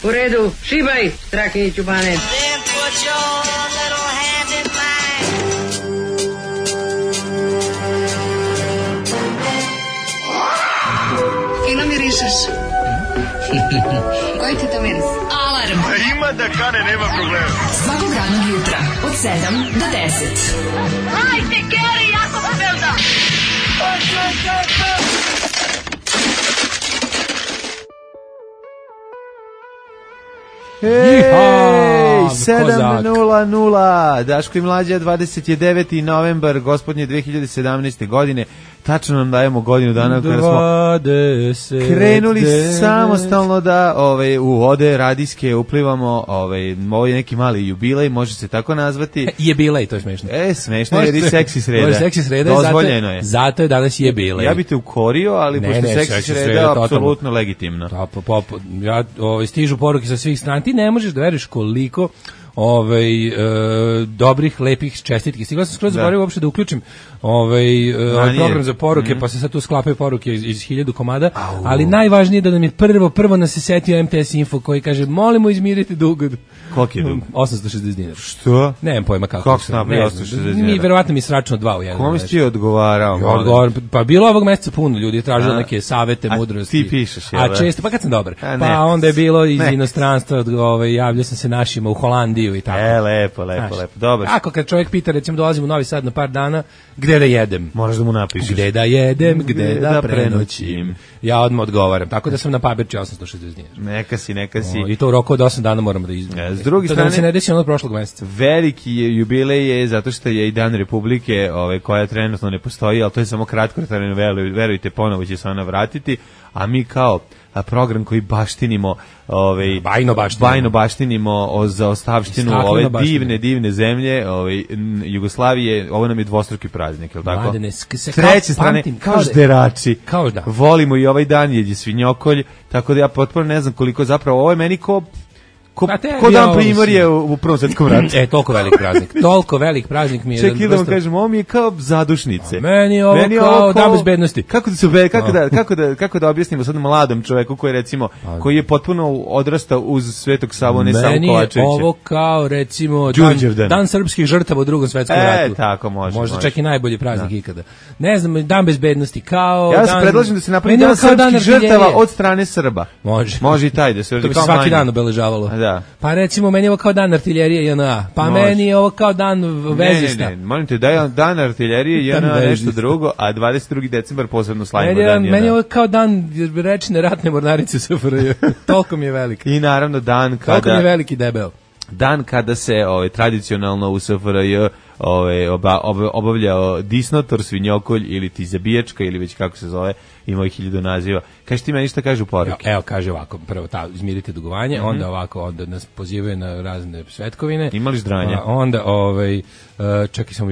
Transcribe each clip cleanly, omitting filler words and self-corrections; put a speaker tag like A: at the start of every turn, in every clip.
A: U redu, šibaj, Strahinjiću Bane.
B: Fino mirišeš. Koji ti to miris?
C: Alarm.
D: Ima da kane, nema problema.
C: Svakog radnog jutra od 7 do 10.
B: Hajde, Geri, jako se velda.
E: Ej, 7:00, Daško i Mlađa, 29. novembar, gospodnje 2017. godine. Tačno nam dajemo godinu dana kada smo krenuli samostalno da u vode radijske uplivamo. Ovo je neki mali jubilej, može se tako nazvati.
F: Jubilej, to je smešno.
E: Smešno jer i seksi sreda.
F: Seksi sreda,
E: dozvoljeno je.
F: Zato je danas jubilej.
E: Ja bih te ukorio, ali pošto seksi sreda je apsolutno legitimno.
F: Stižu poruke sa svih strana. Ti ne možeš da veruješ koliko dobrih, lepih čestitki. Stigla sam skroz zaboravio uopšte da uključim program za poruke, pa se sad tu sklapaju poruke iz 1000 komada, ali najvažnije je da nam je prvo nas se setio MTS Info koji kaže, molimo izmirite dug.
E: Koliki je dug?
F: 860 dinara.
E: Što?
F: Nemam pojma kako.
E: Kako se napravi 860 dinara?
F: Verovatno mi sračno 2 u jednom.
E: Kome si ti odgovarao?
F: Pa bilo ovog meseca puno ljudi je tražilo neke savete, mudrosti.
E: Ti pišeš,
F: a često, pa kad sam dobar. Pa onda je bilo iz inostranstva, javljao sam se našima u Holandiju i tako.
E: Lepo. Dobro.
F: Ako kad čovjek pita, recimo dolazim u Novi Sad na par dana, gde da jedem?
E: Moraš da mu napišeš.
F: Gde da jedem, gde da prenoćim. Ja odmah odgovaram. Tako da sam na papirči 860 dinara.
E: Neka si.
F: I to u roku od 8 dana moramo da izmijemo.
E: S druge strane,
F: da se ne desi ono prošlog meseca.
E: Veliki je jubilej je zato što je i Dan Republike, koja trenutno ne postoji, ali to je samo kratko, verujte, ponovo će se ona vratiti, a mi kao program koji baštinimo, bajno baštinimo za ostavštinu ove divne zemlje, Jugoslavije, ovo nam je dvostruki praznik, je li tako? S treće strane, kao žderači, volimo i ovaj dan, jer je svinjokolj, tako da ja potpuno ne znam koliko zapravo, ovo je meni ko dan Primorje u Prvom svetskom ratu.
F: Toliko velik praznik mi je.
E: Čekaj da vam kažem, ovo mi je kao zadušnice.
F: Meni je ovo kao dan bezbednosti.
E: Kako da objasnimo sad mladom čoveku koji recimo, koji je potpuno odrastao uz Svetog Savu, ne samo Kovačevića.
F: Meni je ovo kao recimo dan srpskih žrtava u Drugom svetskom ratu.
E: Tako može.
F: Možda čak i najbolji praznik ikada. Ne znam, dan bezbednosti kao
E: ja se predlažem da se napravi dan srpskih žrtava od strane Srba.
F: Može
E: i taj da se
F: to bi svaki dan obeležavalo.
E: Da.
F: Pa recimo meni je ovo kao dan artiljerije JNA, pa meni je ovo kao dan vezista.
E: Ne, molim te da je dan artiljerije JNA nešto drugo, a 22. decembar posebno slavimo dan JNA.
F: Meni je ovo kao dan rečne ratne mornarice SFRJ, toliko mi je veliki.
E: I naravno dan kada...
F: Toliko mi je veliki debel.
E: Dan kada se tradicionalno u SFRJ obavljao disnotor, svinjokolj ili ti zabijačka ili već kako se zove, ima ih 1000 naziva. Kaži ti meni šta kaže u poruke?
F: Evo kaže ovako, prvo izmirite dugovanje, onda nas pozivaju na razne svetkovine.
E: Imali ždranja?
F: Onda čekaj samo,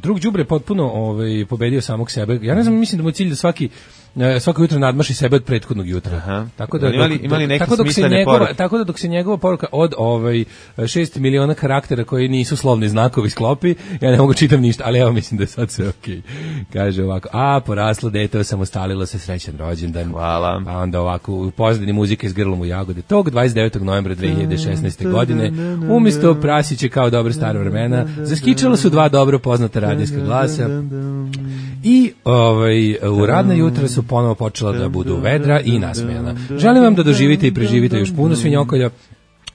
F: drug đubre potpuno pobedio samog sebe. Ja ne znam, mislim da mu je cilj da svako jutro nadmaši sebe od prethodnog jutra.
E: Aha.
F: Tako da
E: imali neke smislene poruke.
F: Tako da dok se njegova poruka od 6 miliona karaktera koji nisu slovni znakovi sklopi, ja ne mogu čitam ništa, ali evo mislim da je sad sve okej. Kaže ovako, poraslo dete, osamostalilo se, srećan rođendan.
E: Hvala.
F: A onda ovako, u pozadini muzike iz Grlom u jagode. Tog 29. novembra 2016. godine, umjesto prasiće kao dobre stare vremena, zaskičala su 2 dobro poznata radijska glasa i u radna jutra su ponovo počela da budu vedra i nasmejana. Želim vam da doživite i preživite još puno svinjokolja,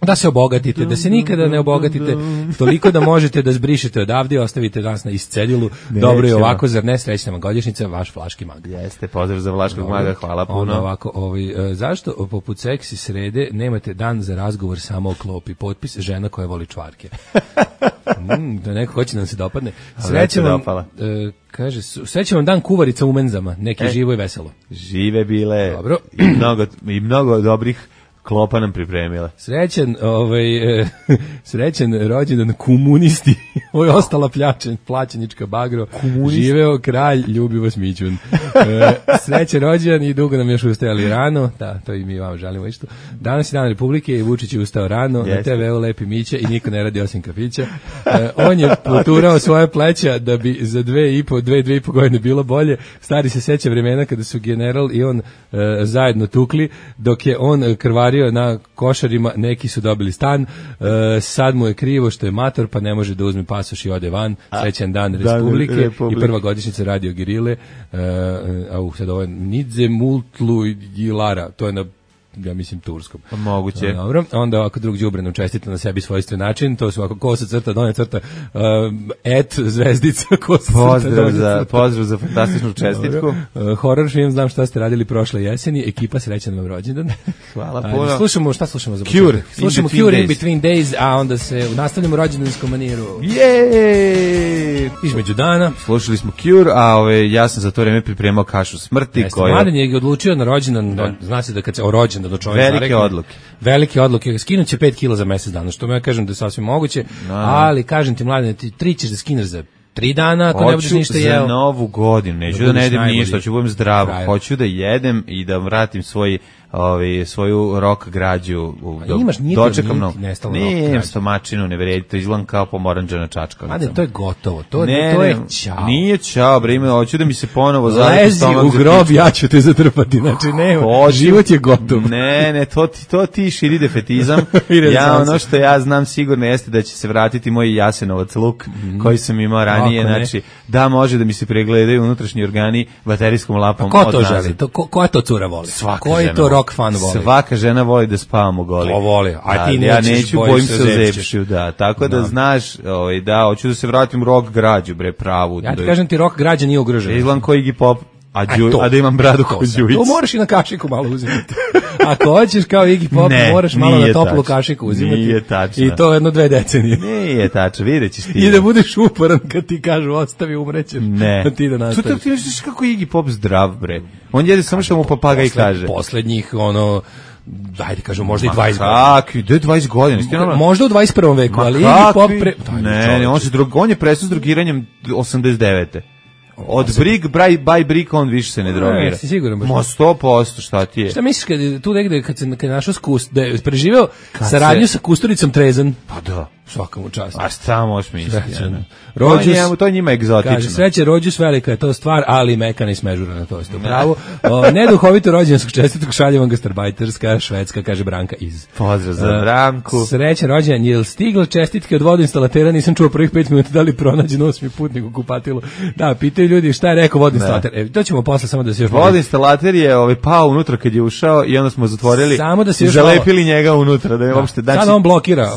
F: da se obogatite, da se nikada ne obogatite toliko da možete da zbrišete odavde i ostavite nas na iscedilu. Dobro je ovako, zar ne? Srećna vam godišnjica, vaš Vlaški mag.
E: Jeste, pozdrav za Vlaškog maga, hvala puno.
F: Ono ovako, zašto poput seksi srede nemate dan za razgovor samo o klopi? Potpis, žena koja voli čvarke. Da neko hoće da nam se dopadne. Srećan vam dan kuvarica u menzama, neki živo i veselo.
E: Žive bile.
F: Dobro.
E: I mnogo dobrih klopa nam pripremila.
F: Srećan rođendan komunisti. Ovo je ostala plaćenička bagro. Živeo kralj, ljubi vas Mićun. Srećan rođendan i dugo nam još ustajali rano. Da, to i mi vam želimo isto. Danas je dan Republike i Vučić je ustao rano. Na TV-u lepi Mića i niko ne radi osim kafića. On je poturao svoje pleća da bi za 2,5 godine bilo bolje. Stari se seća vremena kada su general i on zajedno tukli, dok je on krvario ostvario na košarima, neki su dobili stan, sad mu je krivo što je mator, pa ne može da uzme pasoš i ode van. Srećan dan Republike i prva godišnjica Radio Gerile. Sad ovo je Nidze Multlu i Lara, to je na ja mislim turskom.
E: Moguće.
F: Dobro, onda ovako drug đubre nam čestita na sebi svojstven način, to su ovako kosa crta, donja crta, zvezdica, kosa crta,
E: pozdrav za fantastičnu čestitku.
F: Horror film, znam šta ste radili prošle jeseni, ekipa srećan vam rođendan.
E: Hvala puno.
F: Slušamo, šta slušamo za
E: Cure.
F: Slušamo Cure in Between Days, a onda se nastavljamo rođendanskom maniru.
E: Jej!
F: Između dana.
E: Slušali smo Cure, a ja sam za to vreme pripremao kašu smrti.
F: Mladen je odlučio na rođendan, zna se da kad se o rođendan do čovjeka velike odluke, skinut će 5 kila za mesec dana, što ja kažem da je sasvim moguće, ali kažem ti mladine, ti 3 ćeš da skineš za 3 dana ako ne budeš ništa jeo.
E: Hoću za novu godinu, neću da ne jedem ništa, hoću da budem zdrav, hoću da jedem i da vratim svoju rock građu. Dočekam novu. Nijem stomačinu, ne vredi, to izgledam kao pomoranđana čačka.
F: Mladen, to je gotovo, to je ćao.
E: Nije ćao, bre, hoću da mi se ponovo zaviti
F: lezi u grob, ja ću te zatrpati, znači život je gotov.
E: Ne, to ti širi defetizam. Ja ono što ja znam sigurno jeste da će se vratiti moj Jasenovac luk koji sam imao ranije, znači da može da mi se pregledaju unutrašnji organi baterijskom lapom.
F: Ko to želi? Koja to cura voli? Koji to rock fan voli?
E: Svaka žena voli da spavamo goli.
F: To voli, a ti
E: ja neću, bojim se ozepšću, da. Tako da znaš, da, hoću da se vratim rock građu, bre, pravu.
F: Ja ti kažem ti, rock građa nije ugrožena.
E: Izgledam ko Iggy Pop, a da imam bradu ko Đujić.
F: To moraš i na kašiku malo uzimati. Ako hoćeš kao Iggy Pop, moraš malo na toplu kašiku uzimati.
E: Nije tačno.
F: I to 1-2 decenije.
E: Nije tačno, vidjet ćeš ti.
F: I da budeš uporan kad ti kažu ostavi, umrećeš.
E: Ne.
F: Ti da nastaviš.
E: Ti misliš kako Iggy Pop zdrav, bre. On jede samo što mu papagaj kaže.
F: Poslednjih, dajde kažem, možda i 20
E: godina. Gde 20 godina?
F: Možda u 21. veku, ali Iggy Pop
E: Ne, on je prestao s drogiranjem 89. Od Brig, by Brig, on više se ne drogira.
F: Jesi siguran baš?
E: 100%, šta ti je?
F: Šta misliš kad tu negde, kad je našao da je preživeo saradnju sa Kusturicom Trezan?
E: Pa da.
F: Svaka mu čast.
E: A šta možeš misliti?
F: To
E: je njima egzotično.
F: Kaže, sreće Rođus, velika je to stvar, ali mekana i smežurana, to ste pravo. Neduhovito rođendanskog čestitog šalje vam gastarbajterska Švedska, kaže Branka iz.
E: Pozdrav za Branku.
F: Srećan rođendan, jel stiglo čestitke od vodoinstalatera, nisam čuo prvih 5 minuta, da li pronađen 8. putnik u kupatilu. Da, pitaju ljudi šta je rekao vodoinstalater. To ćemo posle samo da se još...
E: Vodoinstalater je pao unutra kad je ušao i onda smo zatvorili, zalepili njega unutra, da je uopšte...
F: Sad on blokira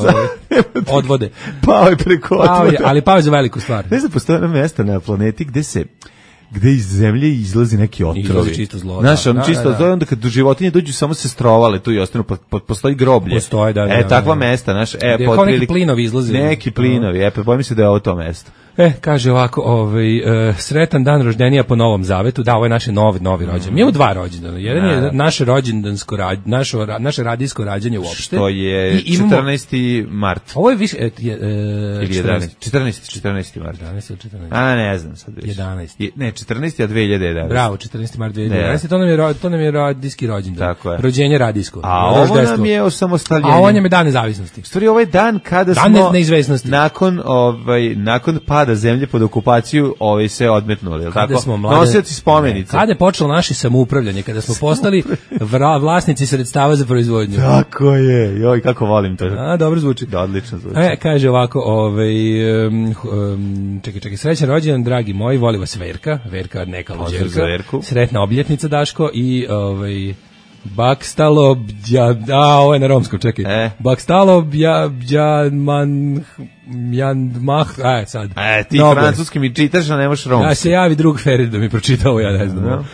F: odvode.
E: Pao je preko odvode.
F: Ali pao je za veliku stvar.
E: Ne znam, postoje na mesta na planeti gde iz zemlje izlazi neki otrovi.
F: Izlazi čisto zlo.
E: Znaš, čisto, to je onda kad životinje dođu samo se strovale tu i ostanu, postoji groblje.
F: Postoje, da.
E: Takva mesta, znaš,
F: kao neki plinovi izlazi.
E: Neki plinovi, bojim se da je ovo to mesto.
F: Kaže ovako, sretan dan rođenja po Novom Zavetu. Da, ovo je naše novi rođendan. Mi imamo 2 rođendana. Jedan je naše rođendansko naše radijsko rađanje uopšte.
E: Što je 14. mart.
F: Ovo je više
E: ili 11. 14. mart.
F: 11 ili 14.
E: A ne znam sad više.
F: 11.
E: Ne, 14. a 2011.
F: Bravo, 14. mart 2011. To nam je radijski rođendan.
E: Tako je.
F: Rođenje radijsko.
E: A ovo nam je osamostaljenje.
F: A ovo nam je dan nezavisnosti.
E: Stvari, ovaj dan kada
F: smo dan neizvesnosti.
E: Nakon pada zemlje pod okupaciju se odmetnuli, je li tako? Nosioci spomenice.
F: Kada je počelo naše samoupravljanje, kada smo postali vlasnici sredstava za proizvodnju.
E: Tako je, joj, kako volim to.
F: Dobro zvuči.
E: Da, odlično zvuči.
F: Kaže ovako, čekaj, srećan rođendan, dragi moji, voli vas Verka neka luđerka. Sretna obljetnica, Daško, i Bakstalobja, ovo je na romskom, čekaj. Bakstalobja, sad.
E: Ti francuski mi čitaš, a nemaš romski.
F: Da se javi drug Ferid da mi pročita ovo, ja ne znam.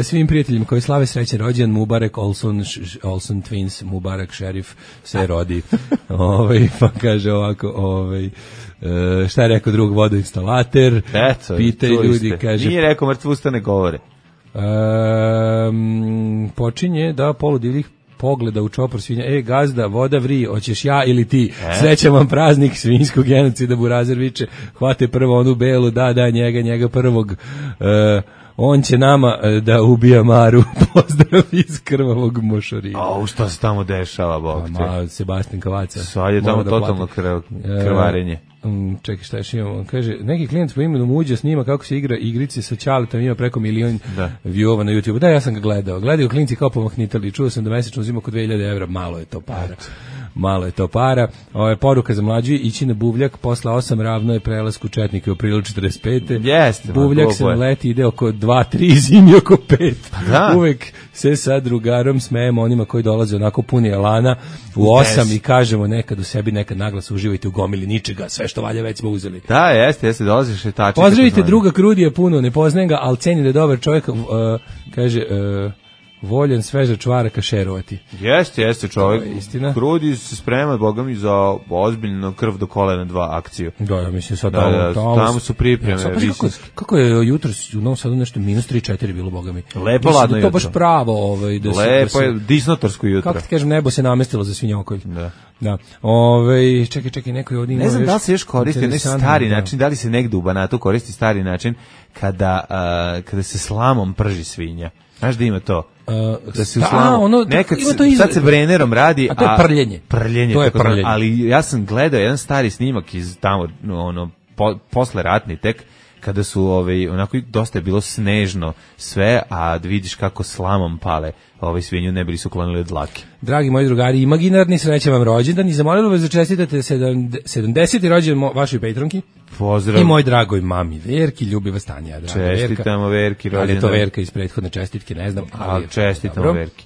F: Svim prijateljima koji slave srećan rođendan, Mubarek Olson Twins, Mubarek Šerif se rodi. Pa kaže ovako, šta je rekao drug vodoinstalater? Pitaju ljudi, kaže...
E: Nije rekao mrtvo usta ne govore.
F: Počinje da poludivljih pogleda u čopor svinja. Gazda, voda vri, hoćeš ja ili ti? Srećan vam praznik svinjskog genocida, Burazer viče. Hvate prvo onu belu, da, njega prvog. On će nama da ubija Maru. Pozdrav iz krvavog mošorina.
E: A šta se tamo dešava, Bog te?
F: Sebastian Kavaca.
E: Sad je tamo totalno krvarenje.
F: Čekaj, šta još imamo? Kaže, neki klijent po imenu Muđa snima kako se igra igrice sa Ćaletom, ima preko 1 milion viewova na YouTube. Da, ja sam ga gledao. Gledaju klinci kao pomahnitali. Čuo sam da mesečno uzima oko 2000 evra. Malo je to para. Malo je to para. Ovo je poruka za mlađu, ići na Buvljak posle 8 ravno je prelasku Četnika u aprilu 45.
E: Jeste.
F: Buvljak se leti, ide oko 2-3, zimi oko 5.
E: Da.
F: Uvek se sa drugarom smejemo onima koji dolaze onako puni elana u 8 i kažemo nekad u sebi, nekad naglas uživajte u gomili ničega, sve što valja već smo uzeli.
E: Da, jeste, dolaziš šetači.
F: Pozdravite druga Krudija puno, ne poznajem ga, ali cenim da je dobar čovjek, kaže... voljen sveža čvaraka šerovati.
E: Jeste čovjek.
F: Istina.
E: Krudi se sprema, boga mi, za ozbiljno krv do kolena 2 akciju.
F: Da, ja mislim sad
E: tamo su pripreme.
F: Kako je jutros u Novom Sadu nešto minus 3-4 bilo, boga mi.
E: Lepo ladno jutro.
F: To baš pravo.
E: Lepo je, disnotorsko jutro.
F: Kako ti kažem, nebo se namestilo za svinjokolj. Da. Čekaj, neko je ovdje ima.
E: Ne znam da li se još koristi onaj stari način, da li se negde u Banatu koristi stari način kada se slamom prži svinja. Znaš da ima to? Da se sad se brenerom radi,
F: a to je prljenje.
E: To je prljenje. Ali ja sam gledao jedan stari snimak iz tamo posle ratni tek, kada su onako dosta je bilo snežno sve, a da vidiš kako slamom pale svinju, ne bili su klonili od dlake.
F: Dragi moji drugari, imaginarni, srećan vam rođendan i zamolilo vas da čestitate 70. rođendan vašoj Patronki.
E: Pozdrav.
F: I moj dragoj mami Verki, ljubi vas Tanja, draga Verka.
E: Čestitamo Verki rođendan.
F: Ali je to Verka iz prethodne čestitke, ne znam.
E: Ali čestitamo Verki.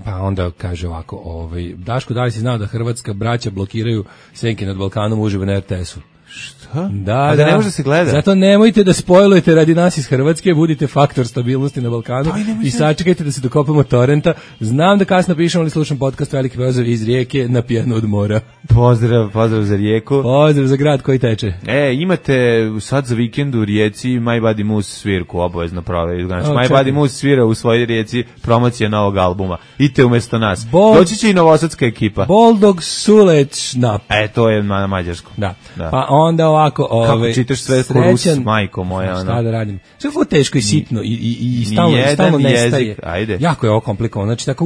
F: Pa onda kaže ovako, Daško, da li si znao da hrvatska braća blokiraju senke nad Balkanom uživo na RTS-u?
E: Šta?
F: Da,
E: ne može se gleda.
F: Zato nemojte da spojlujete radi nas iz Hrvatske, budite faktor stabilnosti na Balkanu i sačekajte da se dokopamo torrenta. Znam da kasno pišem, ali slušam podcast Veliki pozdrav iz Rijeke na pijanu od mora.
E: Pozdrav za Rijeku.
F: Pozdrav za grad koji teče.
E: Imate sad za vikend u Rijeci My Body Moose svirku, obavezno prave. Znači, My Body Moose svira u svojoj Rijeci, promocija novog albuma. Idite umjesto nas. Doći će i novosadska ekipa.
F: Boldog Suleć Nap.
E: To je na mađarskom.
F: Da. Pa onda ovako,
E: kako čitaš sve ko Rus, majko moja.
F: Šta da radim? Sve je teško i sitno i stalno nestaje.
E: Ajde.
F: Jako je ovo komplikovano. Znači, tako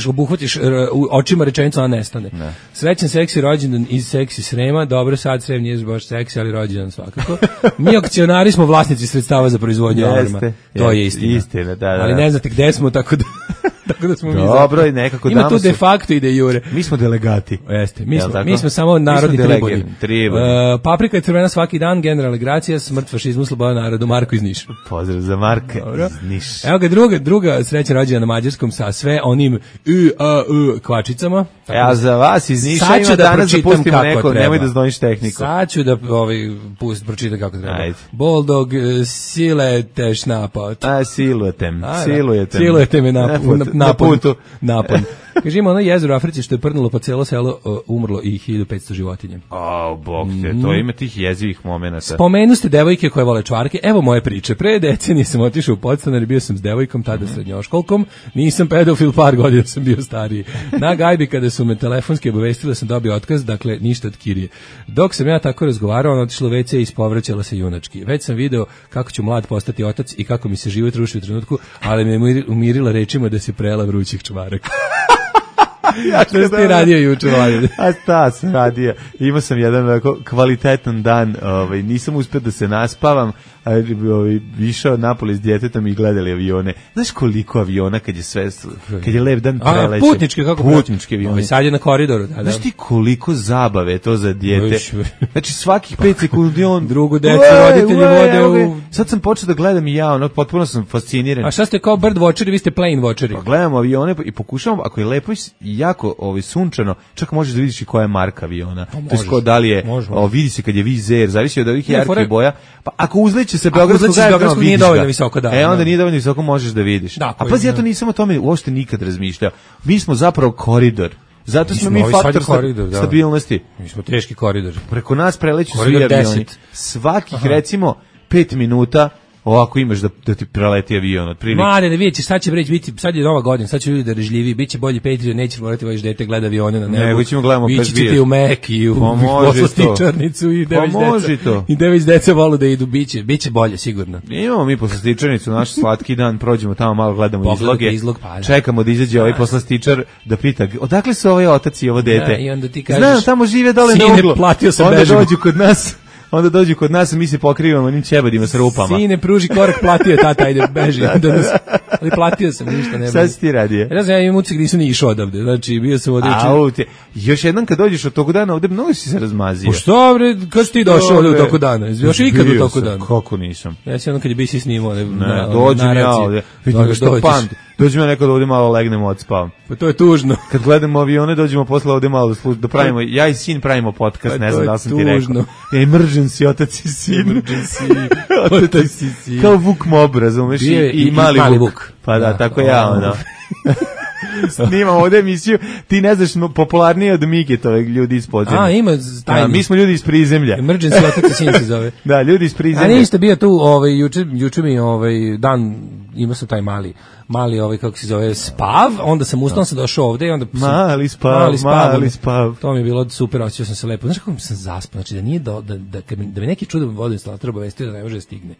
F: obuhvatiš očima rečenicu, a nestane. Srećan seksi rođendan iz seksi Srema. Dobro, sad Srem nije baš seksi, ali rođendan svakako. Mi akcionari smo vlasnici sredstava za proizvodnju alarma. To je istina.
E: Da.
F: Ali ne znate gde smo, tako da smo
E: dobro, i nekako
F: ima tu de facto i de jure.
E: Mi smo delegati.
F: Jeste, mi smo samo narodni tribuni. Paprika je crvena svaki dan, generalna Gracija, smrt fašizmu, sloboda narodu, Marko iz Niša.
E: Pozdrav za Marka iz Niša.
F: Evo ga druga srećna rođendan na mađarskom sa sve onim kvačicama.
E: Ja za vas iz Niša ima danas da pustimo neko, nemoj da znoješ tehniku.
F: Sad ću da pročitam kako treba.
E: Ajde.
F: Boldog silete šnapot.
E: Silujetem
F: me napon. Kaže, ima ono jezero u Africi što je prdnulo po celo selo, umrlo i 1500 životinja.
E: Bog te, to ima tih jezivih momenata.
F: Spomenu ste devojke koje vole čvarke, evo moje priče. Pre decenije sam otišao u podstanar i bio sam s devojkom, tada srednjoškolkom, nisam pedofil, par godina sam bio stariji. Na gajbi kada su me telefonski obavestili da sam dobio otkaz, dakle ništa od kirije. Dok sam ja tako razgovarao, ona otišla u WC i ispovraćala se junački. Već sam video kako ću mlad postati otac i kako mi se život ruši u trenutku, ali me umirila rečima da se prela vrućih čvaraka. Što si ti radio juče, Vladine?
E: A šta sam radio? Imao sam jedan kvalitetan dan, nisam uspio da se naspavam, išao napolje s djetetom i gledali avione. Znaš koliko aviona kad je lep dan preleće?
F: Putnički avioni. Sad je na koridoru.
E: Znaš ti koliko zabave je to za djete? Znači svakih 5 sekundi on...
F: Drugu decu, roditelji vode u...
E: Sad sam počeo da gledam i ja, potpuno sam fasciniran.
F: A šta ste kao bird watcheri, vi ste plane watcheri?
E: Pa gledamo avione i pokušavamo, ako je lepo i jako sunčano, čak možeš da vidiš i koja je marka aviona. To je ko da li je, vidi se kad je vizer, zavisi od ovih jarkih boja. Pa ako uzleće se Beogradskog
F: nije dovoljno visoko, da.
E: Onda nije dovoljno visoko, možeš da vidiš. A pazi, ja to nisam o tome uopšte nikad razmišljao. Mi smo zapravo koridor. Zato smo mi faktor stabilnosti.
F: Mi smo teški koridor.
E: Preko nas preleću svi avioni. Svakih, recimo, 5 minuta ovako imaš da ti preleti avion otprilike.
F: Mlade, da vidjet ćeš, sad će biti, sad je Nova godina, sad će ljudi da režljiviji, bit će bolji Patreon, neće morati vaš dete gleda avione na nebu.
E: Nego ćemo gledamo
F: vi ćete u Mek i u poslastičarnicu i dević deca volu da idu, biće bolje sigurno.
E: Imamo mi poslastičarnicu, naš slatki dan, prođemo tamo malo, gledamo izloge, čekamo da izađe ovaj poslastičar da pita, odakle su ovaj otac i ovo dete?
F: I onda ti kažeš,
E: znam, tamo žive dole na uglu.
F: Platio sam
E: Onda dođu kod nas, mi se pokrivamo onim ćebadima s rupama.
F: Sine, pruži korak, platio je tata, ajde, beži. Ali platio sam, ništa ne.
E: Sad si ti radio.
F: Ja znam, ja imam ucik, nisam ni išao odavde, znači bio sam ovdje.
E: Još jednom kad dođeš od tog dana, ovdje mnogo si se razmazio.
F: Što bre, kad si ti došao ovdje u toku dana? Još ikad u toku dana?
E: Kako nisam?
F: Ja sam jednom kad je BC snimao.
E: Dođem ja ovdje, vidim što pamti. Dođemo nekad da ovdje malo legnemo odspavam.
F: Pa to je tužno.
E: Kad gledamo avione, dođemo posle ovdje malo da pravimo, ja i sin pravimo podcast, ne znam da sam ti rekao. Emergency, otac i sin.
F: Otac i sin.
E: Kao Vuk Mob, razumeš? I mali Vuk. Pa da, tako ja, ono. Snimamo ovdje emisiju, ti ne znaš popularnije od Migetove ljudi iz podzemlja.
F: Ima tajni.
E: Mi smo ljudi iz prizemlja.
F: Emergency, otac i sin se zove.
E: Da, ljudi iz prizemlja.
F: A niste bio tu, juče mi dan, imao sam taj mali kako se zove, spav, onda sam ustao, sam došao ovde i onda
E: mali spav.
F: To mi je bilo super, osjećao sam se lepo. Znaš kako sam zaspao, znači da nije da mi neki čudan vodoinstalater obavestio da ne može da stigne.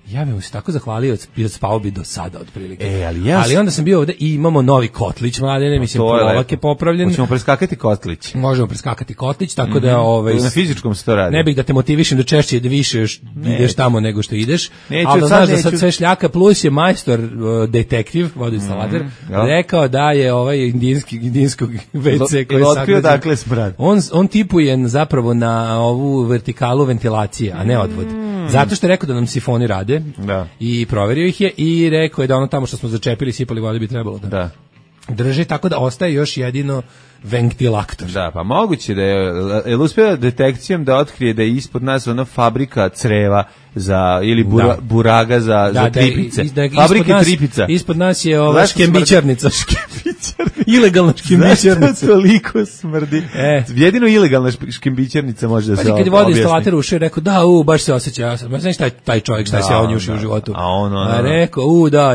F: Ja bih mu se tako zahvalio, spao bi do sada otprilike. Ali onda sam bio ovde i imamo novi kotlić, mladene, mislim, polak je popravljen.
E: Hoćemo preskakati kotlić.
F: Možemo preskakati kotlić, tako da
E: na fizičkom se to radi.
F: Ne bih da te motivišem da češće da više još ideš tamo nego što ideš. Ali znaš da sad sve šljaka, plus je majstor detektiv, vodoinstalater, rekao da je ovaj indijskog WC koji je
E: otkrio dakle smrad.
F: On tipuje zapravo na ovu vertikalu ventilacije, a ne odvod. Zato što je rekao da nam sifoni rade i proverio ih je i rekao je da ono tamo što smo začepili, sipali vode bi trebalo da drži, tako da ostaje još jedino ventilator.
E: Da, pa moguće da je uspio detekcijom da otkrije da je ispod nas ona fabrika creva ili buraga za tripice. Fabrika tripica.
F: Ispod nas je ova škembićarnica. Ilegalna škembićarnica.
E: Zašto toliko smrdi? Jedino ilegalna škembićarnica može da se objasni.
F: Kad je vodoinstalater ušao, rekao, baš se osjeća. Ja znaš taj čovjek šta se on ušao u životu.
E: A
F: rekao,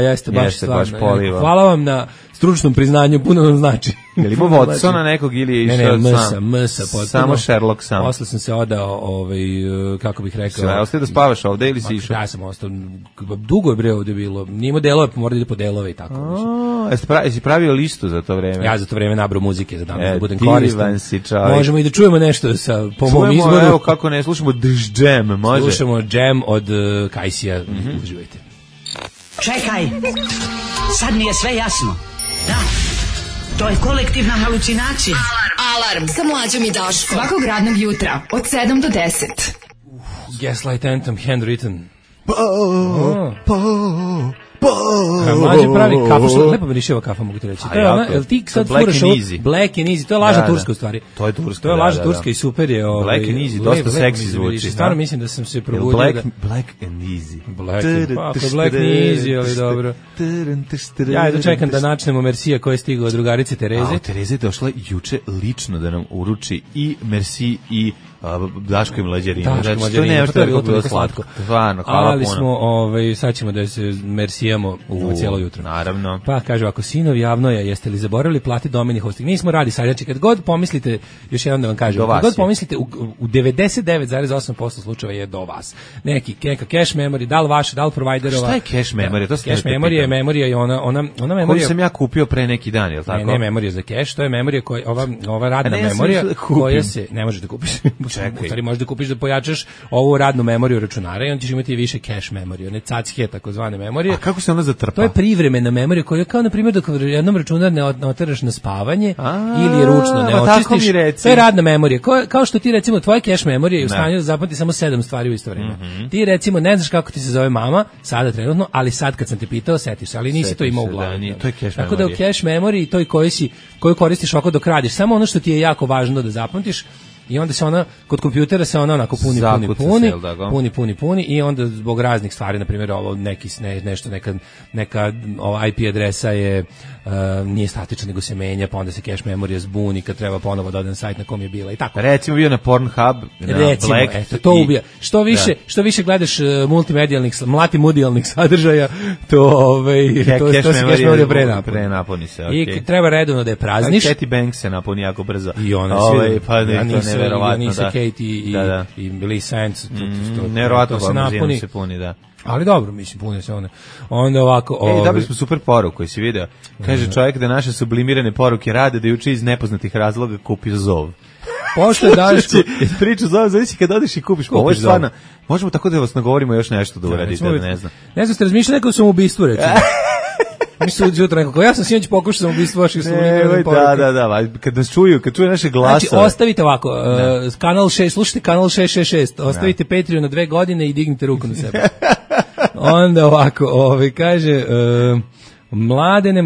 F: jeste baš stvarno. Hvala vam na stručnom priznanju, puno nam znači.
E: Je li imao Watsona nekog ili je išao
F: Msa,
E: samo Sherlock sam?
F: Posle sam se odao, kako bih rekao.
E: Sve, ostaje da spavaš ovde ili si išao?
F: Ja sam ostao, dugo je bre ovde bilo. Nimo delove, pa mora da ide po delove i tako.
E: Jesi pravio listu za to vreme?
F: Ja za to vreme nabrao muzike za danas, da budem koristan.
E: Čovjek.
F: Možemo i da čujemo nešto po mom izboru.
E: Evo kako ne, slušamo Džem, može?
F: Slušamo Džem od Kajsija, uživajte.
G: Čekaj, sad mi je sve jasno. Da, to je kolektivna halucinacija.
C: Alarm sa Mlađom i Daškom. Svakog radnog jutra od 7 do 10.
F: Gaslight Anthem, handwritten. Mlađe pravi kafu, što lepo miriševa kafa, mogu ti reći. To je ona, jel ti sad furaš ovo? Black and Easy, to je lažna turska u stvari.
E: To je turska,
F: to je lažna turska i super je.
E: Black and Easy, dosta seksi zvuči.
F: Stvarno mislim da sam se probudio.
E: Black and Easy.
F: Black and Easy, ali dobro. Ja da čekam da načnemo Mersija koji je stigao od drugarice Tereze.
E: Tereza je došla juče lično da nam uruči i Merci i Daško i Mlađarinu.
F: To je bilo toliko slatko.
E: Stvarno, hvala
F: ali
E: puno.
F: smo, sad ćemo da se mersijamo cijelo jutro.
E: Naravno.
F: Pa kaže ovako, sinovi javnoja, jeste li zaboravili plati domeni hosting? Nismo radi sad, znači kad god pomislite, još jednom da vam kažem, kad god pomislite, u 99,8% slučajeva je do vas. Neka cache memory, da li vaša, da li providerova.
E: Šta je cache memory?
F: Cache memory je ona memorija.
E: Koju sam ja kupio pre neki dan, je li tako?
F: Ne memorija za cache, to je memorija koja, ova radna memorija koja se, ne možeš da kupiš. Čekaj. Možeš da kupiš da pojačaš ovu radnu memoriju računara i on ćeš imati više cache memorije, one cacke takozvane memorije.
E: A kako se ona zatrpa?
F: To je privremena memorija koja je kao na primjer dok jednom računar ne oteraš na spavanje ili je ručno ne očistiš. To je radna memorija. Kao što ti recimo tvoje cache memorije je u stanju da zapamti samo 7 stvari u isto vrijeme. Ti recimo ne znaš kako ti se zove mama sada trenutno, ali sad kad sam te pitao setiš se, ali nisi to imao u glavi. Tako da u cache memoriji toj koju koristiš ovako dok radiš, samo ono što ti je jako važno da zapamtiš. i onda se ona, kod kompjutera se ona onako puni i onda zbog raznih stvari, na primjer ovo neka ova IP adresa je nije statična nego se menja, pa onda se cache memorija zbuni kad treba ponovo da odem na sajt na kom je bila i tako.
E: Recimo bio na Pornhub, na Black.
F: Eto, to ubija. Što više gledaš multimedijalnih sadržaja, to se cache memorija
E: prenapuni se.
F: I treba redovno da je prazniš.
E: Katie Banks se napuni jako brzo.
F: I ona Anissa Katie i Lisa Ants.
E: Neverovatno se puni, da.
F: Ali dobro, mislim, pune se one. Onda ovako...
E: Dobili smo super poruku koji si video. Kaže čovjek da naše sublimirane poruke rade, da juče iz nepoznatih razloga kupio zov.
F: Pošto je Daško...
E: Priču zove, zavisi kad odeš i kupiš. Ovo je stvarno... Možemo tako da vas nagovorimo još nešto da uradite, ne znam.
F: Ne znam, ste razmišljali neko sam ubistvu, recimo. Mislim da jutro nekako. Ja sam sinoć pokušao ubistvo vaših sublimirnih poruka.
E: Da. Kad nas čuju, kad čuju naše glasove.
F: Znači, ostavite ovako, kanal 6, slušajte kanal 666, ostavite Patreon na 2 godine i dignite ruku na sebe. Onda ovako, kaže... Mladene,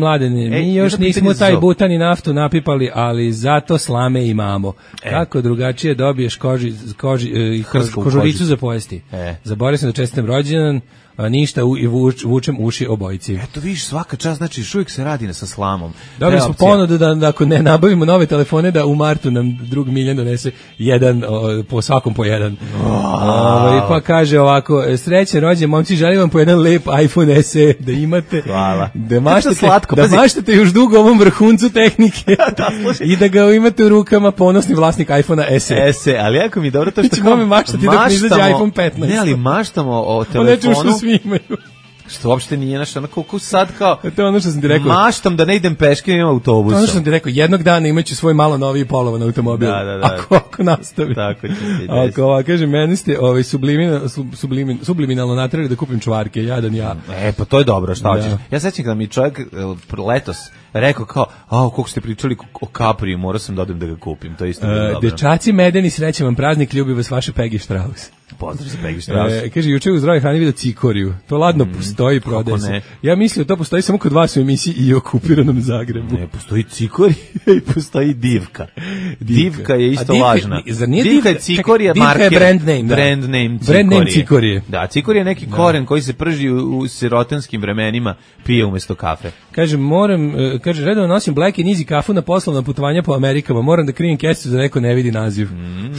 F: mi još nismo taj butan i naftu napipali, ali zato slame imamo. Kako drugačije dobiješ kožuricu za pojesti. Zaboravio sam da čestitam rođendan, ništa i vučem uši obojici.
E: Eto vidiš, svaka čast, znači uvijek se radi sa slamom.
F: Dobili smo ponudu da ako ne nabavimo nove telefone, da u martu nam drug Miljan donese jedan, po svakom po jedan. Pa kaže ovako, srećan rođendan, momci, želim vam po jedan lep iPhone SE da imate.
E: Hvala.
F: Da maštate još dugo ovom vrhuncu tehnike i da ga imate u rukama, ponosni vlasnik iPhone-a SE.
E: Ali jako mi je dobro to što...
F: Ti ćemo maštati dok ne izađe iPhone 15.
E: Ne, ali maštamo o telefonu.
F: Svi imaju.
E: Što uopšte nije naš, onako sad kao...
F: To je ono što sam ti rekao.
E: Maštam da ne idem peške, imam autobusom.
F: Ono što sam ti rekao, jednog dana imaću svoj malo noviji polovan automobil.
E: Da.
F: Ako nastavi.
E: Tako će se
F: desiti. Kaže, meni ste subliminalno natrali da kupim čvarke, jadan ja.
E: Pa to je dobro, šta hoćeš. Ja sećam kada mi čovjek letos rekao kao, koliko ste pričali o Capriju, morao sam da odem da ga kupim, to je isto bilo dobro.
F: Dečaci medeni, srećan vam praznik, ljubi vas vaše Peggy Strauss.
E: Pozdrav za Peggy Strauss.
F: Kaže, juče u Zdravoj hrani vidio cikoriju. To ladno postoji, prodaje se. Ja mislio to postoji samo kod vas u emisiji i okupiranom Zagrebu.
E: Ne, postoji cikorija i postoji divka. Divka je isto važna. Divka je cikorija marker.
F: Divka je brand name cikorije.
E: Da, cikorija je neki koren koji se prži u sirotanskim vremenima, pije umjesto kafe.
F: Kaže, redovno nosim Black and Easy kafu na poslovna putovanja po Amerikama, moram da krijem kesicu da neko ne vidi naziv.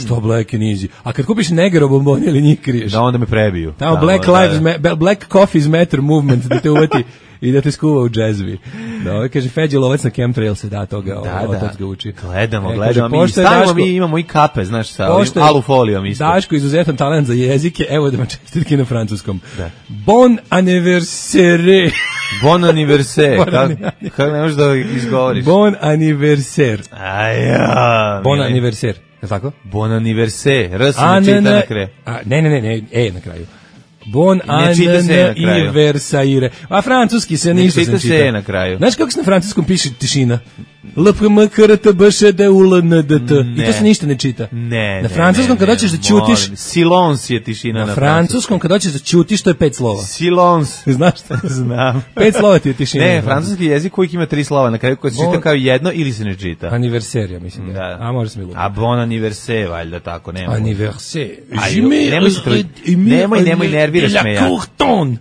F: Što Black and Easy? A kad kupiš Negro bombone ili njih kriješ?
E: Da, onda me prebiju.
F: Tamo Black Coffee's Matter movement da te uvati i da te skuva u džezvi. Da, kaže, Feđe lovac na chemtrail se da toga, otac ga uči.
E: Gledamo, mi imamo i kape, znaš, sa alufolijom isto.
F: Daško, izuzetan talent za jezike, evo da vam čestitke na francuskom. Bon anniversaire.
E: Bon anniversaire. Kako ne možeš da izgovoriš?
F: Bon anniversaire. Bon anniversaire. Je tako?
E: Bon anniversaire. R se ne čita na kraju.
F: Ne, na kraju. Bon anniversaire. A francuski se ništa se čita.
E: Se na kraju.
F: Znaš kako se na francuskom piše tišina? LPMKRTBŠDULNDT. I to se ništa ne čita.
E: Na
F: francuskom kad hoćeš da ćutiš...
E: Silence je tišina na
F: francuskom kad hoćeš da ćutiš, to je 5 slova.
E: Silence.
F: Znaš šta?
E: Znam.
F: 5 slova ti je tišina.
E: Ne, francuski jezik uvijek ima 3 slova na kraju koji se čita kao jedno ili se ne čita.
F: Anniversaire, mislim.
E: Da.
F: A može se mi lupi.
E: A bon anniversaire, valjda tako, nema.
F: Anniversaire.
E: Nemoj nerviraš me ja.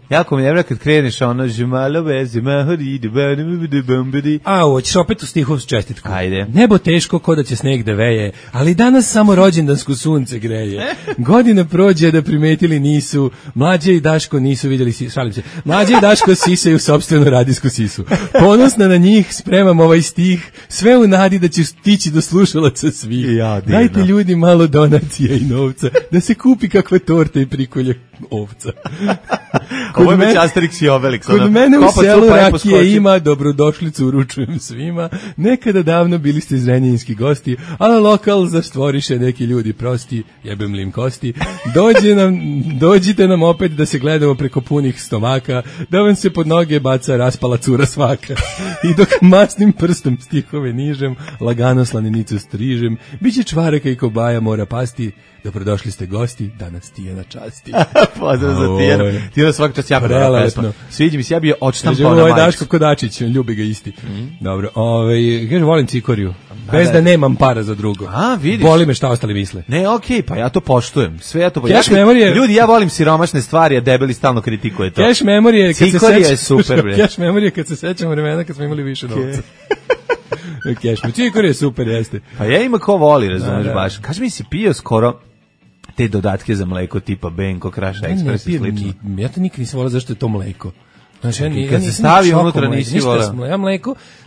E: Jako mi nervira kad kreneš ono
F: hoćeš opet u stihu čestitku.
E: Ajde.
F: Nebo teško ko da će sneg da veje, ali danas samo rođendansko sunce greje. Godina prođe da primetili nisu, Mlađe i Daško nisu vidjeli, šalim se, Mlađe i Daško sisaju sopstvenu radijsku sisu. Ponosna na njih spremam ovaj stih, sve u nadi da će stići do slušalaca svih. Dajte ljudi malo donacija i novca, da se kupi kakva torta i prikolje ovca.
E: Ovo je već Asterix i Obelix.
F: Kod mene u selu rakije ima, dobrodošlicu uručujem svima. Nekada davno bili ste zrenjaninski gosti, a lokal zastvoriše neki ljudi prosti, jebem li im kosti. Dođite nam opet da se gledamo preko punih stomaka, da vam se pod noge baca raspala cura svaka. I dok masnim prstom stihove nižem, lagano slaninicu strižem, biće čvaraka i kobaja mora pasti. Dobrodošli ste gosti, danas Tijana časti.
E: Pozdrav za Tijanu. I onda svaka čast jako dobra pesma. Sviđa mi se, ja bi je odštampao na majicu.
F: Daško Kodačić, ljubi ga isti. Dobro, kaže, volim cikoriju. Bez da nemam para za drugo.
E: Vidiš.
F: Boli me šta ostali misle.
E: Ne, okej, pa ja to poštujem. Sve ja to
F: Cash memorije.
E: Ljudi, ja volim siromašne stvari, a debeli stalno kritikuje to.
F: Cash memorije,
E: cikorija je super, bre.
F: Cash memorije kad se sećamo vremena kad smo imali više novca. Cikorija je super, jeste.
E: Pa ja ima ko voli, razumeš baš. Kaži mi si pio skoro te dodatke za mleko tipa Benko, Kraš Ekspres i slično.
F: Ja to nikad nisam volao zašto je to mleko. Znači,
E: kad se stavi unutra nisi volao.
F: Ja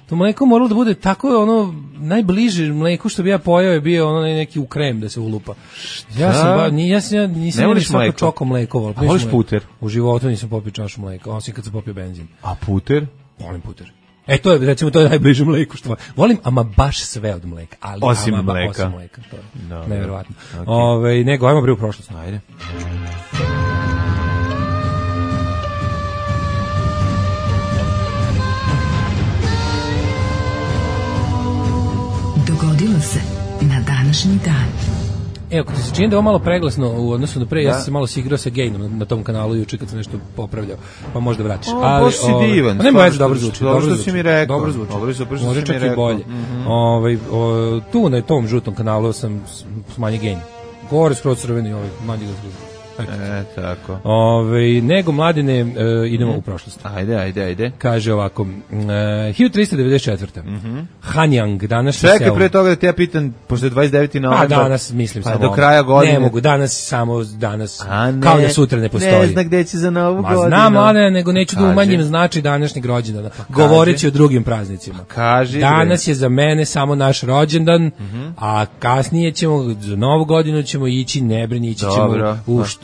F: to mleko moralo da bude tako ono najbliže mleku što bi ja pojao je bio ono neki u krem da se ulupa. Ja nisam svako čoko mleko volao.
E: A voliš puter?
F: U životu nisam popio čašu mleka, osim kad sam popio benzin.
E: A puter?
F: Volim puter. To je, recimo, to je najbliže mleku što volim, ama baš sve od mleka. Ali
E: osim mleka.
F: Osim mleka, to je nevjerovatno. Okay. Nego, ajmo bre u prošlost.
E: Ajde.
C: Dogodilo se na današnji dan.
F: Evo, kad se čini da je ovo malo preglasno u odnosu na pre, ja sam se malo sigrao sa gejnom na tom kanalu juče kad sam nešto popravljao, pa možda vraćaš.
E: Ali si divan.
F: Nema veze, dobro zvuči.
E: Dobro si mi rekao.
F: Dobro zvuči. Može čak i bolje. Tu na tom žutom kanalu sam smanji gejn. Gore skroz crveni, manji ga skroz.
E: Tako.
F: Nego, Mladine, idemo u prošlost.
E: Ajde.
F: Kaže ovako, 1394. Hanjang, današnji selo.
E: Čekaj, pre toga da te ja pitam, pošto je 29. novembar.
F: Danas, mislim, samo
E: do kraja godine.
F: Ne mogu, samo danas, kao da sutra ne postoji.
E: Ne zna gde će za novu godinu.
F: Znam, Mladine, nego neću da umanjim značaj današnjeg rođendana. Govoreći o drugim praznicima. Danas je za mene samo naš rođendan, a kasnije ćemo, za novu godinu ćemo ići, ne brini, ići ćemo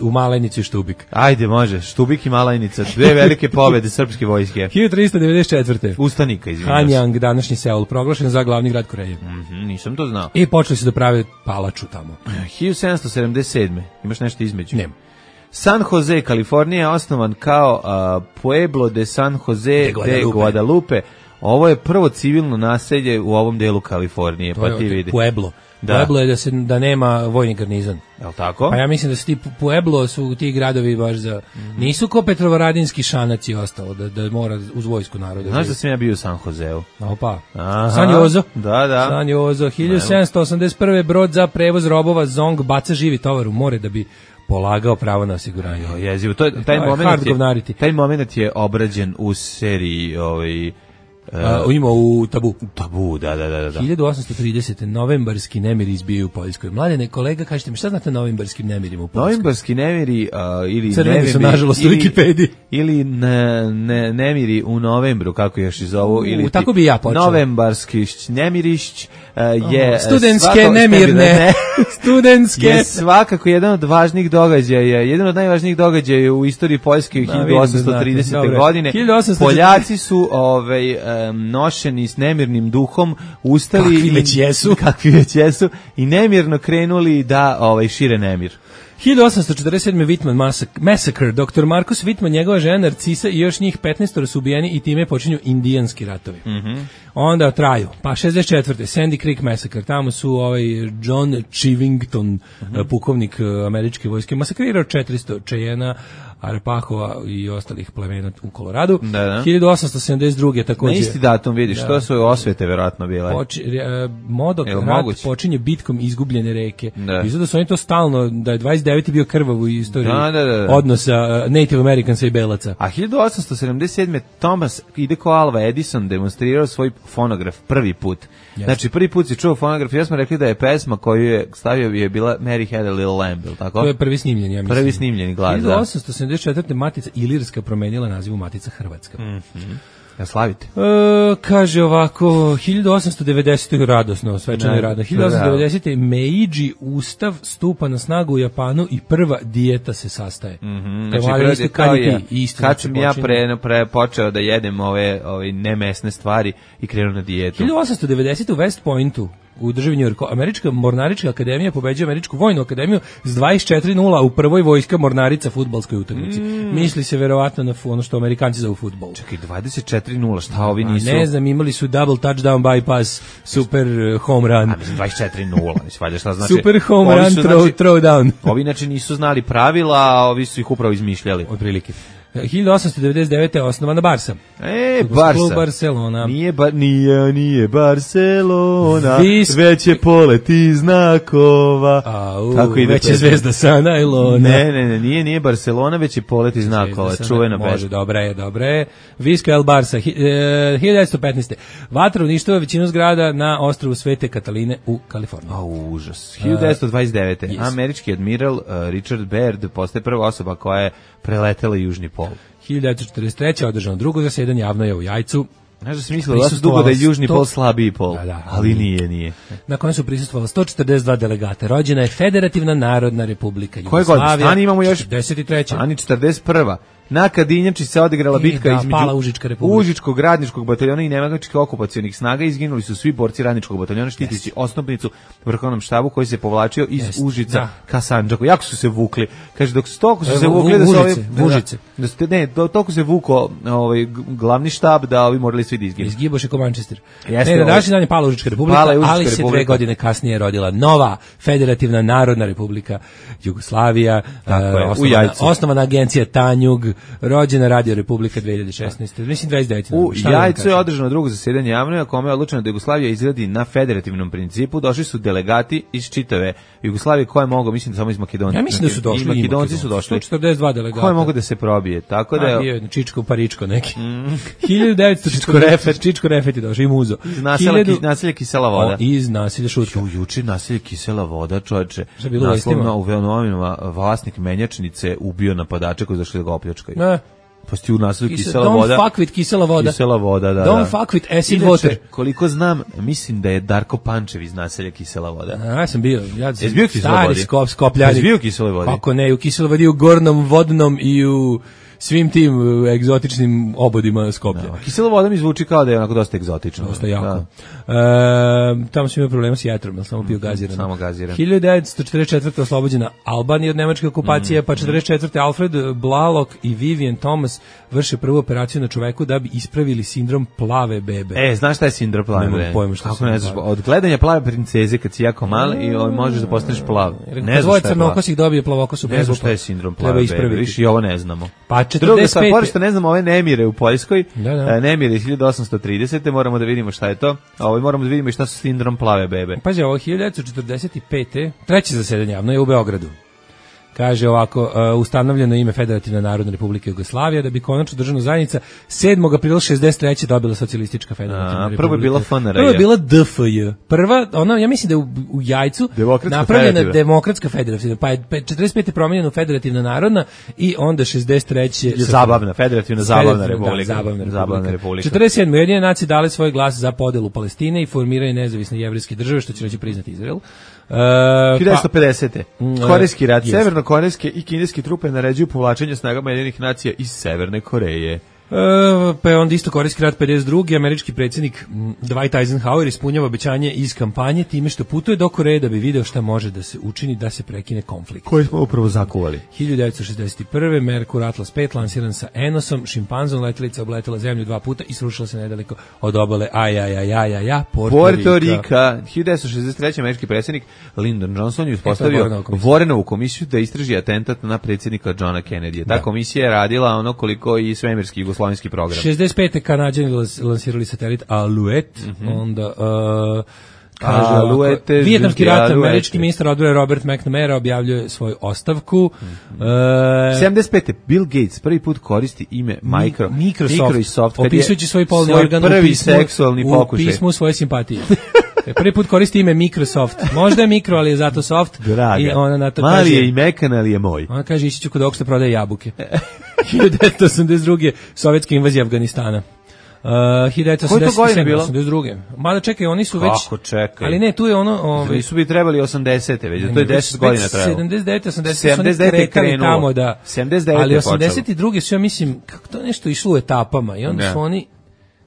F: u Malajnicu i Štubik.
E: Ajde, može. Štubik i Malajnica. Dve velike pobede srpske vojske.
F: 1394.
E: Ustanika, izvinjam se.
F: Hanjang, današnji Seul, proglašen za glavni grad Koreje.
E: Nisam to znao.
F: I počeli su da prave palaču tamo.
E: 1777. Imaš nešto između?
F: Nema.
E: San Jose, Kalifornija je osnovan kao Pueblo de San Jose de Guadalupe. Ovo je prvo civilno naselje u ovom delu Kalifornije, pa ti vidi.
F: Pueblo. Pueblo je da nema vojni garnizon.
E: Jel' tako?
F: Pa ja mislim da su Pueblo su ti gradovi baš za... Nisu ko Petrovaradinski Šanac i ostalo, da mora uz vojsku naroda.
E: Znaš da sam ja bio u San Joseu?
F: Opa. San Jozo.
E: Da.
F: San Jozo. 1781. brod za prevoz robova Zong baca živi tovar u more da bi polagao pravo na osiguranje.
E: Jezivo. Taj moment je obrađen u seriji
F: ima u Tabu.
E: Tabu, da.
F: 1830. novembarski nemiri izbijaju u Poljskoj. Mladene, kolega, kažete mi, šta znate o novembarskim nemirima u Poljskoj?
E: Novembarski nemiri ili
F: crveni su, nažalost, u Wikipediji.
E: Ili nemiri u novembru, kako još i zovu. Ili
F: tako bi ja počeo.
E: Novembarski nemirišć je...
F: Studentske nemirne. Studentske.
E: Je svakako jedan od važnijih događaja, jedan od najvažnijih događaja u istoriji Poljske 1830. godine. Poljaci su nošeni s nemirnim duhom ustali kakvi već jesu i nemirno krenuli da šire nemir.
F: 1847. Whitman Massacre. Dr. Marcus Whitman, njegova žena Narcisa i još njih 15 su ubijeni i time počinju indijanski ratovi. Onda traju. Pa 64. Sandy Creek Massacre. Tamo su John Chivington, pukovnik američke vojske, masakrirao 400 Cheyena, Arapahova i ostalih plemena u Koloradu. 1872. također.
E: Na isti datum vidiš, to su osvete verovatno bile.
F: Modok rat počinje bitkom izgubljene reke. Izgleda su oni to stalno, da je 29. bio krvav u istoriji odnosa Native Americansa i Belaca.
E: A 1877. Thomas Hideko Alva Edison demonstrirao svoj fonograf prvi put. Znači, prvi put si čuo fonograf, ja smo rekli da je pesma koju je stavio je bila Mary Had a Little Lamb, ili tako?
F: To je prvi snimljen, ja mislim.
E: Prvi snimljeni glas,
F: 1874. Matica Ilirska promenila nazivu Matica Hrvatska.
E: Ja slavite.
F: Kaže ovako, 1890. radosno, svečano je radno. 1890. Meiji Ustav stupa na snagu u Japanu i prva dijeta se sastaje.
E: Znači, kad sam ja počeo da jedem ove nemesne stvari i krenuo na dijetu.
F: 1890. u West Pointu u državi New Yorku, Američka mornarička akademija pobeđuje Američku vojnu akademiju s 24:0 u prvoj vojska mornarica fudbalskoj utakmici. Misli se verovatno na ono što Amerikanci zovu fudbal.
E: Čekaj, 24:0, šta ovi nisu?
F: Ne znam, imali su double touchdown bypass, super home run.
E: 24:0, šta znači?
F: Super home run, throw down.
E: Ovi znači nisu znali pravila, a ovi su ih upravo izmišljali.
F: Otprilike. 1899. je osnovana Barsa.
E: Barsa.
F: Klub Barcelona.
E: Nije Barcelona, već je poleti znakova.
F: Tako ide, već je zvezda sa najlona.
E: Nije Barcelona, već je poleti znakova. Čuvena pesma.
F: Može, dobra je. Visca El Barsa, 1915. Vatra uništava većinu zgrada na ostrvu Svete Kataline u Kaliforniji.
E: Užas. 1929. Američki admiral Richard Baird postaje prva osoba koja je preletela južni pol.
F: 1943. održano drugo zasedanje javno je u Jajcu.
E: Znaš da sam mislila dugo da je južni pol slabiji pol, ali nije.
F: Na kojem su prisustvovali 142 delegata. Rođena je Federativna narodna republika Jugoslavija.
E: Koje godine? Stani imamo još
F: 43.
E: Stani 41. Na Kadinjači se odigrala bitka između Užičkog radničkog bataljona i nemačkih okupacionih snaga. Izginuli su svi borci radničkog bataljona štiteći osnovnicu vrhovnom štabu koji se povlačio iz Užica ka Sandžaku. Jako su se vukli. Kaže, dok toliko su se vukli da su
F: Užice.
E: Toliko se vuko glavni štab da ovi morali svi da izginu.
F: Izgiboše ko Manchester. Na današnji dan je pala Užička republika, ali se 2 godine kasnije rodila nova Federativna narodna republika Jugoslavija. Osnovana agencija Tanjug. Rođena Radio Republika 2016. Mislim 29.
E: U Jajcu je održano drugo zasedanje javno, na kome je odlučeno da Jugoslavija izgradi na federativnom principu. Došli su delegati iz čitave Jugoslavije koje mogu, mislim samo iz Makedonije.
F: Ja mislim da su došli.
E: Makedonci su došli.
F: 142 delegata.
E: Koje mogu da se probije. Tako da
F: je Čičko Paričko neki. 1940 Čičko Refet je došao i muzo.
E: Naselje Kisela voda.
F: Iz naselja Šutka.
E: Juče naselje Kisela voda, čoveče.
F: Naslovno
E: u novinama vlasnik menjačnice ubio napadače koji došli da ga opljačkaju. Pa sti u naselju Kisela voda.
F: Don't fuck with Kisela voda.
E: Kisela voda, da.
F: Don't fuck with acid water.
E: Koliko znam, mislim da je Darko Pančev iz naselja Kisela voda.
F: Ja sam bio.
E: Jesi bio Kisela vodi?
F: Skopljanik.
E: Jesi bio Kisela vodi?
F: Kako ne, u Kisela vodi, u Gornom Vodnom i u svim tim egzotičnim obodima Skoplja.
E: Kisela voda mi zvuči kao da je onako dosta egzotično.
F: Dosta jako. Tamo sam imao problema s jetrom, ali samo pio gaziran.
E: Samo gaziran.
F: 1944. oslobođena Albanija od nemačke okupacije, pa 44. Alfred Blalock i Vivian Thomas vrše prvu operaciju na čoveku da bi ispravili sindrom plave bebe.
E: Znaš šta je sindrom plave bebe?
F: Nemam pojma šta
E: kako ne znaš, od gledanja plave princeze kad si jako mal i možeš da postaneš plav.
F: Ne znaš šta je crnokosih dobije plavokosu bebu.
E: Ne znaš šta je sindrom plave bebe, više i ovo ne znamo.
F: Pa 45.
E: Pošto ne znamo ove nemire u Poljskoj, nemire 1830. Moramo da vidimo šta je to. Moramo da vidimo i šta su sindrom plave bebe.
F: Pazi, ovo 1945. treće zasedanje javno je u Beogradu. Kaže ovako, ustanovljeno ime Federativna narodna republika Jugoslavija, da bi konačno državna zajednica 7. aprila 63. dobila socijalistička federativna republika.
E: Prvo je bila FNRJ.
F: Prvo je bila DFJ. Prva, ja mislim da je u Jajcu napravljena demokratska federativna, pa je 45. promijenjena Federativna narodna i onda 63.
E: Zabavna, Federativna zabavna republika.
F: Zabavna republika. 47. Ujedinjene nacije dale svoj glas za podelu Palestine i formiranje nezavisne jevrejske države, što će reći priznati Izrael.
E: 1950. Korejski rat. Severno-korejske i kineske trupe naređuju povlačenje snagama Ujedinjenih nacija iz Severne Koreje.
F: Pa je onda isto Korejski rat 52. Američki predsjednik Dwight Eisenhower ispunjava obećanje iz kampanje time što putuje do Koreje da bi video šta može da se učini da se prekine konflikt.
E: Koji smo upravo zakuvali.
F: 1961. Merkur Atlas 5 lansiran sa Enosom, šimpanzom, letelica obletela zemlju 2 puta i srušila se nedaleko od obale
E: Puerto Rika. 1963. američki predsjednik Lyndon Johnson je uspostavio Warrenovu komisiju da istraži atentat na predsjednika Johna Kennedy. Ta komisija je radila ono koliko i svemirski jugoslovenski program.
F: 65. Kanadjani lansirali satelit Alouette, onda Vijetnamski rat, američki ministar odbrane Robert McNamara objavljuje svoju ostavku.
E: 75. Bill Gates prvi put koristi ime Microsoft
F: opisujući svoj polni organ
E: prvi seksualni pokušaj.
F: U pismu svoje simpatije. Prvi put koristi ime Microsoft. Možda je mikro, ali je zato soft.
E: Draga.
F: I ona na to
E: mali
F: kaže,
E: je i mekan, ali je moj.
F: Ona kaže, ići ću kod ovog što prodaje jabuke. 1982. sovjetska invazija Afganistana. 1982. Mada čekaj, oni su već...
E: Kako čekaj?
F: Ali ne, tu je ono...
E: Nisu bi trebali 80. već, to je 10 godina trebalo.
F: 79. 80. su kretali tamo da...
E: 79.
F: Ali 82. su, ja mislim, kako to nešto išlo u etapama i onda su oni...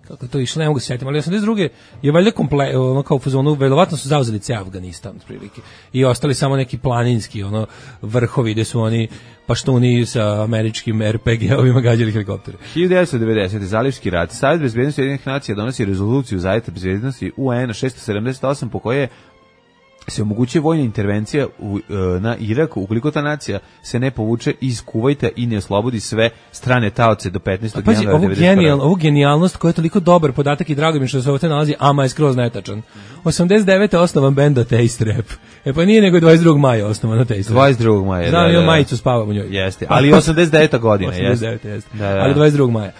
F: Kako to išlo, ne mogu se sjetiti, ali 82. je valjda ono kao u fazonu, verovatno su zauzeli ceo Afganistan, otprilike. I ostali samo neki planinski, vrhovi gde su oni paštuni sa američkim RPG-ovima gađali helikoptere.
E: 1990. Zalivski rat. Savjet bezbednosti Ujedinjenih nacija donosi rezoluciju Savjeta bezbednosti UN 678 po kojoj je se omogućuje vojna intervencija na Iraku ukoliko ta nacija se ne povuče iz Kuvajta i ne oslobodi sve strane taoce do 15.
F: Pazi,
E: januara 1991.
F: ovu genijalnost koja je toliko dobar podatak i drago mi što se ovdje nalazi, ama je skroz netačan. 89. osnovan benda Taste Rap. Pa nije nego 22. maja osnovan Taste Rap.
E: 22. maja.
F: Znam, imam majicu, spavam u njoj.
E: Jeste, ali 89. godina.
F: 89. jeste.
E: Da.
F: Ali 22. maja.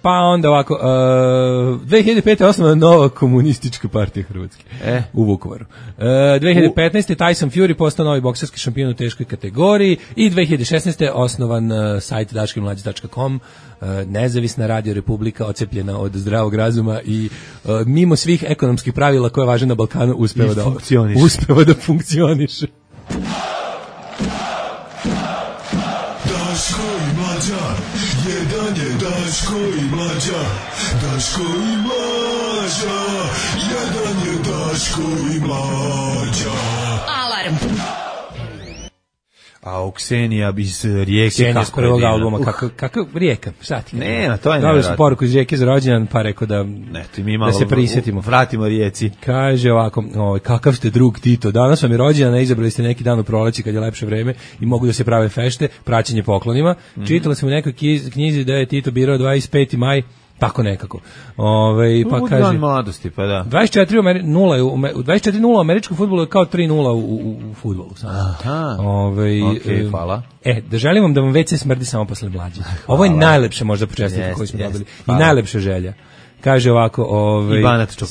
F: Pa onda ovako, 2005. osnovana nova komunistička partija Hrvatske u Vukovaru. 2015. Tyson Fury postao novi bokserski šampion u teškoj kategoriji i 2016. osnovan sajt daškemlađe.com, nezavisna radio republika ocepljena od zdravog razuma i mimo svih ekonomskih pravila koje važe na Balkanu uspeva da funkcioniše.
H: Daško i Mlađa, jedan je Daško i Mlađa, Daško i Mlađa, jedan je Daško i Mlađa.
C: Alarm.
E: A Ksenija iz Rijeke.
F: Ksenija iz prvog albuma, kako Rijeka, šta ti?
E: Ne, to je
F: nevjerojatno. Dali su poruku iz Rijeke za rođendan, pa rekao da se prisjetimo.
E: Vratimo Rijeci.
F: Kaže ovako, kakav ste drug Tito, danas vam je rođendan, izabrali ste neki dan u proleći kad je lepše vreme i mogu da se prave fešte, praćenje poklonima. Čitala sam u nekoj knjizi da je Tito birao 25. maj, tako nekako. Pa kaže
E: dan mladosti, pa da.
F: 24:0 u američkom fudbalu je kao 3:0 u fudbalu.
E: Aha.
F: Okej,
E: hvala.
F: Da želim vam da vam WC smrdi samo posle Mlađe. Ovo je najlepše možda počestitke koju smo dobili. I najlepša želja. Kaže ovako,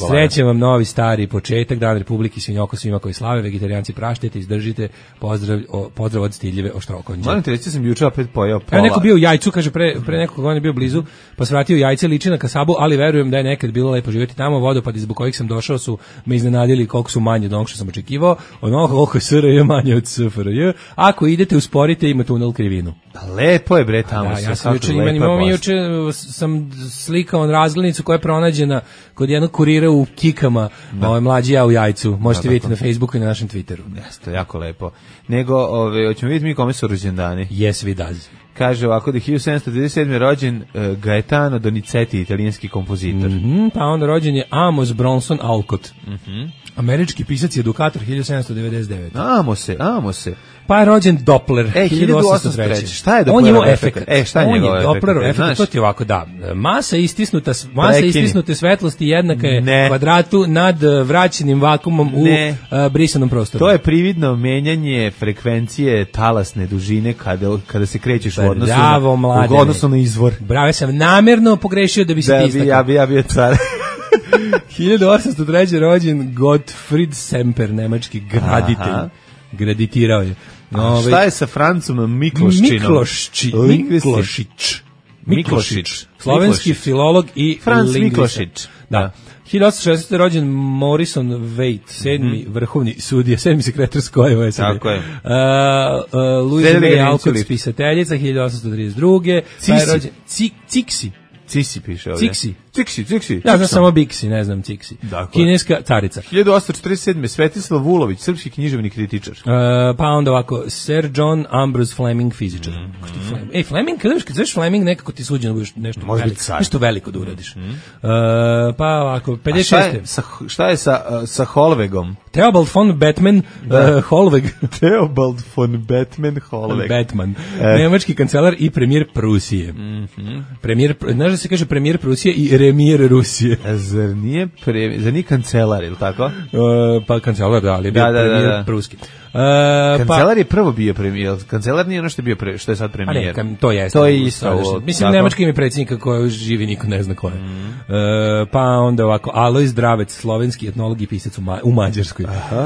F: srećem vam novi stari početak, Dan Republike, svinjoko svima koji slave, vegetarijanci praštite, izdržite, pozdrav od Stiljeve Oštrokonđe.
E: Moram ti reći, sam juče opet pojao pola.
F: Neko bio u Jajcu, kaže, pre nekog godina bio blizu, pa se vratio u Jajce, liči na kasabu, ali verujem da je nekad bilo lepo živjeti tamo, vodopadi zbog kojih sam došao su me iznenadili koliko su manje od onog što sam očekivao, onoga koliko je SRJ manje od SFRJ, ako idete usporite ima tunel krivinu.
E: Lepo je bre tamo.
F: Ja sam juče sam slikao razglednicu koja je pronađena kod jednog kurira u Kikama, Mlađi ja u Jajcu. Možete vidjeti na Facebooku i na našem Twitteru.
E: Jeste, jako lepo. Nego, hoćemo vidjeti mi kome su rođendani.
F: Yes, we does.
E: Kaže ovako da je 1797. rođen Gaetano Donizetti, italijanski kompozitor.
F: Pa onda rođen je Amos Bronson Alcott. Američki pisac i edukator 1799.
E: Amo se.
F: Pa je rođen Doppler 1803.
E: Šta je Dopplerov efekt? Šta je njegov efekt?
F: Dopplerov efekt, to ti je ovako, da. Masa istisnute svetlosti jednaka je kvadratu nad vraćenim vakumom u brisanom prostoru.
E: To je prividno menjanje frekvencije talasne dužine kada se krećeš u odnosu na izvor.
F: Bravo, ja sam namjerno pogrešio da bi se ti istakao.
E: Ja bio car.
F: 1803. rođen Gottfried Semper, nemački graditelj. Graditirao je.
E: Šta je sa Francom Miklošić?
F: Slovenski filolog i
E: Franc
F: lingvista.
E: Miklošić.
F: Da. 1860. rođen Morrison Waite, 7. vrhovni sudija, 7. sekretar Skojeva SAD.
E: Tako je.
F: Louise May Alcott, spisateljica, 1832. Pa je rođen
E: Ciksi piše ovdje. Ciksi.
F: Ja znam samo Bixi, ne znam Ciksi. Kineska carica.
E: 1847. Svetislav Vulović, srpski književni kritičar.
F: Pa onda ovako, Sir John Ambrose Fleming, fizičar. Fleming, kad zoveš Fleming, nekako ti suđeno budeš nešto veliko da uradiš. Pa ovako, 56.
E: Šta je sa Holvegom?
F: Theobald von Batman Holweg.
E: Theobald von Batman Holweg.
F: Batman. Nemački kancelar i premijer Prusije. Znaš da se kaže premijer Prusije i remir Rusije.
E: Zar nije kancelar, ili tako?
F: Pa kancelar, da, ali je bio premijer Pruski.
E: Kancelar je prvo bio premijer, kancelar nije ono što je bio što je sad premijer.
F: To je isto. Mislim, nemački ime predsjednika koji živi, niko ne zna ko je. Pa onda ovako, Alojz Dravec, slovenski etnolog i pisac u Mađarskoj.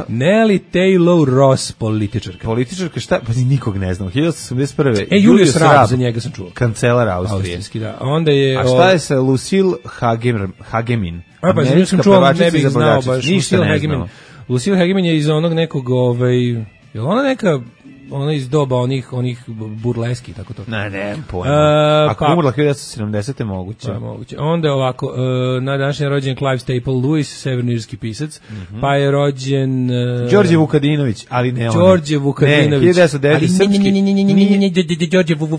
F: Nelly Taylor Ross, političarka.
E: Političarka, šta? Pa nikog ne znam. 1881.
F: Julius Raab, za njega sam čuo.
E: Kancelar Austrije.
F: Da. Onda je,
E: a šta je sa Lucille Hagemin?
F: Pa za nju sam čuo, ne bih znao baš. Lucille Hagemin je iz onog nekog, je li ona neka ona iz doba onih burleski, tako to.
E: Ne, pojma. Ako umrla 1970. moguće.
F: Pa moguće. Onda je ovako, na današnji je rođen Clive Staple Lewis, severnirski pisac, pa je rođen...
E: Đorđe Vukadinović, ali ne on.
F: Đorđe Vukadinović.
E: Ne, 1909.
F: srpski...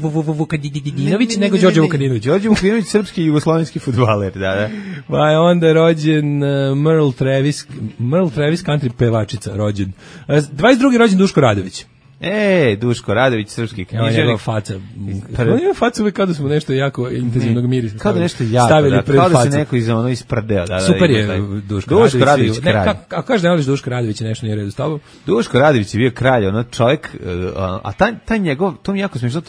F: Đorđe Vukadinović, nego Đorđe Vukadinović.
E: Đorđe Vukadinović, srpski i jugoslovenski fudbaler, da.
F: Pa je onda rođen Merle Travis, country pevačica, rođen. 22. rođen Duško Radović.
E: Duško Radović, srpski književnik.
F: Njegova faca. On ima facu uvijek kao da smo nešto jako intenzivnog mirisa
E: kao da nešto jako,
F: stavili pred facu.
E: Kao da se neko isprdeo.
F: Super je Duško Radović kralj. Ako kažeš da ne voliš Duško Radovića, nešto nije redu s tobom.
E: Duško Radović je bio kralj, ono čovjek, a taj njegov, to mi jako smiješno,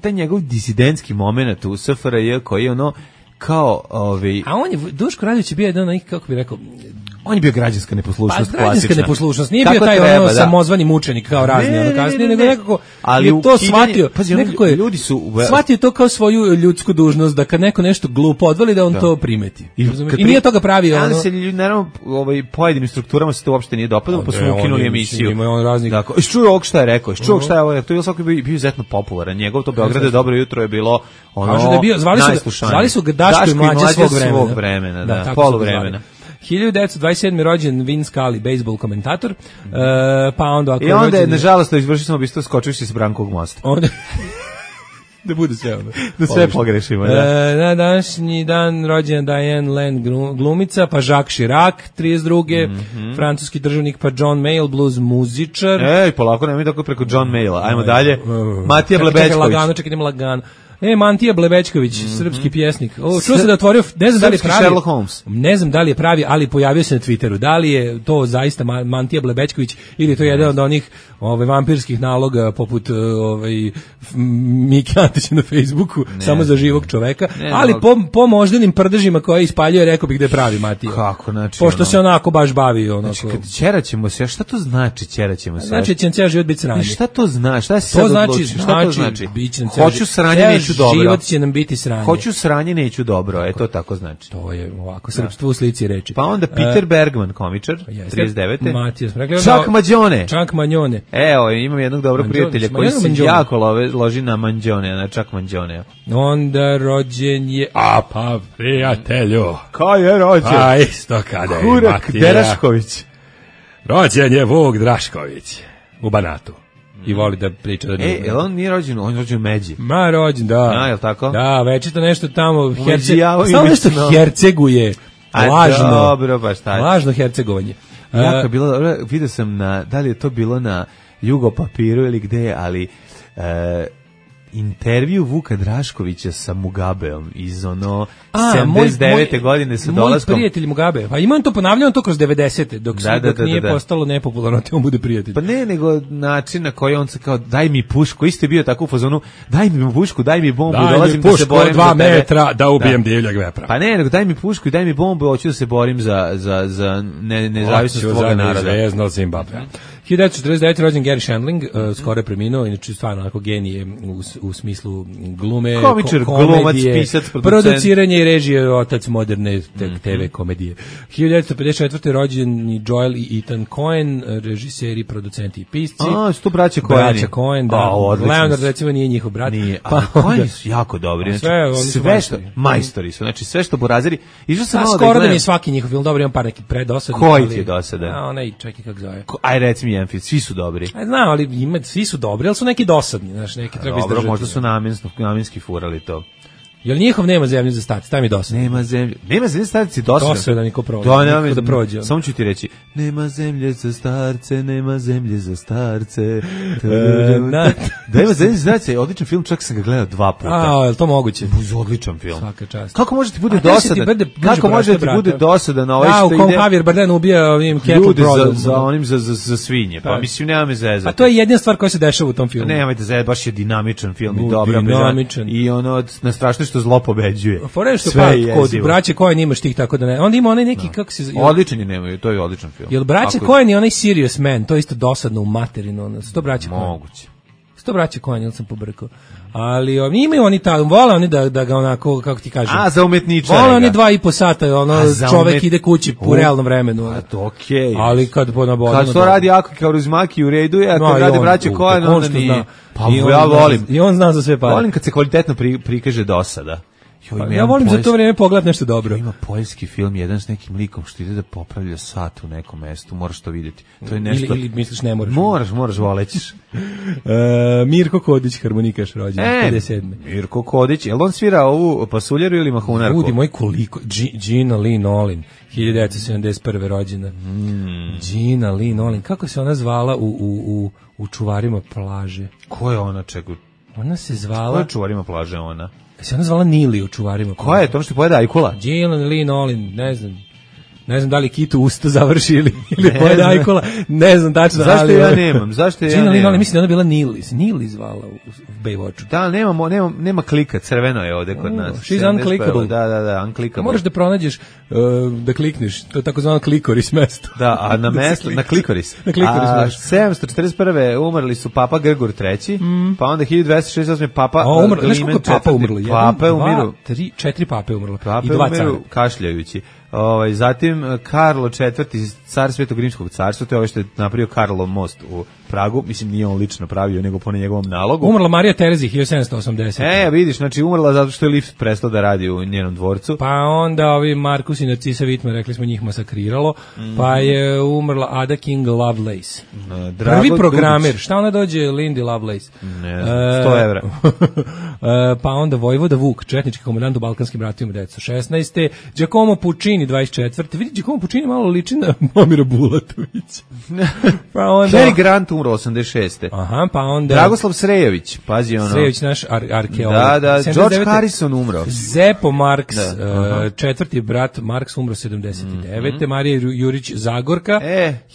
E: taj njegov disidentski moment u SFRJ koji je ono kao
F: A on je, Duško Radović je bio jedan onih, kako bi rekao,
E: on je bio građanska neposlušnost,
F: klasična. Građanska neposlušnost, nije bio taj samozvani mučenik kao razni, ono kasnije, nego nekako ali je to shvatio, nekako je,
E: ljudi su
F: shvatio to kao svoju ljudsku dužnost, da kad neko nešto glupo odvali, da on to primeti. I nije toga pravio.
E: Ali se naravno, pojedinim strukturama se to uopšte nije dopadalo, pa su ukinuli emisiju.
F: Ima on raznih.
E: Tako, čuo ovog šta je rekao, čuo šta je ovo, to je svaki bio izuzetno popularan. Njegov to Beograd je dobro jutro je bilo ono.
F: Kaže da bio, zvali su ga Daško i mlađe svog vremena,
E: da, poluvremena.
F: 1927. rođen Vin Scully, bejsbol komentator, pa onda...
E: I onda je, nažalost, izvršio samobistvo skočivši s Brankovog mosta.
F: Onda... da bude sve ono.
E: Da sve pogrešimo, da.
F: Na današnji dan rođena Diane Lane glumica, pa Jacques Chirac, 32. Francuski državnik, pa John Mayall, blues muzičar.
E: Polako, nemoj tako preko John Mayalla. Ajmo dalje. Matija Blebečković.
F: Čekaj, idemo lagano. Mantija Blebečković, srpski pjesnik. Čuo se da otvorio, ne znam da li je pravi.
E: Sherlock Holmes.
F: Ne znam da li je pravi, ali pojavio se na Twitteru. Da li je to zaista Mantija Blebečković ili je to jedan od onih vampirskih naloga poput Mike Antića na Facebooku, samo za živog čoveka, ali po moždanim prdežima koje ispaljuje, rekao bih da je pravi Matija.
E: Kako, znači?
F: Pošto se onako baš bavi onako.
E: Znači, kad ćeraćemo se, šta to znači ćeraćemo se?
F: Znači će ceo život biti sranje.
E: Šta to znači? Šta se
F: to znači?
E: Šta to znači?
F: Hoću
E: sranje, neću dobro.
F: Život će nam biti sranje.
E: Hoću sranje, neću dobro. To tako znači.
F: To je ovako srpstvo u slici reči.
E: Pa onda Peter Bergman, komičar, 39.
F: Matijas.
E: Chuck Mangione. Evo, imam jednog dobrog prijatelja koji se jako loži na Mangione, na Chuck Mangione.
F: Onda rođen je... pa prijatelju.
E: Ko je rođen?
F: Pa isto kada je
E: Hurak Derašković.
F: Rođen je Vuk Drašković u Banatu. I voli da priča da nije.
E: On nije rođen, on je rođen u Međi.
F: Ma rođen, da.
E: Jel tako?
F: Da, večito nešto tamo samo nešto herceguje. Lažno.
E: Dobro, baš tako.
F: Lažno hercegovanje.
E: Jako je bilo, vidio sam da li je to bilo na Jugopapiru ili gde, ali intervju Vuka Draškovića sa Mugabeom iz 79. godine sa dolaskom.
F: Moj prijatelj Mugabe. Pa ima on to ponavljao to kroz 90. dok nije postalo nepopularno, te on bude prijatelj.
E: Pa ne, nego način na koji on se kao daj mi pušku, isto je bio tako u fazonu, daj mi pušku, daj mi bombu, dolazim da se borim
F: za 2 metra da ubijem divljeg vepra.
E: Pa ne, nego daj mi pušku i daj mi bombu, hoću da se borim za nezavisnost svoga naroda.
F: Zvezno Zimbabwe. 1949. rođen Gary Shandling, skoro je preminuo, inače stvarno onako genije u smislu glume,
E: komičar, glumac, pisac,
F: produciranje i režije, otac moderne TV komedije. 1954. rođen Joel i Ethan Coen, režiseri, producenti i pisci.
E: Su to braća
F: Coen, da. Leonard recimo nije njihov brat.
E: Nije, ali Coeni su jako dobri. Sve što, majstori su, znači sve što burazeri.
F: Skoro da mi je svaki njihov film, dobro, imam par neki predosadni.
E: Koji ti je dosadan?
F: Onaj, čekaj kako zove.
E: Aj reci mi jedan film, svi su dobri.
F: Znam, ali svi su dobri, ali su neki dosadni, znaš, neki treba izdržati.
E: Dobro, možda su namenski furali to.
F: Jel njihov nema zemlje za starce, taj mi dosadno.
E: Nema zemlje za starce, dosadno.
F: Dosadno niko prođe. Da prođe.
E: Samo ću ti reći, nema zemlje za starce, nema zemlje za starce. Da ima zemlje za starce, odličan film, čak sam ga gledao 2 puta.
F: Je to moguće?
E: Odličan film.
F: Svaka čast.
E: Kako može ti bude dosadan? Kako može ti bude dosadan na ovaj što ide?
F: U kom Javier Bardem ubija ovim Cattle Prods.
E: Za onim za svinje, pa mislim nema me zezati.
F: A to je jedina stvar koja se dešava u tom filmu.
E: Nemojte zezati, baš je dinamičan film i dobro. I ono, na strašno što zlo pobeđuje.
F: Fore što kod braće Coen imaš tih tako da ne. Onda ima onaj neki kako se
E: odličan je nemaju, to je odličan film.
F: Jel braće Coen i onaj Serious Man, to je isto dosadno u materinu, ono. To braće
E: moguće.
F: To braće Coen, ili sam pobrkao. Ali imaju oni vole oni da ga onako, kako ti kažem.
E: A, za umetničare.
F: Vole oni 2,5 sata, čovek ide kući u realnom vremenu.
E: A to okej.
F: Ali kad
E: kad to radi Ako Kaurismäki u redu je, a kad radi braće Coen, onda nije. Pa ja volim.
F: I on zna za sve pare.
E: Volim kad se kvalitetno prikaže dosada.
F: Ja volim za to vrijeme pogledati nešto dobro.
E: Ima poljski film, jedan s nekim likom što ide da popravlja sat u nekom mestu, moraš to vidjeti. To je nešto...
F: Ili misliš ne moraš?
E: Moraš, volećiš.
F: Mirko Kodić, harmonikaš, rođen, 57.
E: Mirko Kodić, je li on svira ovu pasuljeru ili mahunarku?
F: Ljudi moj, koliko, Gina Lee Nolin, 1971. rođena. Gina Lee Nolin, kako se ona zvala u Čuvarima plaže?
E: Ko je ona, čega?
F: Ona se zvala...
E: Ko je Čuvarima plaže ona?
F: Se ona zvala Nili u Čuvarima.
E: Koja je to što pojede Ajkula?
F: Gina Lee Nolin, ne znam da li Kitu usta završi ili pojede Ajkula, ne znam tačno.
E: Zašto ja nemam?
F: Gina Lee Nolin, mislim da ona bila Nili zvala u Baywatchu.
E: Da, nema klika, crveno je ovde kod nas.
F: She's unclickable.
E: Da, unclickable.
F: Moraš da pronađeš, da klikneš, to je takozvano klikoris mesto.
E: Da, a na mesto, na klikoris.
F: Na klikoris mesto.
E: 741. umrli su Papa Grgur III, pa onda 1268. Papa Klimen IV.
F: Papa umrlo?
E: Pape umiru.
F: 4 pape umrlo.
E: Pape
F: i 2 cara.
E: Umiru kašljajući. Zatim Karlo IV, car Svetog Rimskog carstva, to je ovo što je napravio Karlov most u Pragu, mislim nije on lično pravio, nego po njegovom nalogu.
F: Umrla Marija Terezi, 1780.
E: Vidiš, znači umrla zato što je lift prestao da radi u njenom dvorcu.
F: Pa onda ovi Markus i Narcisa Wittmann, rekli smo, njih masakriralo, pa je umrla Ada King Lovelace. Prvi programer, Dubić. Šta ona dođe Lindy Lovelace?
E: Ne znam, 100 evra.
F: Pa onda Vojvoda Vuk, četnički komandant u Balkanskim ratovima 1916. Giacomo Puccini, 24. Vidi, Giacomo Puccini malo liči na Momira Bulatovića.
E: Pa onda... Cary Grant umro 86.
F: Aha, pa onda...
E: Dragoslav Srejović, pazi ono...
F: Srejović, naš arkeolog.
E: Da, George Harrison umro.
F: Zepo Marks, četvrti brat Marks umro 79. Marija Jurić Zagorka.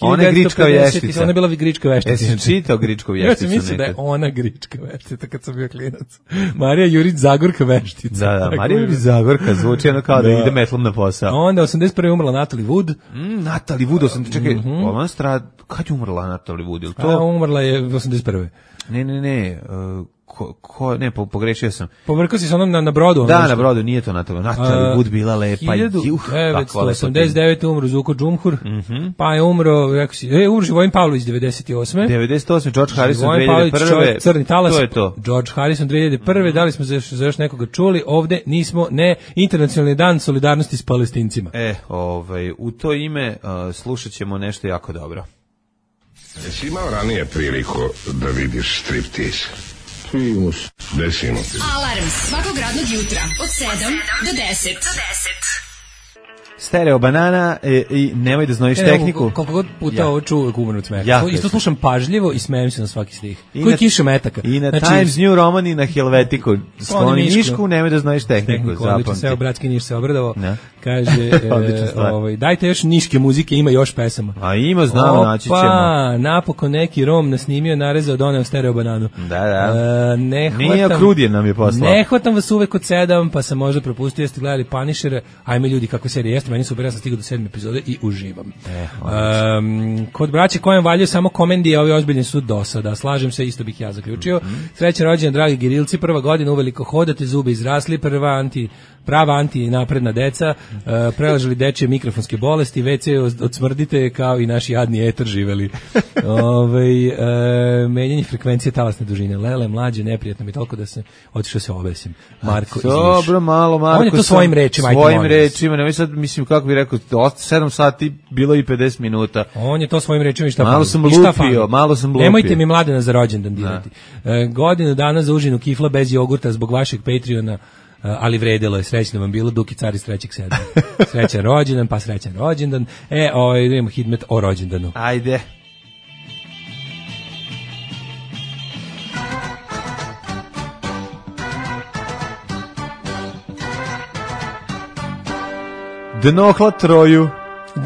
E: Ona je Grička vještica.
F: Ona je bila Grička vještica.
E: Jesi čitao Gričku vješticu?
F: Ja sam mislio da je ona Grička vještica kad sam bio klinac. Marija Jurić Zagorka veštica.
E: Da, Marija Jurić Zagorka zvuči ono kao da ide metlom na posao.
F: Onda 81. umrla Natalie Wood.
E: Natalie Wood, čekaj, kad je umrla Natalie Wood?
F: To umrla je 81.
E: Ne, pogrešio sam.
F: Pobrkao si se onom na brodu.
E: Da, na brodu, nije to Natalie Wood bila lepa.
F: 1989. umro Zuko Džumhur, pa je umro, rekao si, umro Živojin Pavlović 98.
E: 98. George Harrison 2001.
F: Crni talas.
E: To je to.
F: George Harrison 2001. Da li smo za još nekoga čuli? Ovde nismo, Internacionalni dan solidarnosti s Palestincima.
E: U to ime slušat ćemo nešto jako dobro.
H: Jesi imao ranije priliku da vidiš striptease? Desimo ti.
C: Alarm svakog radnog jutra od 7 do 10.
E: Stereo banana i nemoj da znojiš tehniku.
F: Koliko god puta ovo ču uvek umrem od smeha. Isto slušam pažljivo i smijem se na svaki stih. Koji kiše metaka.
E: I na Times New Roman i na Helvetiku. Skloni Mišku, nemoj da znojiš tehniku.
F: Seo bratski Niš se obradovao. Kaže, dajte još niške muzike, ima još pesama.
E: A ima, znamo, naći ćemo.
F: Napokon neki Rom nasnimio, narezao, doneo stereo bananu.
E: Da. Nije Krudije nam je poslao.
F: Ne hvatam vas uvek od 7, pa sam možda propustio, jeste gledali Punishere. Ajme ljudi, kako serija jeste, meni super, ja sam stigao do 7. epizode i uživam. Kod braće Coen valjaju samo komedije, ovi ozbiljni su dosada. Slažem se, isto bih ja zaključio. Srećan rođendan, dragi Girilci, prva godina, uveliko hodate, zubi izrasli, prava anti-napredna deca, prelažili dečje mikrofonske bolesti, WC odsmrdite kao i naši jadni eter živeli. Menjanje frekvencije talasne dužine. Lele, mlađe, neprijatno mi toliko da se otišao se obesim. Marko,
E: dobro, malo Marko.
F: On je to svojim rečima.
E: Svojim rečima, nemoj sad, mislim, kako bih rekao, 7 sati bilo i 50 minuta.
F: On je to svojim rečima i šta
E: malo sam lupio.
F: Nemojte mi mlade za rođendan dirati. Godinu dana za užinu kifla bez jogurta zbog vašeg Patreona, ali vredelo je, srećno vam bilo, Duki car iz 3.7. Srećan rođendan, pa srećan rođendan. Idemo hidmet o rođendanu.
E: Ajde. Dnohla Troju.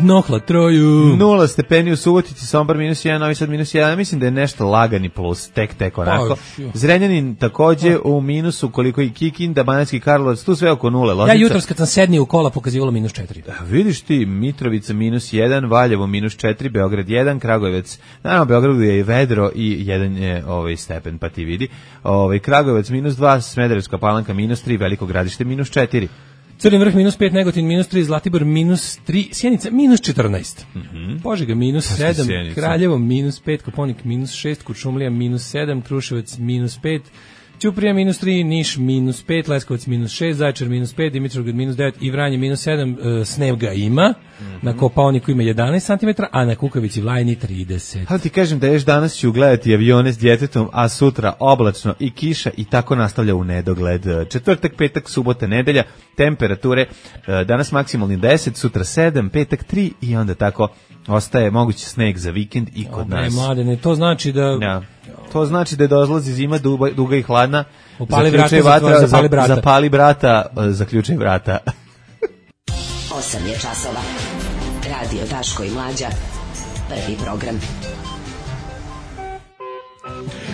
F: Nohla troju.
E: 0 stepeni u Subotici, Sombor -1, Novi Sad -1. Mislim da je nešto lagani plus, tek onako. Zrenjanin takođe u minusu, koliko i Kikinda, Banatski Karlovac, tu sve oko 0. Loznica.
F: Ja jutros kad sam sednio u kola pokazivalo -4.
E: Vidiš ti, Mitrovica -1, Valjevo -4, Beograd 1, Kragujevac. Naravno, Beogradu je i vedro i jedan je stepen, pa ti vidi. Kragujevac -2, Smederevska Palanka -3, Veliko Gradište -4.
F: Crni vrh -5, Negotin -3, Zlatibor -3, Sjenica -14, Požega -7, Kraljevo -5, Koponik -6, Kuršumlija -7, Kruševac -5, Ćuprija -3, Niš -5, Leskovac -6, Zaječar -5, Dimitrovgrad -9 i Vranje -7, snega ima, na Kopaoniku ima 11 cm, a na Kukavici Vlajni 30.
E: Ali ti kažem da još danas ću gledati avione s djetetom, a sutra oblačno i kiša i tako nastavlja u nedogled. Četvrtak, petak, subota, nedelja, temperature, danas maksimalni 10, sutra 7, petak 3 i onda tako ostaje mogući sneg za vikend i kod nas.
F: Mladene, to znači da...
E: Ja. To znači da dolazi zima duga i hladna.
F: Upali vrata,
E: zapali brata, zaključaj vrata.
I: 8 je časova. Radio Daško i Mlađa. Prvi program.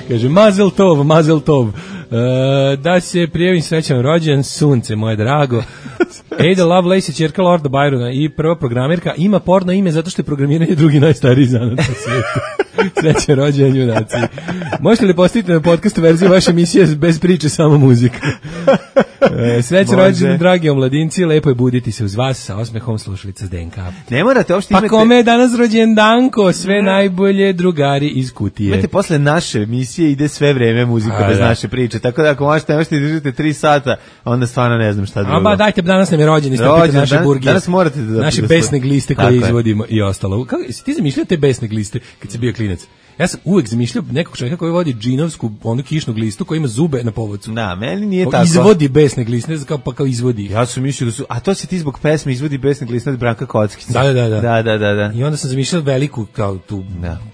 F: Kaže, mazel tov. Da se prijavim srećan rođen, sunce moje drago. Ada Lovelace je ćerka Lorda Byrona i prva programerka, ima porno ime zato što je programiranje drugi najstariji zanat na svijetu. Srećan rođen, junaci. Možete li postaviti na podcastu verziju vaše emisije bez priče, samo muzika? Srećan rođen, dragi omladinci, lepo je buditi se uz vas sa osmehom slušalica s DNK.
E: Ne morate uopšte imati...
F: Pa kome je danas rođen Danko, sve najbolje drugari iz kutije.
E: Imate posle naše emisije ide sve vreme muzika bez naše priče, tako da ako možete držite 3 sata, onda stvarno ne znam šta drugo.
F: Ba dajte, danas nam je rođen, istopite naše burgije.
E: Danas morate da...
F: Naše besne gliste koje izvodimo i ostalo. Si ti zamišljao te besne gliste kad si bio klinac? Ja sam uvek zamišljao nekog čovjeka koji vodi džinovsku, onu kišnu glistu koja ima zube na povodcu.
E: Da, meni nije tako.
F: Izvodi besne gliste, kao izvodi.
E: Ja sam mislio da su, a to se ti zbog pesme izvodi besne gliste od Branka Kockića.
F: Da. I onda sam zamišljao veliku kao tu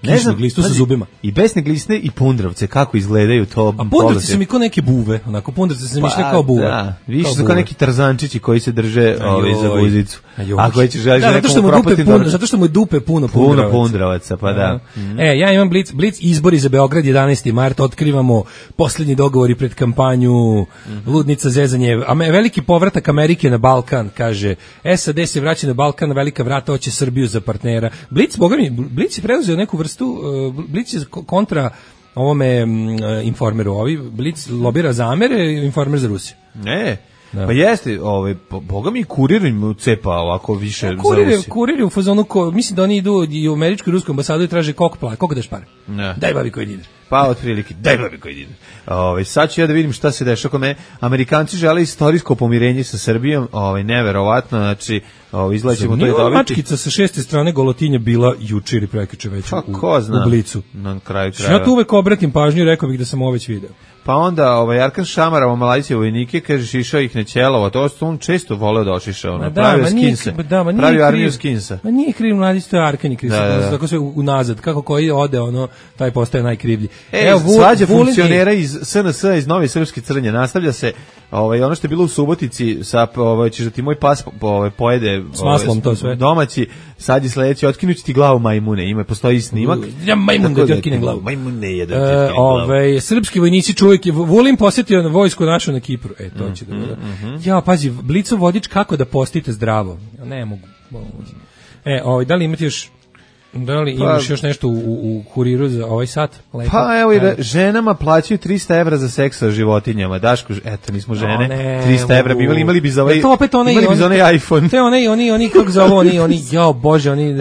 F: kišnu glistu sa zubima.
E: I besne gliste i pundravce, kako izgledaju to.
F: A pundravce su mi kao neke buve, onako pundravce se zamišljao kao buve.
E: Da, više su kao neki tarzančići koji se drže za guzicu.
F: Ako
E: hoćeš želiš
F: zato što mu je dupe puno
E: pundravaca, pa da.
F: Ja imam Blic izbori za Beograd 11. mart, otkrivamo poslednji dogovori pred kampanju, ludnica zezanje, veliki povratak Amerike na Balkan, kaže, SAD se vraća na Balkan, velika vrata hoće Srbiju za partnera. Blic je preuzeo neku vrstu, Blic je kontra ovome Informeru, Blic lobira za Amere, Informer za Rusiju.
E: Ne. Da. Pa jeste, boga mi kurir im cepa ovako više za Rusiju.
F: Kurir u fazonu, mislim da oni idu i u američku i rusku ambasadu i traže koliko daš pare. Daj babi koji dinar.
E: Pa otprilike, daj babi koji dinar. Sad ću ja da vidim šta se dešava kod mene. Amerikanci žele istorijsko pomirenje sa Srbijom, neverovatno, znači izlaćemo to i dobiti.
F: Mačkica sa 6. strane Golotinja bila juče ili prekjuče već u Blicu.
E: Na kraju krajeva.
F: Ja tu uvek obratim pažnju i rekao bih da sam ovo već video.
E: Pa onda Arkan Šamarova Malajzije vojnike, kaže, išao ih na Ćelovo, to on često voleo da ošiša, pravio skinse, pravio armiju skinsa.
F: Ma nije kriv mladić, to je Arkan je kriv, tako sve unazad, kako koji ode, taj postaje najkrivlji.
E: Svađa funkcionera iz SNS, iz Nove Srpske Crnje, nastavlja se, ono što je bilo u Subotici, ćeš da ti moj pas pojede
F: s maslom, to sve.
E: Domaći, sad je sledeći, otkinući ti glavu majmune, postoji snimak.
F: Ja majmun da ti otkinem glavu.
E: Majmune je da ti otkinem glavu.
F: Srpski vojnici čuvaju, Vulin posjetio na vojsku našu na Kipru. To će da bude. Ja, pazi, Blicov vodič kako da postite zdravo. Ne mogu. Da li imate još... Da li imaš još nešto u kuriru za ovaj sat? Lepo.
E: Pa evo, ženama plaćaju 300 evra za seks sa životinjama. Daško, eto, nismo žene. 300 evra bi imali bi za ovaj, iPhone.
F: Te oni kako za ovo, oni, jao Bože, oni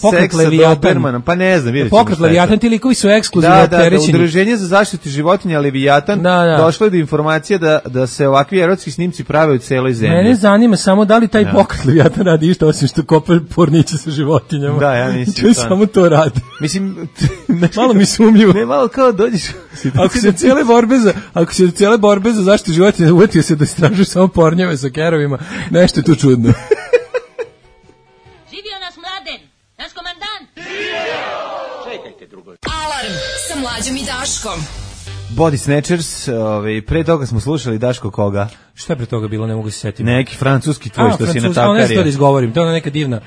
F: pokret Leviatan.
E: Pa ne znam, vidjet ćemo.
F: Pokret Leviatan, ti likovi su ekskluzivno opterećeni.
E: Da, Udruženje za zaštitu životinja Leviatan došlo je do informacije da se ovakvi erotski snimci prave u celoj zemlji.
F: Mene zanima samo da li taj pokret Leviatan radi išto osim što kopa porniće sa životinjama.
E: Da, ja mislim.
F: Samo to radi.
E: Mislim,
F: malo mi sumnjivo.
E: Ne, malo kao dođeš.
F: Ako se cijele borbe za zaštitu životinja uvetio se da istražuje samo pornjeve sa kerovima, nešto je tu čudno.
B: Živio nas Mladen, naš komandant.
I: Čekajte drugo.
C: Alarm sa Mlađom i Daškom.
E: Body Snatchers, pre toga smo slušali Daško koga?
F: Šta je pre toga bilo, ne mogu se setiti.
E: Neki francuski tvoj što si natakario.
F: Ne znam to da izgovorim, to je ona neka divna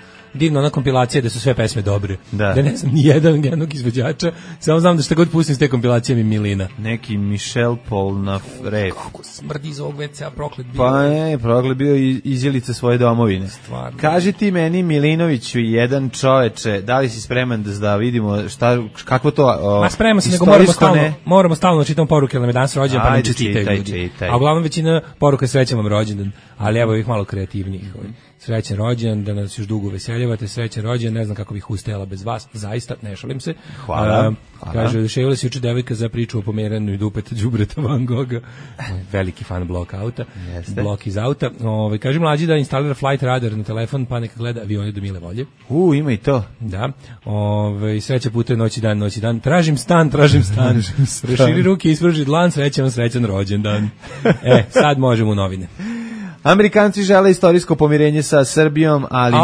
F: ona kompilacija da su sve pesme dobre. Da ne znam ni jednog izvođača, samo znam da šta god pustim s te kompilacije mi milina.
E: Neki Michel Polnareff.
F: Kako smrdi iz ovog WC-a, proklet bio.
E: Pa ne, proklet bio izjelica svoje domovine.
F: Stvarno.
E: Kaži ti meni, Milinoviću, jedan čoveče, da li si spreman da vidimo kako to
F: spreman se, nego moramo stalno čitamo poruke, ali nam je danas rođendan, pa nam čestitaju ljudi. A uglavnom većina poruka srećan vam rođendan, ali evo ih malo kreativnijih. Srećan rođendan, da nas još dugo veseljavate, srećan rođendan, ne znam kako bih ustajala bez vas, zaista, ne šalim se.
E: Hvala.
F: Kaže, ševila se juče devojka za priču o pomeranju dupeta đubreta Van Gogha. Veliki fan blok auta. Blok iz auta. Kaže mlađi da instalira Flight Radar na telefon, pa neka gleda avione do mile volje.
E: Ima i to.
F: Da. Sreća putuje noći dan. Tražim stan. Preširi ruke, ispruži dlan, srećan rođendan. Sad možemo u novine.
E: Amerikanci žele istorijsko pomirenje sa Srbijom, ali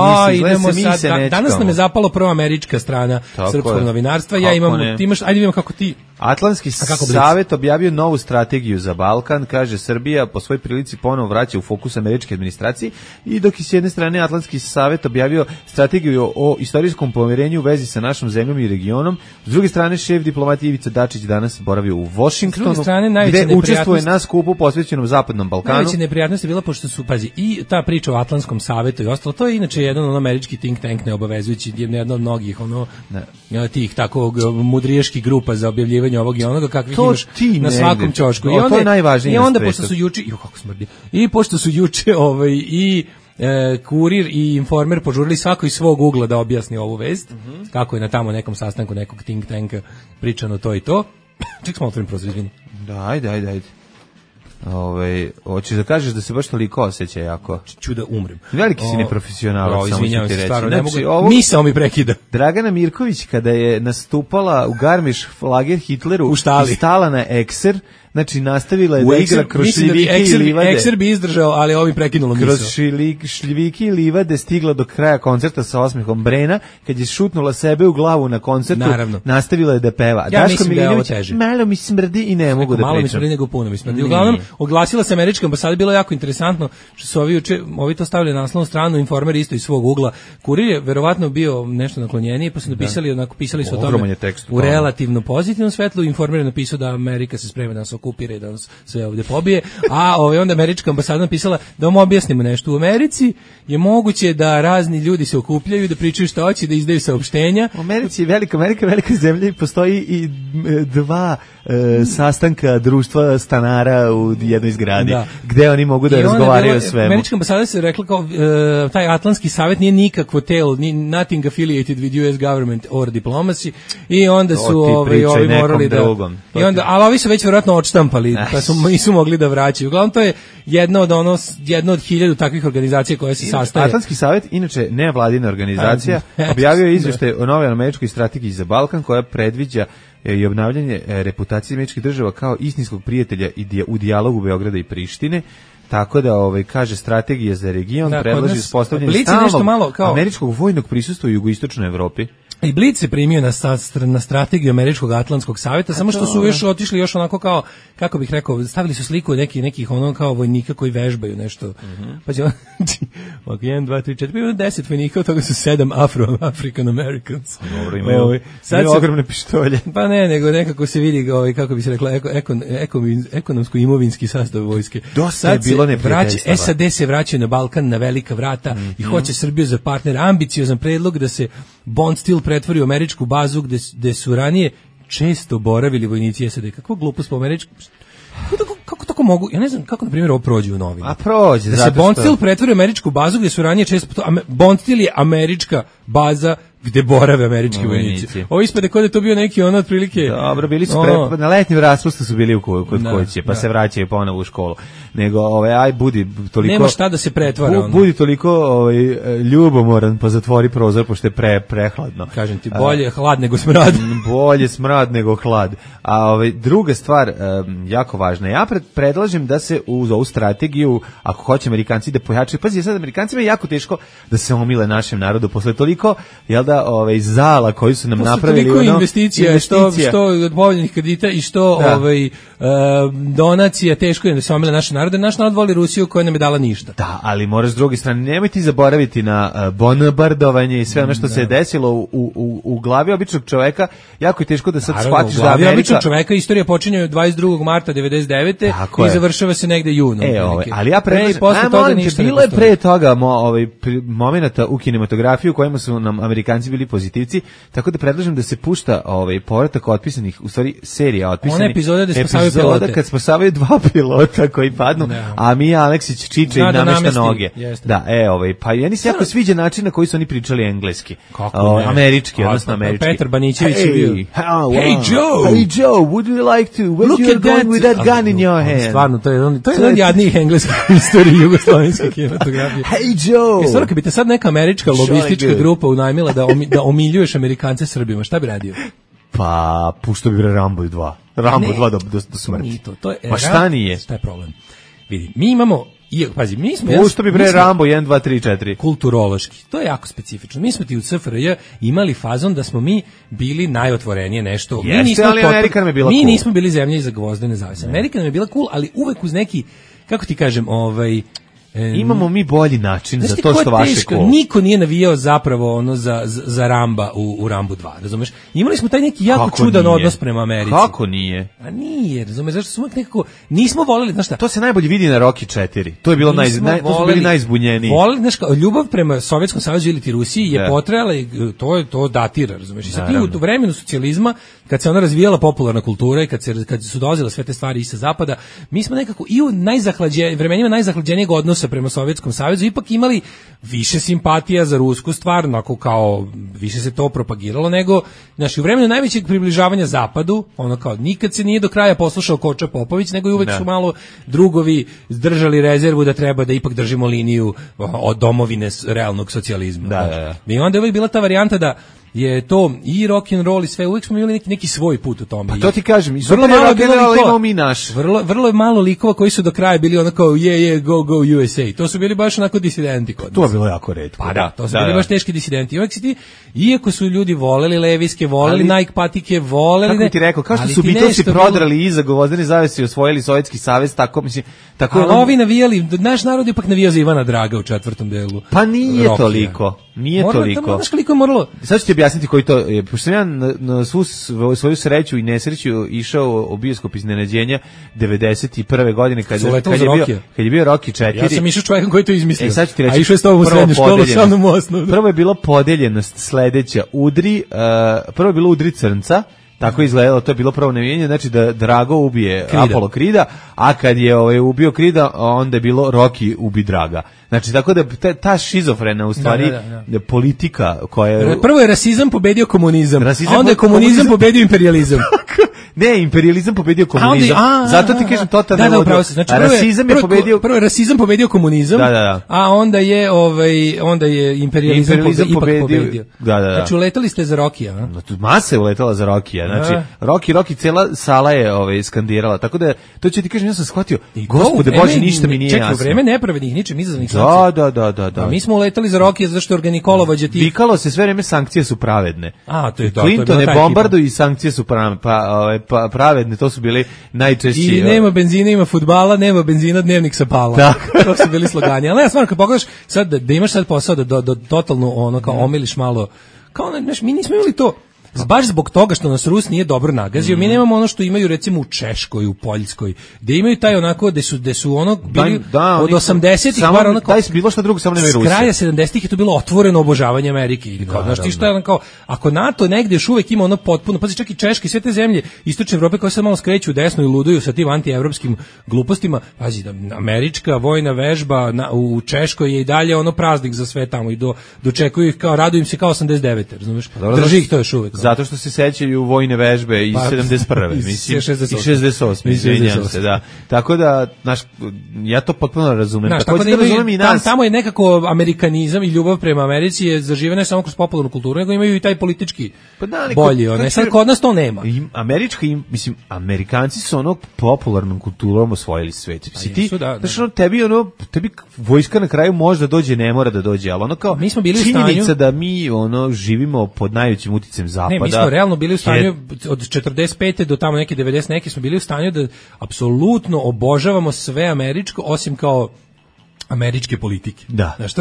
E: mi se nećemo.
F: Danas nam je zapalo prva američka strana srpskog novinarstva. Ja imam, ti imaš, ajde vidimo kako ti.
E: Atlantski savet objavio novu strategiju za Balkan, kaže Srbija po svoj prilici ponovo vraća u fokus američke administracije, i dok i s jedne strane Atlantski savet objavio strategiju o istorijskom pomirenju u vezi sa našom zemljom i regionom, s druge strane šef diplomatije Ivica Dačić danas boravio u Washingtonu, gde učestvuje na skupu posvećenom Zapadnom Balkanu.
F: Najveća neprijatnost je bila pošto su, pazi, i ta priča o Atlantskom savetu i ostalo, to je inače jedan američki think tank neobavezujući, jedna od mnogih tih tako mudrijeških grupa za objavljivanje ovog i onoga kakvih imaš na svakom ćošku.
E: To je najvažnije.
F: I onda pošto su juče, kako smrdi. I pošto su juče Kurir i Informer požurili svako iz svog ugla da objasni ovu vest, kako je na tamo nekom sastanku nekog think tanka pričano to i to. Ček smo otvorim prozor, izvini.
E: Da, ajde. Hoćeš da kažeš da se baš toliko osjeća jako?
F: Ću da umrem.
E: Veliki si neprofesionalac, samo ću ti reći.
F: Stvarno, misao mi prekida.
E: Dragana Mirković, kada je nastupala u Garmisch-Lager Hitleru i stala na Ekser, znači nastavila je da igra kroz šljivike i livade.
F: Ekser bi izdržao, ali ovo bi prekinulo misao.
E: Kroz šljivike i livade stigla do kraja koncerta sa osmehom Brena, kad je šutnula sebe u glavu na koncertu, nastavila je da peva.
F: Ja mislim da je ovo teže.
E: Malo mi smrdi i ne mogu da pričam.
F: Malo mi smrdi nego puno mi smrdi. Uglavnom, oglasila se američka ambasada, bilo jako interesantno što su ovi to stavili na naslovnu stranu, Informer isto iz svog ugla. Kurir je verovatno bio nešto naklonjeniji, pa su napisali, pisali su o tome u relativno pozitivnom svetlu. Informer je napisao da Amerika se sprema da nas okupira i da nas sve ovdje pobije, a onda američka ambasada napisala da vam objasnimo nešto. U Americi je moguće da razni ljudi se okupljaju, da pričaju šta hoće, da izdaju saopštenja.
E: U Americi je velika zemlja i postoji i dva sastanka društva stanara u jednoj zgradi, gde oni mogu da razgovaraju o svemu.
F: Američka ambasada se rekla kao taj Atlantski savet nije nikakvo telo, nothing affiliated with US government or diplomacy, i onda su ovi morali da i onda, ali ovi su već vjerojatno odštampali, pa nisu mogli da vraćaju. Uglavnom to je jedna od 1000 takvih organizacija koje se sastaje.
E: Atlantski savet, inače nevladina organizacija, objavio je izveštaj o novoj američkoj strategiji za Balkan koja predviđa i obnavljanje reputacije američkih država kao istinskog prijatelja u dijalogu Beograda i Prištine. Tako da kaže strategija za region predlaže uspostavljanje stalnog američkog vojnog prisustva u jugoistočnoj Evropi.
F: I Blic se primio na strategiju američkog Atlantskog savjeta, samo što su još otišli još onako kao, kako bih rekao, stavili su sliku nekih ono kao vojnika koji vežbaju nešto. Pa će 1, 2, 3, 4, 10 vojnika, od toga su 7 African Americans.
E: Dobro, imaju ogromne pištolje.
F: Pa ne, nego nekako se vidi, kako bi se rekla, ekonomsko-imovinski sastav vojske.
E: Dosta je bilo neprijateljstava.
F: SAD se vraćaju na Balkan na velika vrata i hoće Srbiju za partner. Ambiciozan predlog da se Bond Steel pretvori u američku bazu gde su ranije često boravili vojnici SAD. Kakva glupost po američku... Kako tako mogu? Ja ne znam kako, na primjer, ovo prođe u novinu.
E: A prođe,
F: da se Bond Steel pretvori u američku bazu gde su ranije često... Bond Steel je američka baza gde borave američki vojnici. Ovo ispade kod je to bio neki otprilike...
E: Dobro, bili su na letnjem raspustu su bili kod kuće, pa se vraćaju ponovo u školu. Nego, budi toliko...
F: Nema šta da se pretvara.
E: Budi toliko ljubomoran, pa zatvori prozor, pošto je prehladno.
F: Kažem ti, bolje hlad nego smrad.
E: Bolje smrad nego hlad. A druga stvar, jako važna, ja predlažem da se uz ovu strategiju, ako hoće Amerikanci da pojačaju, pazi, sad Amerikancima je jako teško da se omile našem narodu posle toliko, jel da, zala koji su nam napravili.
F: Toliko investicija, što od povoljnih kredita i što donacija, teško je da se omile naše narode. Naš narod voli Rusiju koja nam je dala ništa.
E: Da, ali moraš s druge strane, nemoj ti zaboraviti na bombardovanje i sve ono što se je desilo u glavi običnog čoveka. Jako je teško da sad shvatiš da Amerika...
F: običnog čoveka istorija počinje 22. marta 99. i završava se negde junom.
E: Ali ja bilo je pre toga momenata u kinematografiji u kojima su nam Amerikanci bili pozitivci, tako da predlažem da se pušta povratak otpisanih, u stvari serija otpisanih.
F: One epizode da spasavaju pilote.
E: Kad spasavaju 2 pilota koji padnu, a Mija Aleksić čiče i namešta noge. Da, pa meni se jako sviđa način na koji su oni pričali engleski. Američki, odnosno američki.
F: Petar Banićević je bio.
E: Hey Joe, would you like to, where you're going with that gun in your hand?
F: Stvarno, to je jedan od jadnijih engleskih istoriji jugoslovenske kinematografije.
E: Hey Joe!
F: Stvarno, kad bi te sad neka američka lobistička grupa unajmila da omiljuješ Amerikance Srbima, šta bi radio?
E: Pa, pušto bi Rambo 2. Rambo 2 do smrti. Pa šta nije?
F: Šta je problem? Vidi, mi imamo... Pazi, mi smo...
E: Pušto bi Rambo 1, 2, 3, 4.
F: Kulturološki. To je jako specifično. Mi smo ti u CFRJ imali fazon da smo mi bili najotvorenije nešto.
E: Jeste, ali Amerika nam je bila cool.
F: Mi nismo bili zemlje iza gvozda nezavisne. Amerika nam je bila cool, ali uvek uz neki, kako ti kažem,
E: imamo mi bolji način za to što vaše cool.
F: Niko nije navijao zapravo za Ramba u Rambu 2, razumeš? Imali smo taj neki jako čudan odnos prema Americi.
E: Kako nije?
F: A nije, razumeš, zašto smo nekako nismo voleli, znaš šta?
E: To se najbolje vidi na Rocky 4. To je bilo to su bili najzbunjeniji.
F: Voleli, znaš, ljubav prema Sovjetskom savezu ili ti Rusiji je potrajala i to datira, razumeš? I sad ti u vremenu socijalizma, kad se ona razvijala popularna kultura i kad su dolazile sve te stvari iz zapada, mi smo nekako i u vremenima najzahlađenijeg odnosa prema Sovjetskom savezu ipak imali više simpatija za rusku stvar, onako kao više se to propagiralo nego, znači u vremenu najvećeg približavanja zapadu, ono kao nikad se nije do kraja poslušao Koča Popović, nego i uvek su malo drugovi držali rezervu da treba da ipak držimo liniju od domovine realnog socijalizma. I onda je uvek bila ta varijanta da je to i rock and roll i sve, uvijek smo imali neki svoj put u tome.
E: Pa to ti kažem,
F: vrlo malo
E: imamo mi naš.
F: Vrlo je malo likova koji su do kraja bili onako go USA. To su bili baš onako disidenti kod nas.
E: To je bilo jako retko.
F: Pa da, to su bili baš teški disidenti. Uvijek si ti, iako su ljudi voleli leviske, voleli Nike patike, voleli...
E: Kako ti rekao, kao što su Beatlesi prodrali iza Gvozdene zavese i osvojili Sovjetski savez, tako mislim...
F: Ali ovi navijali, naš narod je ipak navijao za Ivana Draga u 4. delu.
E: Pa nije toliko. Nije toliko.
F: Znaš koliko je moralo...
E: Sad ću ti objasniti koji to je. Pošto sam ja na svoju sreću i nesreću išao u bioskop iznenađenja 91. godine kad je bio Rocky 4.
F: Ja sam išao čovjekom koji to izmislio.
E: Sad ću ti reći,
F: a išao je s tobom u srednju školu, sa mnom u osnovu.
E: Prvo je bila podeljenost sledeća. Prvo je bilo udri crnca. Tako izgledalo, to je bilo prvo navijanje, znači da Drago ubije Apollo Krida, a kad je ubio Krida, onda je bilo Rocky ubi Draga. Znači, tako da ta šizofrena u stvari politika koja je...
F: Prvo je rasizam pobedio komunizam, a onda je komunizam pobedio imperializam.
E: Ne, imperializam pobedio komunizam. Zato ti kažem totalno.
F: Da, upravo se. Znači,
E: rasizam je pobedio.
F: Prvo je rasizam pobedio komunizam. A onda je imperializam pobedio. Znači, uletali ste za Rokija, a?
E: Masa je uletala za Rokija. Znači, Roki, cela sala je skandirala. Tako da to ću ti kažem, ja sam shvatio. Gospode Bože, ništa mi nije jasno.
F: Čekaj, u vreme nepravednih, ničim izazvanih
E: sankcija. Da.
F: Mi smo uletali za Rokija zato što je organikolovođa ti.
E: Vikalo se sve vreme sankcije su pravedne.
F: A, to je to.
E: Clinton je bombardu i sankcije su pravedne, to su bili najčešći.
F: I nema benzina, ima fudbala, nema benzina, dnevnik sa pala. To su bili slogani. Ali ja stvarno, kad pogledaš sad da imaš sad posao da totalno ono kao omiliš malo, kao mi nismo imali to. Baš zbog toga što nas Rus nije dobro nagazio, mi nemamo ono što imaju recimo u Češkoj, u Poljskoj, gde imaju taj onako, gde su ono bili od 80-ih bar onako,
E: daj bilo šta drugo, samo nemaju Rusije.
F: S kraja 70-ih je to bilo otvoreno obožavanje Amerike. I kao, znaš ti šta je kao, ako NATO negde još uvek ima ono potpuno, pazi čak i Češka i sve te zemlje Istočne Evrope koje se malo skreću desno i luduju sa tim antievropskim glupostima, pazi, američka vojna vežba u Češkoj je i dalje ono praznik za sve tamo i dočekuju ih kao, raduju im se kao 89, razumeš? Drži ih to još uvek.
E: zato što se sećaju vojne vežbe iz 71. mislim, i 68. Izvinjam se, da. Tako da, znaš, ja to potpuno razumem.
F: Znaš, tako da razumem i nas. Tamo je nekako amerikanizam i ljubav prema Americi je zaživena ne samo kroz popularnu kulturu, nego imaju i taj politički bolji. Sad kod nas to nema.
E: Amerikanci su ono popularnom kulturom osvojili svet. Tebi vojska na kraju može da dođe, ne mora da dođe, ali ono kao
F: mi smo bili
E: činjenica da mi ono živimo pod najvećim uticajem zapada.
F: Ne, mi smo realno bili u stanju od 45. do tamo neke 90 neke smo bili u stanju da apsolutno obožavamo sve američko, osim kao američke politike.
E: Da.
F: Znaš,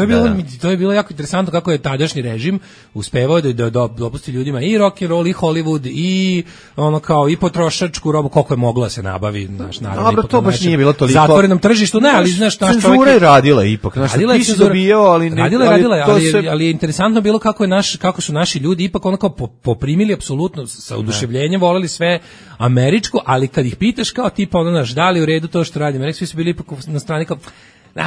F: to je bilo jako interesantno kako je tadašnji režim uspevao da dopusti ljudima i rock and roll i Hollywood i ono kao i potrošačku robu koliko je mogla se nabavi, znaš, naravno.
E: Dobro, to baš nije bilo toliko
F: zatvorenom tržištu, ne, ali znaš šta
E: cenzura je radila ipak, znaš, ti si dobijao, ali ne,
F: ali je interesantno bilo kako su naši ljudi ipak ono kao poprimili apsolutno sa oduševljenjem, voleli sve američko, ali kad ih pitaš kao tipa ono naš, da li u redu to što radi Amerika, svi su bili ipak na strani kao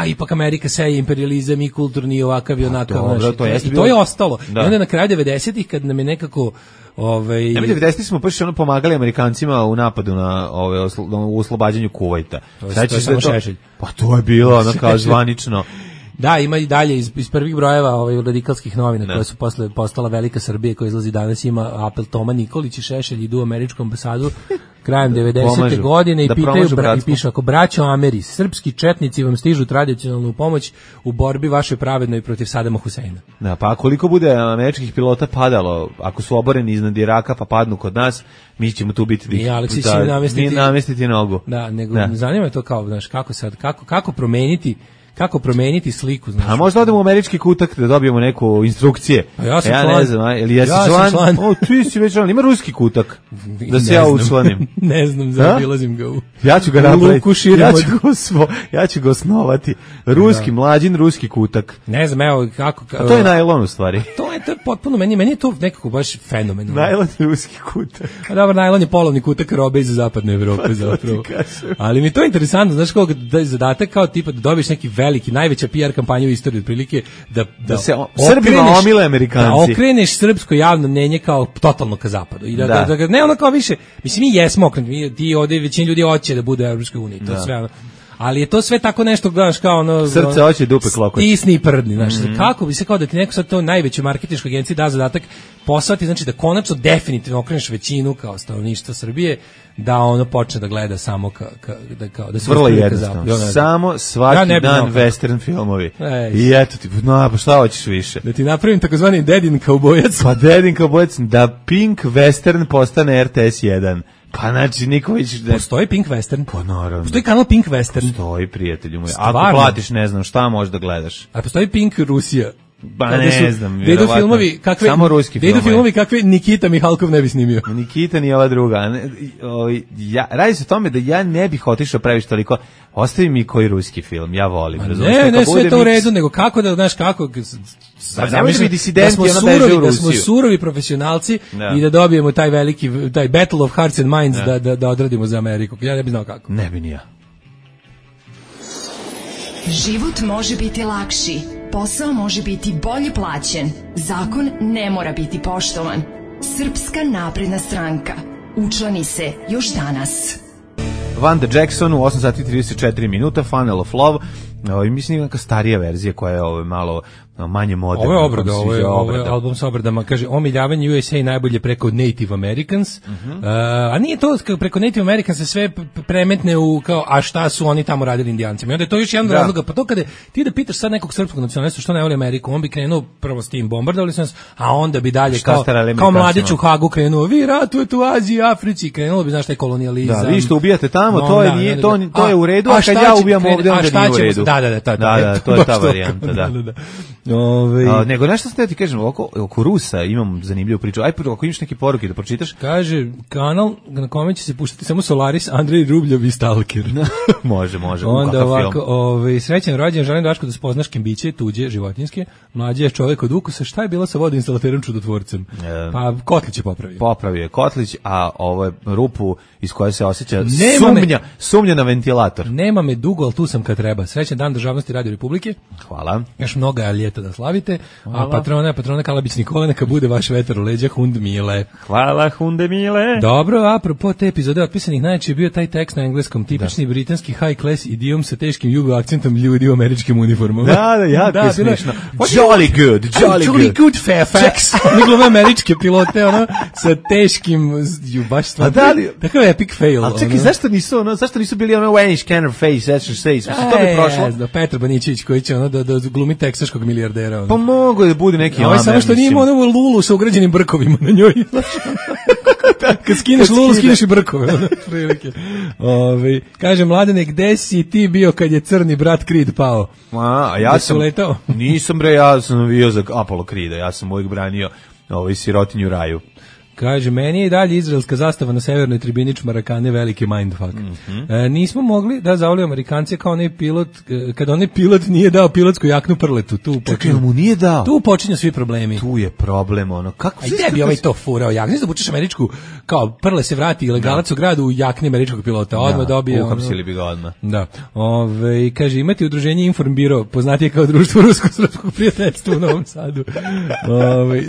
F: ipak Amerika seje imperializam i kulturni i ovakav i onakav. I to je ostalo. Da. I onda na kraju 90-ih kad nam je nekako...
E: Mi 90-ih smo baš pomagali Amerikancima u napadu na u oslobađanju Kuvajta.
F: To je samo Šešelj.
E: Pa to je bilo ono kao zvanično.
F: Da, ima i dalje iz prvih brojeva radikalskih novina koje su posle postala Velika Srbija koja izlazi danas, ima apel Toma Nikolić i Šešelj idu u američku ambasadu krajem 90. godine i pitaju i pišu ako braćo Ameri, srpski četnici vam stižu tradicionalnu pomoć u borbi vašoj pravednoj protiv Sadama Huseina.
E: Da, pa koliko bude američkih pilota padalo, ako su oboreni iznad Iraka pa padnu kod nas, mi ćemo tu biti
F: i Aleksić će
E: namestiti nogu.
F: Da, nego zanima me to kao, znaš, kako promeniti sliku, znači.
E: A možda odemo u američki kutak da dobijemo neku instrukcije.
F: A ja sam
E: ne znam, ili jesi član? O, ti si već član. Ima ruski kutak da se ja učlanim.
F: Ne znam, zaobilazim ga u...
E: Ja ću ga napraviti. Ja ću ga osnovati. Ruski, mlađin ruski kutak.
F: Ne znam, evo kako...
E: A to je najlon u stvari.
F: To je potpuno, meni je to nekako baš fenomenalno.
E: Najlon ruski kutak.
F: A dobro, najlon je polovni kutak robe iz zapadne Evrope zapravo. Ali mi to je interesantno, znaš kako da je zadatak kao tipa da dobiješ neki najveća PR kampanja u istoriji otprilike da se
E: Srbima omile Amerikanci.
F: Da okreneš srpsko javno mnjenje kao totalno ka zapadu. I da ne ono kao više, mislim mi jesmo okrenuti, ti ovdje većina ljudi hoće da bude u Evropskoj uniji, to sve ono. Ali je to sve tako nešto, gledaš kao ono...
E: Srce hoće, dupe klokot.
F: Stisni i prdni, znaš. Kako bi se kao da ti neko sad to najvećoj marketinškoj agenciji da zadatak poslati, znači da konačno definitivno okreneš većinu kao stanovništva Srbije, da ono počne da gleda samo da se...
E: Vrlo jednostavno. Samo svaki dan western filmovi. I eto ti, pa šta hoćeš više?
F: Da ti napravim takozvani Dedin kaubojac.
E: Pa Dedin kaubojac, da Pink Western postane RTS 1. Pa znači Niković...
F: Postoji Pink Western?
E: Pa naravno.
F: Postoji kanal Pink Western?
E: Postoji, prijatelju moj. Ako platiš, ne znam, šta možeš da gledaš?
F: A postoji Pink Rusija?
E: Ba ne znam,
F: da idu filmovi kakve,
E: samo ruski filmovi.
F: Da idu filmovi kakve Nikita Mihalkov ne bi snimio.
E: Nikita ni ova druga. Radi se o tome da ja ne bih otišao previše toliko. Ostavi mi koji ruski film, ja volim.
F: Ne, sve to u redu, nego kako da, znaš, kako... Da smo surovi profesionalci i da dobijemo taj veliki, taj Battle of Hearts and Minds da odradimo za Ameriku. Ja ne bi znao kako.
E: Ne bi ni ja.
C: Život može biti lakši, posao može biti bolje plaćen, zakon ne mora biti poštovan. Srpska napredna stranka. Učlani se još danas.
E: Vanda Jackson u 8 sati 34 minuta, Funnel of Love. Mislim neka starija verzija koja je malo manje moderna.
F: Ovo je obrada, ovo je album sa obradama. Kaže, omiljavanje USA najbolje preko Native Americans. A nije to preko Native Americans sve premetne u kao, a šta su oni tamo radili Indijancima. I onda je to još jedan razloga. Pa to kada ti da pitaš sad nekog srpskog nacionalista što ne voli Ameriku, on bi krenuo prvo s tim, bombardovali su nas, a onda bi dalje kao mladić u Hagu krenuo, vi ratujete u Aziji, Africi, krenulo bi, znaš, taj kolonijalizam.
E: Da, vi što ubijate tamo, to je u redu, a kad ja ubijam ovdje, onda nije u redu.
F: Da,
E: to je ta varijanta, da. Nego nešto sam ti kažem, oko Rusa imam zanimljivu priču. Aj, ako imaš neke poruke da pročitaš.
F: Kaže, kanal na kome će se puštati samo Solaris, Andrej Rubljev i Stalker.
E: Može.
F: Onda ovako, srećan rođendan, želim Daško da spoznaš kembiće, tuđe, životinjske. Mlađe je čovjek od ukusa. Šta je bilo sa vodoinstalaterom čudotvorcem? Pa Kotlić je popravio.
E: Popravio je Kotlić, a ovo je rupu iz koje se osjeća sumnja na ventilator.
F: Nema me dugo, ali tu sam kad treba. Srećan dan državnosti Radio Republike.
E: Hvala.
F: Još mnoga ljeta marta da slavite, a patrona Kalabić Nikola, neka bude vaš vetar u leđa, Hund Mile.
E: Hvala, Hunde Mile.
F: Dobro, apropo te epizode otpisanih, najčešće je bio taj tekst na engleskom, tipični britanski high class idiom sa teškim jugo akcentom ljudi u američkim uniformama.
E: Jako je smiješno. Jolly good,
F: Fairfax. Njegove američke pilote, sa teškim, baš stvarno. Takav epic fail.
E: Ali čekaj, zašto nisu bili Wayne Scanner Face, Action Face, to bi prošlo?
F: Petar Banićević koji će da glumi teksaškog milijardera.
E: Pa mogu da bude neki
F: Amer. Samo što nije imao Lulu sa ugrađenim brkovima na njoj. Kad skineš Lulu, skineš i brkove. Kaže, Mladene, gde si ti bio kad je crni brat Creed pao?
E: A ja sam letao? Nisam ja sam bio za Apollo Creeda, ja sam uvijek branio sirotinju raju.
F: Kaže, meni je i dalje izraelska zastava na severnoj tribini Čmarakane veliki mindfuck. Nismo mogli da zavolio Amerikance kao onaj pilot, kad onaj pilot nije dao pilotsku jaknu prletu.
E: Čekaj, mu nije dao?
F: Tu počinju svi problemi.
E: Tu je problem, kako...
F: Aj, gde bi ovaj to furao jaknu? Znači da bučeš američku, kao prle se vrati ilegalac u gradu u jakni američkog pilota. Odmah dobije...
E: Uhapsili bi ga odmah.
F: Da. Kaže, imate udruženje Informbiro, poznatije kao društvo rusko-srpskog prijateljstva u Novom Sadu.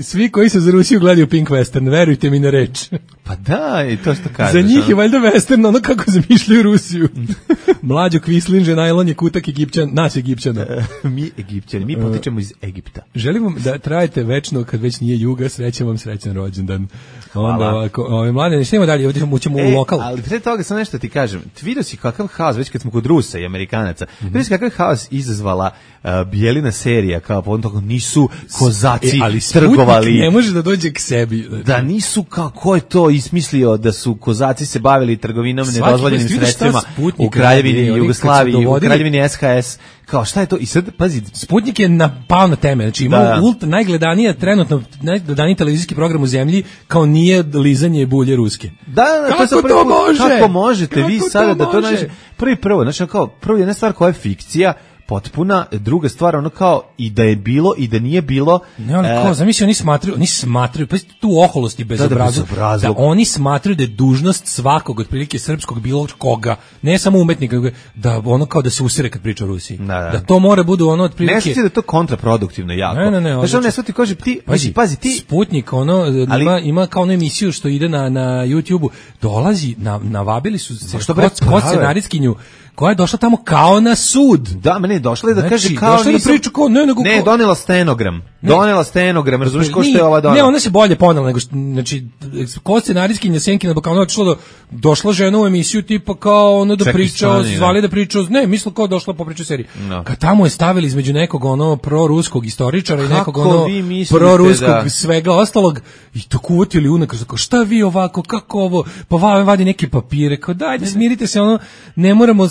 F: Svi koji se za Rusiju gledaju Pink Western, verujte mi na reč.
E: Pa da, i to što kažeš.
F: Za njih je valjda western, kako zamišljaju Rusiju. Mlađo Kvislinže, najlon je kutak nas Egipćana.
E: Mi Egipćani, mi potičemo iz Egipta.
F: Želim vam da trajete večno, kad već nije juga, srećem vam srećan rođendan.
E: Hvala.
F: Onda, mlade, što imamo dalje, ovdje ćemo u lokal.
E: Ali pre toga sam nešto ti kažem, vidio si kakav haos, već kad smo kod Rusa i Amerikanaca, vidio si kakav haos izazvala Bijelina serija, kao po toga nisu kozaci trgovali.
F: Ne može da dođe k sebi.
E: Da nisu, ko je to ismislio da su kozaci se bavili trgovinom nedozvoljenim sredstvima u Kraljevini Jugoslaviji, u Kraljevini SHS, kao šta je to? I sad, pazi,
F: Sputnik je napao na teme, znači ima najgledanija trenutno, najgledaniji televizijski program u zemlji, kao nije lizanje bulje ruske.
E: Da,
F: kako to može?
E: Kako možete vi sada da to nađe? Prvo, znači kao, prvo jedna stvar koja je fikcija, potpuna, druga stvar, kao i da je bilo i da nije bilo.
F: Ne, ali kao, zamisli, oni smatraju, pa tu oholosti bezobrazluk, da oni smatraju da je dužnost svakog, otprilike srpskog, bilo koga, ne samo umetnika, da kao da se usire kad priča o Rusiji. Da to mora bude otprilike...
E: Ne sveti da je to kontraproduktivno jako.
F: Ne.
E: Znači, ne sveti kaže, pazi ti...
F: Sputnik, ima kao onu emisiju što ide na YouTube-u, dolazi, navabili su se scenarijskinju, koja je došla tamo kao na sud.
E: Da, mene je došla da kaže kao
F: nisam... Da priča kao,
E: ne, donela stenogram. Donela stenogram, razumiješ ko što je ova donela?
F: Ne, ona se bolje ponela nego znači ko scenarijskinja Senkina Balkana došla žena u emisiju tipa kao da priča, zvali da priča, ne, misle kao došla po priču seriji. Kad tamo je stavili između nekog proruskog istoričara i nekog proruskog svega ostalog i to kuvatili unakaz, kao šta vi ovako, kako ovo, pa vadi neke papire, kao dajte smirite se,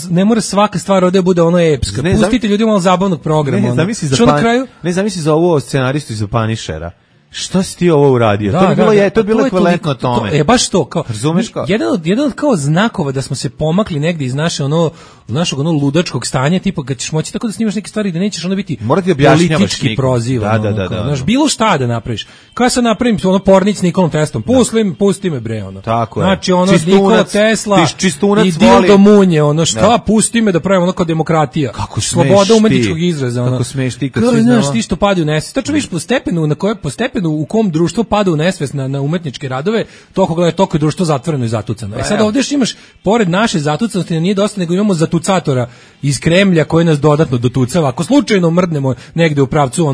F: ne mora svaka stvar ovdje bude epska. Pustite ljudima malo zabavnog programa.
E: Ne zamisli za ovo scenaristu iz Panišera. Šta si ti ovo uradio? To je bilo ekvivalentno tome.
F: Baš to.
E: Razumeš kao?
F: Jedan od kao znakova da smo se pomakli negdje iz našeg ludačkog stanja, tipa kad ćeš moći tako da snimaš neke stvari da nećeš biti politički prozivan. Znaš, bilo šta da napraviš. Kao ja sad napravim pornić s Nikolom Teslom. Pusti me bre,
E: Tako je.
F: Znači, Nikola Tesla i Dildo Munje, šta, pusti me da pravim kao demokratija.
E: Kako smeš
F: sloboda umetničkog izraza.
E: Kako smeš ti kad
F: si znaš ti što padi u nesvest. Tačno vidiš po stepenu u kom društvo pada u nesvest na umetničke radove, toliko je društvo zatvoreno i zatucano. Sad ovdje imaš, pored naše zatucanosti, nije dosta, nego imamo zatucatora iz Kremlja koji nas dodatno dotucava. Ako slučajno mrdnemo negde u pravcu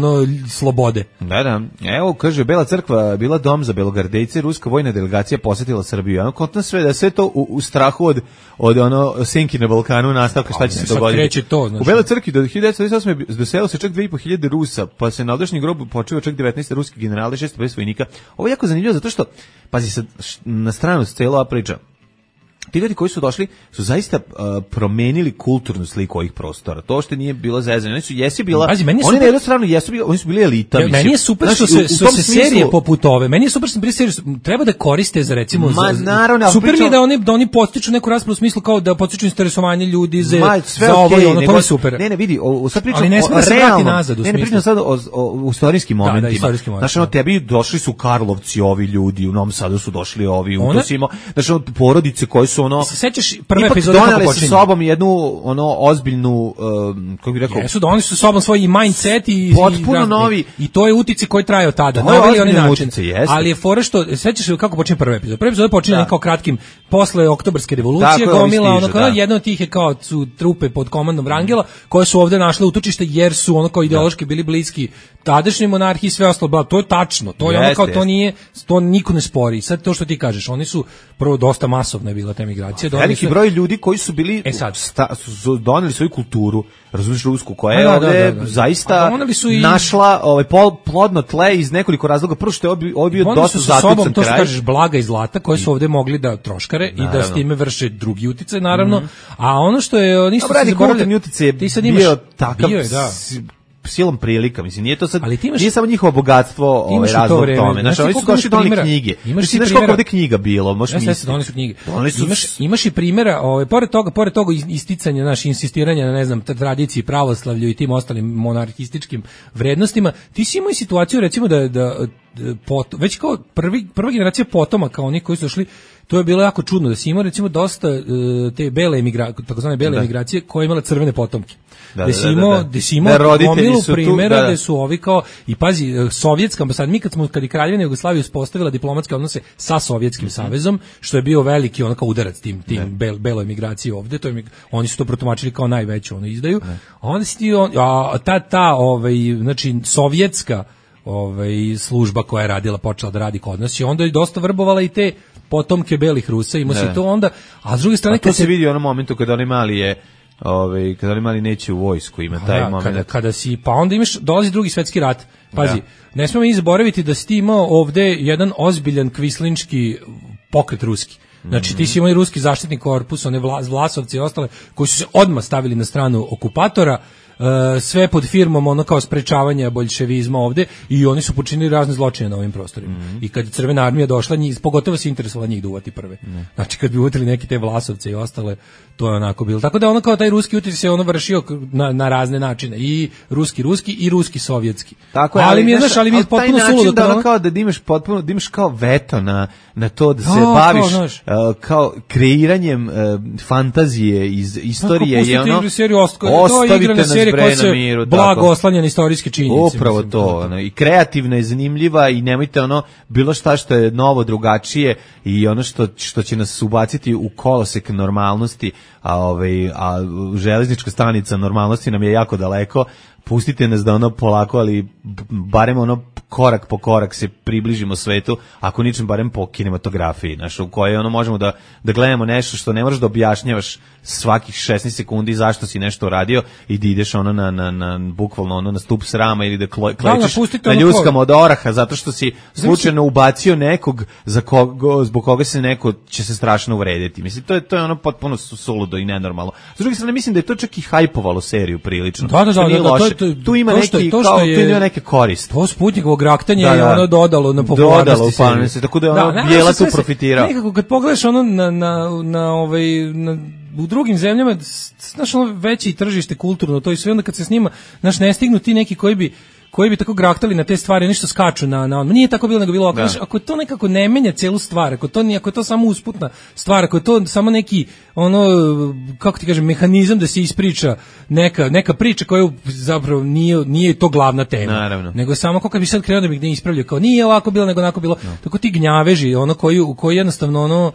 F: slobode.
E: Da. Evo, kaže, Bela crkva bila dom za belogardejce, ruska vojna delegacija posjetila Srbiju. Kontno sve da sve to u strahu od senki na Balkanu nastavka šta će se dogoditi. U Beloj crkvi do 1928. doselilo se čak 2500 Rusa, pa se na odašnjem grobu počeo čak 19 ruskih generala i 650 vojnika. Ovo je jako zanimljivo zato što, pazi sad, na stranu cijela ova priča, ti ljudi koji su došli su zaista promenili kulturnu sliku ovih prostora. To što nije bilo zezanje. Oni su oni na jednu stranu oni su bili elita.
F: Meni je super što se serije poput ove. Meni je super što serije treba da koriste za recimo super mi je da oni podstiču neku raspravu u smislu kao da podstiču interesovanje ljudi za ovo i ono, to je super.
E: Ne, vidi, sad pričam
F: o realnom. Ne
E: pričam sad o istorijskim momentima. Znači, tebi došli su Karlovci ovi ljudi, u Novom Sadu su došli ovi, u Tosimo, znači porodice koje su ono
F: sećaš prve
E: ipak
F: epizode
E: doneli sa sobom jednu ono ozbiljnu kako bih rekao,
F: jesu doneli su sa sobom svoj mindset i
E: potpuno novi,
F: i to je uticaj koji traje od tada.
E: Naveli oni način,
F: ali je fora što sećaš se kako počinje prvi epizod. Prvi epizod počinje kao kratkim posle Oktobarske revolucije, gomila ono kao jedna od tih je kao su trupe pod komandom Wrangela koje su ovde našle utočište jer su ono kao ideološki bili bliski tadašnjoj monarhiji, sve ostalo, to je tačno, to je ono kao to nije, to niko ne spori. Sad to što ti kažeš, oni su prvo dosta masovna je bila ta migracija,
E: veliki broj ljudi koji su bili su doneli svoju kulturu, razumiješ, rusku, koja je ovde zaista našla plodno tle iz nekoliko razloga. Prvo što je ovo bio dosta zatucan kraj.
F: To što kažeš, blaga i zlata koje su ovde mogli da troškare i da s time vrše drugi uticaj, naravno. A ono što je nisu se zaboravili,
E: ti sad imaš bio takav silom prilika, mislim, nije to sad, nije samo njihovo bogatstvo razlog tome. Znači, oni su došli do onih knjige. Znaš koliko ovde knjiga bilo?
F: Oni su knjige. Imaš i primjera, pored toga isticanja, naš insistiranja na, ne znam, tradiciji, pravoslavlju i tim ostalim monarhističkim vrednostima, ti si imao i situaciju, recimo, da već kao prva generacija potomaka, oni koji su došli, to je bilo jako čudno, da si imao, recimo, dosta te takozvane bele emigracije koja je imala crvene potomke. Da si imao gomilu primjera gde su ovi kao, i pazi, sovjetska ambasada, mi kad je Kraljevina Jugoslavija uspostavila diplomatske odnose sa Sovjetskim savezom, što je bio veliki onako udarac tim beloj emigraciji ovde, oni su to protumačili kao najveću izdaju, a onda si ti, znači, sovjetska služba koja je radila, počela da radi kod nas i onda je dosta vrbovala i te potomke belih Rusa, ima se to onda, a s druge strane...
E: to se vidi u onom momentu kada oni mali kada oni mali neće u vojsku, ima taj moment.
F: Kada si, pa onda dolazi drugi svetski rat, pazi, ne smemo mi zaboraviti da si ti imao ovde jedan ozbiljan kvislinčki pokret ruski. Znači ti si imao i ruski zaštitni korpus, one Vlasovci i ostale, koji su se odmah stavili na stranu okupatora, sve pod firmom ono kao sprečavanja boljševizma ovde i oni su počinili razne zločine na ovim prostorima. I kad je Crvena armija došla, pogotovo se interesovala njih da uvati prve. Znači kad bi uvatili neki te Vlasovce i ostale, to je onako bilo. Tako da ono kao taj ruski utjecaj se ono vršio na razne načine, i ruski i ruski sovjetski.
E: Tako je, ali mi je potpuno suludo da kao da imaš kao veto na to da se baviš kao kreiranjem fantazije iz istorije i ono ostavite nas bre na miru,
F: blago oslanjane istorijske činjenice.
E: Upravo to, i kreativna i zanimljiva i nemojte bilo šta što je novo, drugačije i ono što će nas ubaciti u kolosek normalnosti, a železnička stanica normalnosti nam je jako daleko. Pustite nas da polako, ali barem korak po korak se približimo svetu, ako ničem barem po kinematografiji, u kojoj možemo da gledamo nešto što ne možeš da objašnjavaš svakih 16 sekundi zašto si nešto uradio i da ideš na bukvalno na stup srama ili da klečiš na ljuskama od oraha zato što si slučajno ubacio nekog zbog koga će se strašno uvrediti. Mislim, to je potpuno suludo i nenormalno. S druge strane, mislim da je to čak i hajpovalo seriju prilično. Tu ima neke korist.
F: To Sputnikovo graktanje je dodalo na popularnosti.
E: Tako da je Bijela tu profitirao.
F: Nekako kad pogledaš u drugim zemljama, znaš, veće tržište kulturno, to i sve, onda kad se snima, znaš, ne stignu ti neki koji bi tako graktali na te stvari, nešto skaču na nije tako bilo, nego bilo ovako. Ako to nekako ne menja celu stvar, ako je to samo usputna stvar, ako je to samo neki, kako ti kažem, mehanizam da se ispriča neka priča koja zapravo nije to glavna tema.
E: Naravno.
F: Nego samo kako bi sad krenuo da bih ne ispravljao, kao nije ovako bilo, nego onako bilo. Tako ti gnjaveži, koji jednostavno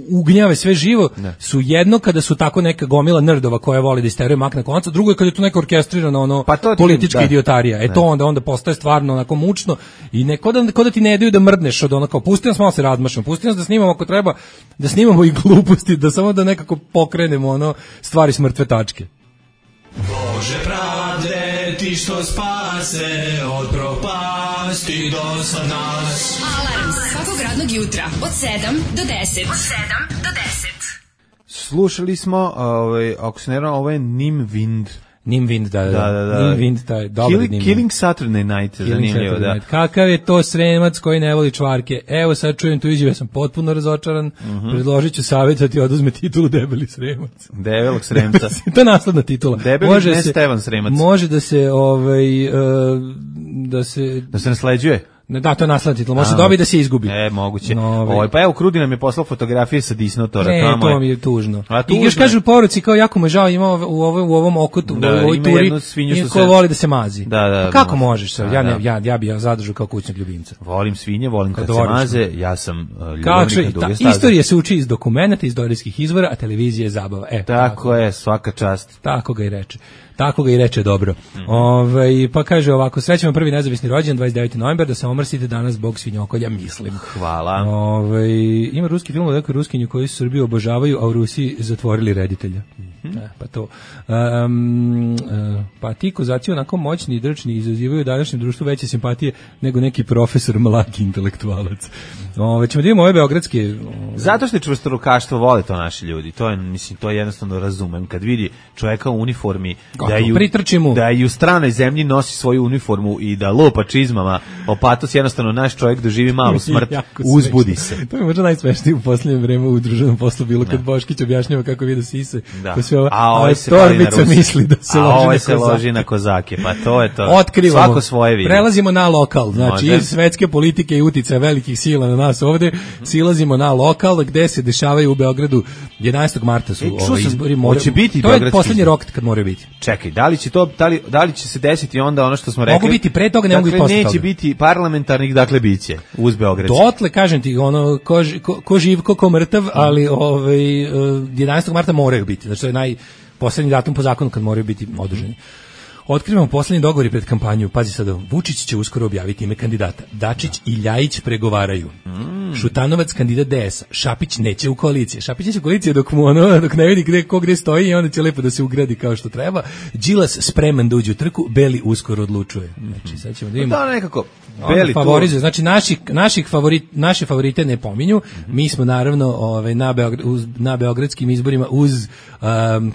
F: ugnjave sve živo, su jedno kada su tako neka gomila nerdova koja voli da isteruje mak na konca, drugo je kada je to neka orkestrirana politička idiotarija. To onda postaje stvarno onako mučno i ko da ti ne daju da mrdneš od kao pusti nas malo se razmašamo, pusti nas da snimamo ako treba, da snimamo i gluposti, da samo da nekako pokrenemo stvari s mrtve tačke.
H: Bože pravde, ti što spase od propasti do sad nas.
C: Alarm svakog radnog jutra od 7 do 10.
E: Slušali smo, ako se ne varam, ovo je Nimwind.
F: Nimwind, da. Nimwind, taj dobar Nimwind.
E: Killing Saturday Night, zanimljivo, da.
F: Kakav je to Sremac koji ne voli čvarke? Evo sad čujem tu izjavu, ja sam potpuno razočaran. Predložit ću savjet da ti oduzme titulu Debeli Sremac.
E: Debelog Sremca.
F: To je nasledna titula.
E: Debeli Stevan Sremac.
F: Može da se,
E: da se nasleđuje.
F: Da, to je nasledni titul. Može se dobiti da se izgubi.
E: Moguće. Pa evo, Krudi nam je poslao fotografije sa Disnotora.
F: To mi je tužno. I još kažu u poruci, kao jako me žao, ima u ovom okotu, u ovoj turi, i ko voli da se mazi.
E: Da,
F: kako možeš? Ja bi zadržao kao kućnog ljubimca.
E: Volim svinje, volim kad se maze, ja sam ljubavnik na duge staze.
F: Istorija se uči iz dokumenta, iz istorijskih izvora, a televizija je zabava.
E: Tako je, svaka čast.
F: Tako ga i reče dobro. Pa kaže ovako, srećemo prvi nezavisni rođendan 29. novembar, da se omrsite danas zbog svinjokolja, mislim.
E: Hvala.
F: Ima ruski film o nekoj Ruskinju koji su Srbiju obožavaju, a u Rusiji zatvorili reditelja. Pa to. Pa ti kozaci onako moćni i drčni izazivaju u današnjem društvu veće simpatije nego neki profesor mlaki intelektualac. Ćemo da imamo ove beogradske...
E: Zato što je čvrstorukaštvo, vole to naši ljudi. To je, mislim, to jednostavno razumem. Kad vidi čovjeka u uniformi, da i u stranoj zemlji nosi svoju uniformu i da lopa čizmama, opatos, jednostavno naš čovjek doživi malu smrt, uzbudi se.
F: To je možda najsmešnije u posljednje vreme u društvenom poslu bilo kad Boškić objašnjava kako vidi sise.
E: A
F: torbica misli da se
E: loži na kozake. Pa to je to.
F: Otkrivamo.
E: Svako svoje vidi.
F: Prelazimo na lokal. Znači, iz svetske politike i uticaja velikih sila na nas ovde, silazimo na lokal gde se dešavaju u Beogradu 11. marta su izbori. To je poslednji rok kad moraju biti.
E: Čekaj, da li će se desiti onda ono što smo rekli?
F: Mogu biti pre toga, ne mogu i posle toga.
E: Neće biti parlamentarnih, dakle biće uz Beograd.
F: Dotle, kažem ti, ono, ko živ, ko mrtav, ali 11. marta moraju biti. Znači, to je poslednji datum po zakonu kad moraju biti održani. Otkrivamo poslednji dogovori pred kampanju. Pazi sad, Vučić će uskoro objaviti ime kandidata. Dačić i Ljajić pregovaraju. Šutanovac kandidat DS-a. Šapić neće u koaliciji. Šapić neće u koaliciji dok ne vidi gde stoji i onda će lepo da se ugradi kao što treba. Đilas spreman da uđe u trku, Beli uskoro odlučuje. Znači, sad ćemo da imamo.
E: Da, nekako. Beli
F: favorizuje. Znači, naše favorite ne pominju. Mi smo naravno na beogradskim izborima uz,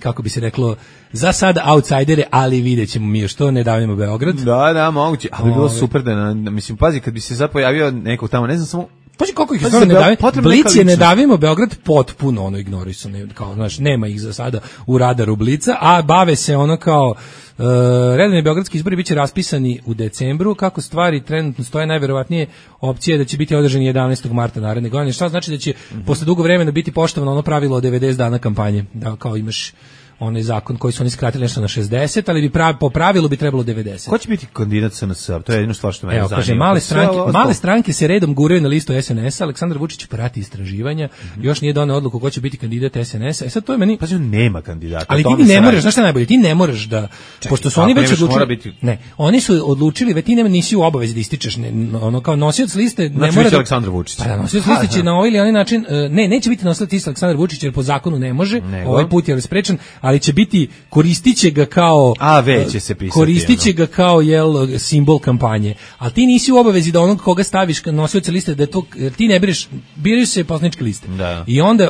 F: kako bi se reklo, za sad outsidere, ali vidjet ćemo mi još to, ne davimo Beograd.
E: Da, moguće. Ali bi bilo super da, mislim, pazi, kad bi se sad pojavio nekog tamo, ne znam, samo...
F: Pazi koliko ih ne davimo. Blic je ne davimo Beograd potpuno ignorisano, kao, znaš, nema ih za sada u radaru Blica, a bave se ono kao... redovni beogradski izbori biće raspisani u decembru. Kako stvari trenutno stoje, najverovatnije opcije da će biti održani 11. marta naredne godine. Šta znači da će posle dugo vremena biti poštovano ono pravilo od 90 dana kampanje, da kao imaš onaj zakon koji su oni skratili nešto na 60, ali po pravilu bi trebalo 90.
E: Ko će biti kandidat SNS? To je jedino stvar što mene zanima.
F: Kaže, male stranke se redom guraju na listu SNS-a, Aleksandar Vučić prati istraživanja, još nije doneo odluku ko će biti kandidat SNS-a. Sad to je meni...
E: Pa on nema kandidata.
F: Ali ti ne moraš, znaš šta najbolje, ti ne moraš da... Pošto su oni već odlučili... Ne, oni su odlučili, već ti nisi u obavezi da ističeš, ono kao nosioc liste...
E: Znači biće Aleksandar Vučić.
F: Pa nosioc liste će na ovaj ili onaj način... neće biti nosilac liste Aleksandar Vučić jer po zakonu ne može, ovaj put je sprečen, ali će biti, koristiće ga kao koristiće ga kao simbol kampanje, ali ti nisi u obavezi da onog koga staviš nosioca liste, da je to, ti ne biraju se poslaničke liste. I onda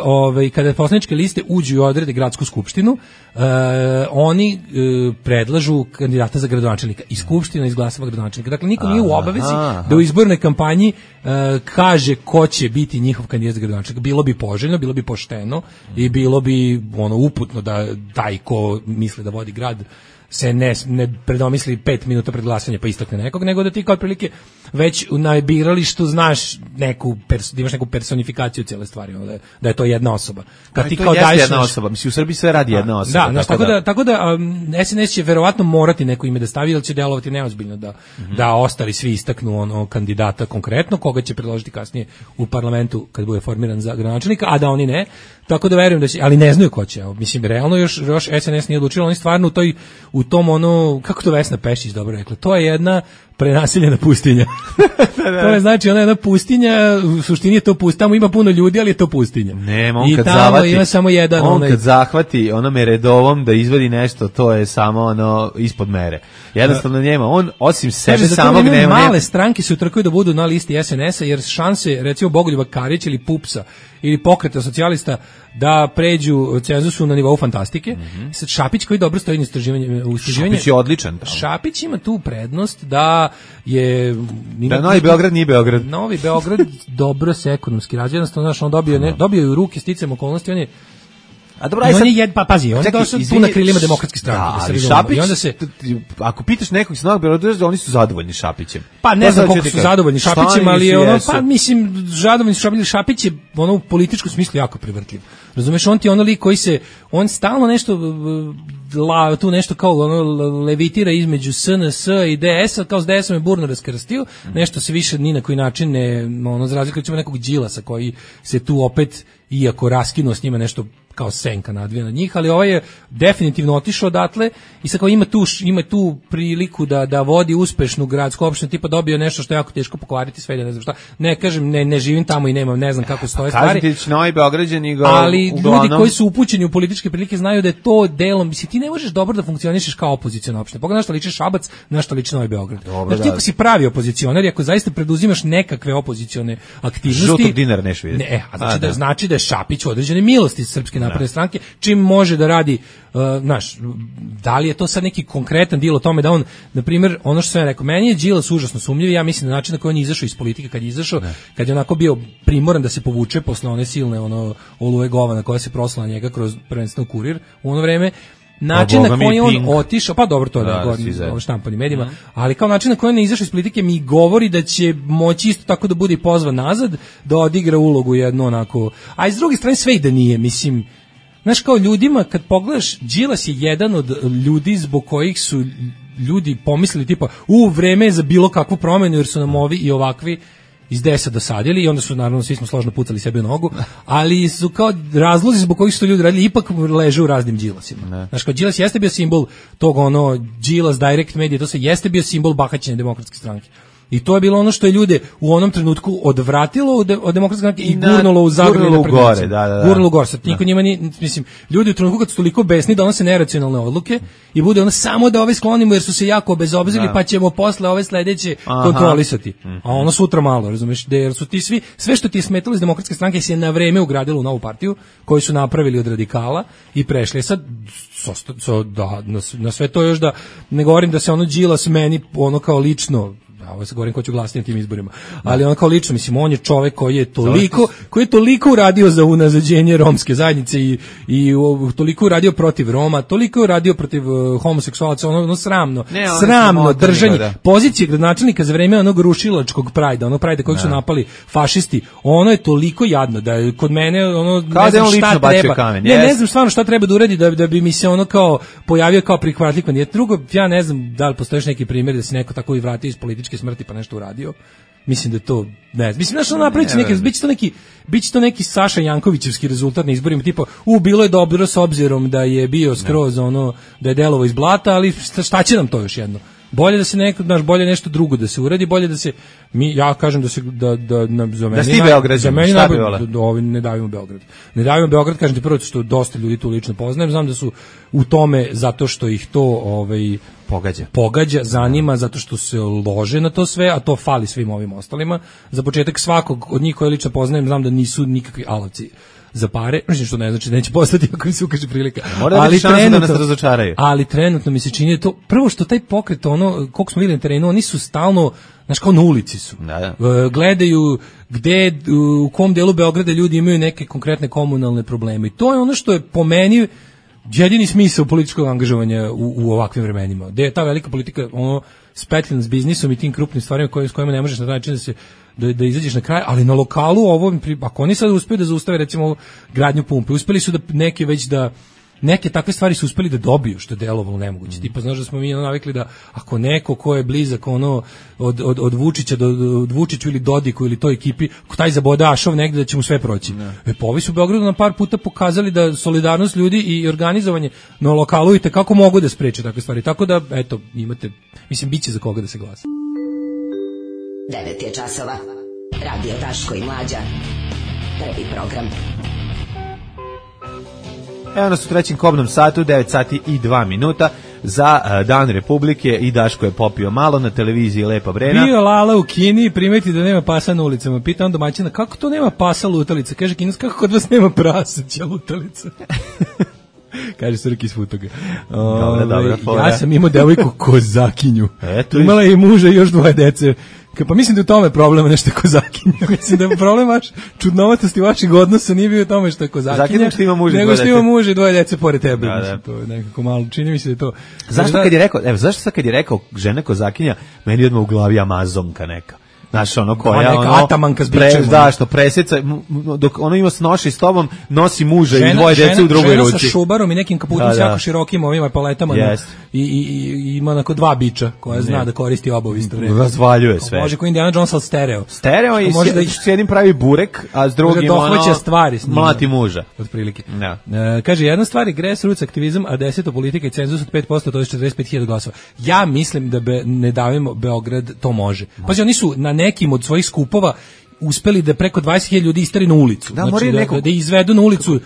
F: kada poslaničke liste uđu i odrede gradsku skupštinu, oni predlažu kandidata za gradonačelnika i skupština izglasava gradonačelnika. Dakle, niko nije u obavezi da u izbornoj kampanji kaže ko će biti njihov kandidat za gradonačelnika. Bilo bi poželjno, bilo bi pošteno i bilo bi uputno da taj ko misli da vodi grad se ne predomisli 5 minuta pred glasanje pa istakne nekog, nego da ti kao otprilike već na biralištu znaš da imaš neku personifikaciju cijele stvari, da je to jedna osoba. Kad ti kao daješ
E: jedna osoba, mislim u Srbiji sve radi jedna osoba.
F: Tako da SNS će verovatno morati neko ime da stavi, jer će delovati neozbiljno da ostali svi istaknu kandidata konkretno, koga će predložiti kasnije u parlamentu kad bude formiran za gradonačelnika, a da oni ne. Tako da verujem da će, ali ne znaju ko će. Mislim, realno još SNS nije odlučilo, oni stvarno u tom kako to Vesna Pešić dobro rekla, to je jedna prenaseljena pustinja. To je znači ona je jedna pustinja, u suštini je to pustinja, tamo ima puno ljudi, ali je to pustinja.
E: Nema, on kad zavati, ima samo jedan, kad zahvati onome redovom da izvadi nešto, to je samo ispod mere. Jednostavno njema, on osim sebe samog nema.
F: Male stranke se utrkuju da budu na listi SNS-a, jer šanse, recimo Bogoljuba Karić ili Pupsa ili Pokreta socijalista da pređu cenzusu na nivou fantastike. Sad Šapić koji dobro stoji na istraživanju.
E: Šapić je odličan.
F: Šapić ima tu prednost da je...
E: Da Novi Beograd nije Beograd.
F: Novi Beograd dobro se ekonomski razvija, jednostavno, znaš, on dobio u ruke sticajem okolnosti, on je
E: A dobro,
F: I on je pazi, on je došao tu na krilima demokratske stranke,
E: da
F: se
E: ali
F: razumemo.
E: Šapić,
F: I onda se
E: ako pitaš nekog iz Novog Beograda, oni su zadovoljni Šapićem.
F: Pa ne znam koliko su zadovoljni Šapićem, ali je ono, pa mislim, zadovoljni su Šapić je ono u političkom smislu jako prevrtljiv. Razumeš, on ti ono lik koji se, on stalno nešto tu nešto kao ono levitira između SNS i DS-a, kao s DS-om je burno raskrstio, nešto se više ni na koji način ne, ono, za razliku od nekog Đilasa koji se tu opet, iako raskinuo s njima nešto kao senka nadvija na njih, ali ovaj je definitivno otišao odatle i sad kao ima tu priliku da vodi uspešnu gradsku opštinu, tipa dobio nešto što je jako teško pokvariti sve, ne znam šta. Ne kažem, ne živim tamo i ne znam kako stoje stvari.
E: Kažete će Novi Beograđani ga
F: ali
E: uglavnom...
F: ljudi koji su upućeni u političke prilike znaju da je to delom, mislim ti ne možeš dobro da funkcionišeš kao opoziciona opština. Pogledaj na šta liči Šabac, na šta liči Novi Beograd. Znači ti ako si pravi opozicionar i ako zaista preduzimaš nekakve opozicione aktivnosti,
E: žutog dinara neš vidjeti.
F: Ne, znači da je Šapić u određene milosti Srpske napredne stranke, čim može da radi, da li je to sad neki konkretan deal o tome da on, na primjer, ono što sam ja rekao, meni je Đilas užasno sumnjiv, ja mislim na način na koji on je izašao iz politike, kad je izašao, kad je onako bio primoran da se povuče posle one silne oluje govana koja se prosla na njega kroz prvenstveno Kurir u ono vreme, način na koji on otišao, pa dobro to da štampani medijima, ali kao način na koji on je izašao iz politike mi govori da će moći isto tako da bude i pozvan nazad, da odigra ulogu jedno onako, a iz druge strane sve i da nije, mislim, znaš kao ljudima kad pogledaš, Đilas je jedan od ljudi zbog kojih su ljudi pomislili tipa vreme je za bilo kakvu promenu jer su nam ovi i ovakvi iz DS-a dosadili i onda su naravno svi smo složno pucali sebi u nogu, ali su kao razlozi zbog kojih su to ljudi radili ipak leže u raznim Đilasima. Znaš kao Đilas jeste bio simbol tog Đilas Direct Media, to se jeste bio simbol bahaćenja demokratske stranke. I to je bilo ono što je ljude u onom trenutku odvratilo od demokratske stranke i gurnulo u zagrljene
E: gore,
F: gurnulo gore. Sad niko njima nije, mislim, ljudi u trenutku kad su toliko besni donose neracionalne odluke i bude ono samo da ove sklonimo jer su se jako obezobzirili pa ćemo posle ove sledeće kontrolisati. A ono sutra malo, razumeš, jer su ti sve što ti je smetalo iz demokratske stranke se na vreme ugradilo u novu partiju koju su napravili od radikala i prešli. Sad na sve to još da ne govorim da se ono Đilas meni ono kao lično, ovo se govorim ko ću glasiti na tim izborima, ali on kao lično, mislim, on je čovek koji je toliko uradio za unazađenje romske zajednice i toliko uradio protiv Roma, toliko uradio protiv homoseksualaca, ono sramno držanje pozicije gradonačelnika za vreme onog rušilačkog prajda, onog prajda kojeg su napali fašisti, ono je toliko jadno da je kod mene ne znam šta treba, ne znam stvarno šta treba da uradi da bi mi se ono kao pojavio kao prihvatljiv kandidat. Drugo, ja ne znam da li postoji neki primjer da se neko tako i vratio iz političke smrti pa nešto uradio. Mislim da to ne znam. Mislim da što napraviti biće to neki Saša Jankovićevski rezultat na izborima, tipa bilo je dobro s obzirom da je bio skroz da je delovo iz blata, ali šta će nam to još jedno? Bolje da se bolje nešto drugo da se uradi, bolje da se ja kažem da se za meni ne davimo Beograd. Ne davimo Beograd, kažem ti prvo što dosta ljudi tu lično poznajem, znam da su u tome zato što ih to pogađa, zanima, zato što se lože na to sve, a to fali svim ovim ostalima. Za početak svakog od njih koje lično poznajem znam da nisu nikakvi alavci za pare, što ne znači da neće postati ako im se ukaže prilika.
E: Ali trenutno, da nas razočaraju.
F: Ali trenutno mi se čini da to, prvo što taj pokret, koliko smo vidjeli na terenu, oni su stalno, znaš, kao na ulici su. Gledaju u kom delu Beograda ljudi imaju neke konkretne komunalne probleme. I to je ono što je po meni jedini smisao političkog angažovanja u ovakvim vremenima. Gde je ta velika politika spetljena s biznisom i tim krupnim stvarima s kojima ne možeš na taj način da izađeš na kraj, ali na lokalu ako oni sad uspiju da zaustave recimo gradnju pumpe, uspeli su da neke takve stvari su uspeli da dobiju, što je delovalo nemoguće. Tipa, znaš da smo mi navikli da ako neko ko je blizak od Vučića od Vučiću ili Dodiku ili toj ekipi, ko taj zabode ašov negde da će mu sve proći. Pa ovi su u Beogradu na par puta pokazali da solidarnost ljudi i organizovanje na lokalu i kako mogu da spreče takve stvari. Tako da, eto, imate, mislim, bit će za koga da se glasa.
I: 9 je časova. Radio Daško i Mlađa. Prvi program.
E: Evo nas u trećem kobnom satu, 9 sati i 2 minuta za Dan Republike i Daško je popio malo na televiziji Lepa Brena.
F: Bio Lala u Kini, primeti da nema pasa na ulicama. Pita on domaćina, kako to nema pasa lutalica? Kaže Kinac, kako kod vas nema praseća lutalica? Kaže Srki iz Futoga.
E: Dobra,
F: ja sam imao devojku Kozakinju. Imala je i muža i još 2 dece. Pa mislim da je u tome problem nešto kozakinja. Mislim da je problem vaš čudnovatosti vaših odnosa nije bio u tome što je kozakinja,
E: što ima muž i
F: nego što ima muž i dvoje dece pored tebe.
E: Da.
F: To je nekako malo, čini mi se da je to.
E: Zašto kad je rekao žena kozakinja, meni je odmah u glavi Amazonka neka. Znaš, ono koja
F: neka atamanka s bičem.
E: Da, što preseca, dok ono ima noši s tobom, nosi muža i dvoje dece u drugoj ruci.
F: Žena sa šubarom i nekim kaputom s jako širokim ovima paletama. I ima onako dva biča koja zna da koristi oba u isto vreme.
E: Razvaljuje sve.
F: Može ko Indiana Jones, ali stereo.
E: Stereo i s jednim pravi burek, a s drugim
F: dohvaća stvari s njima.
E: Mlati muža.
F: Otprilike. Kaže, jedna stvar je grassroots aktivizam, a 10 politika i cenzus od 5%, to je 45.000 glasova. Ja mislim da Ne davimo Beograd to može. Pazi, oni su na nekim od svojih skupova uspeli da preko 20.000 ljudi istari na ulicu.
E: Da,
F: znači, da izvedu na ulicu.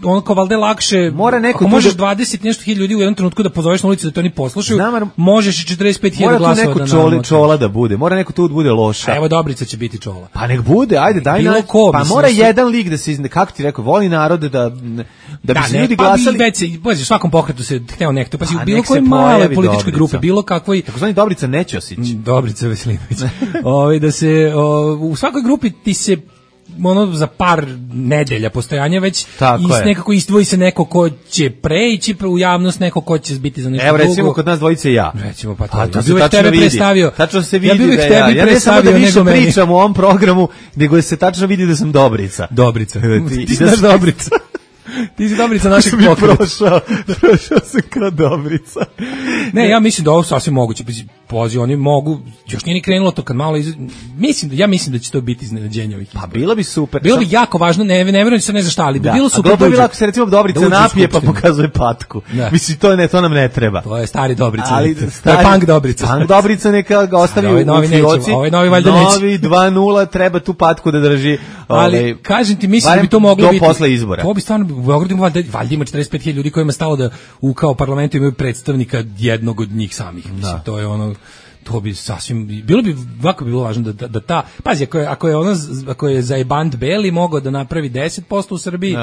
F: Ono kao valjda lakše, ako možeš 20 nešto hiljada ljudi u jednom trenutku da pozoveš na ulici da to oni poslušaju, možeš i 45.000 glasova da namaka.
E: Mora tu neko čola da bude, mora neko tu bude loša.
F: Evo Dobrica će biti čola.
E: Pa nek bude, ajde, daj na. Pa mora jedan lik da se, kako ti rekao, voli narod da bi se ljudi glasali.
F: Pa u svakom pokretu se hteo nekto, pa si u bilo kojoj maloj političkoj grupe, bilo kakvoj.
E: Takozvani Dobrica Nećosić.
F: Dobrica Veselinović. Da se u svakoj grupi ti se za par nedelja postojanja već nekako izdvoji se neko ko će preći u javnost, neko ko će biti za nešto drugo.
E: Evo recimo kod nas dvojice ja.
F: Recimo pa to. Ja bih tebe predstavio.
E: Tačno se vidi da ja ne samo da više pričam u ovom programu, nego se tačno vidi da sam Dobrica.
F: Dobrica. Ti znaš Dobrica. Ti si Dobrica našeg pokreta.
E: Prošao sam kao Dobrica.
F: Ne, ja mislim da ovo sasvim moguće. Pozi, oni mogu, još nije ni krenulo to kad malo ja mislim da će to biti iznenađenje ovih izbora.
E: Pa bilo bi super.
F: Bilo bi jako važno, ne vjerujem da se ne za šta, ali bi bilo super.
E: A dobro bi bilo ako se recimo Dobrica napije pa pokazuje patku. Mislim, to nam ne treba.
F: To je stari Dobrica. To je punk Dobrica.
E: Punk Dobrica neka ga ostavi u fioci.
F: Novi valjda neće.
E: Novi 2:0 treba tu patku da drži.
F: Ali, kažem ti, mislim da bi to moglo biti.
E: Do posle izbora.
F: To bi stvarno, u Beogradu valjda ima 45.000 ljudi kojima stalo da u parlamentu imaju predstavnika jednog od njih samih. Mislim, to je ono, to bi sasvim, ovako bi bilo važno da ta, pazi, ako je Zajband Beli mogao da napravi 10% u Srbiji,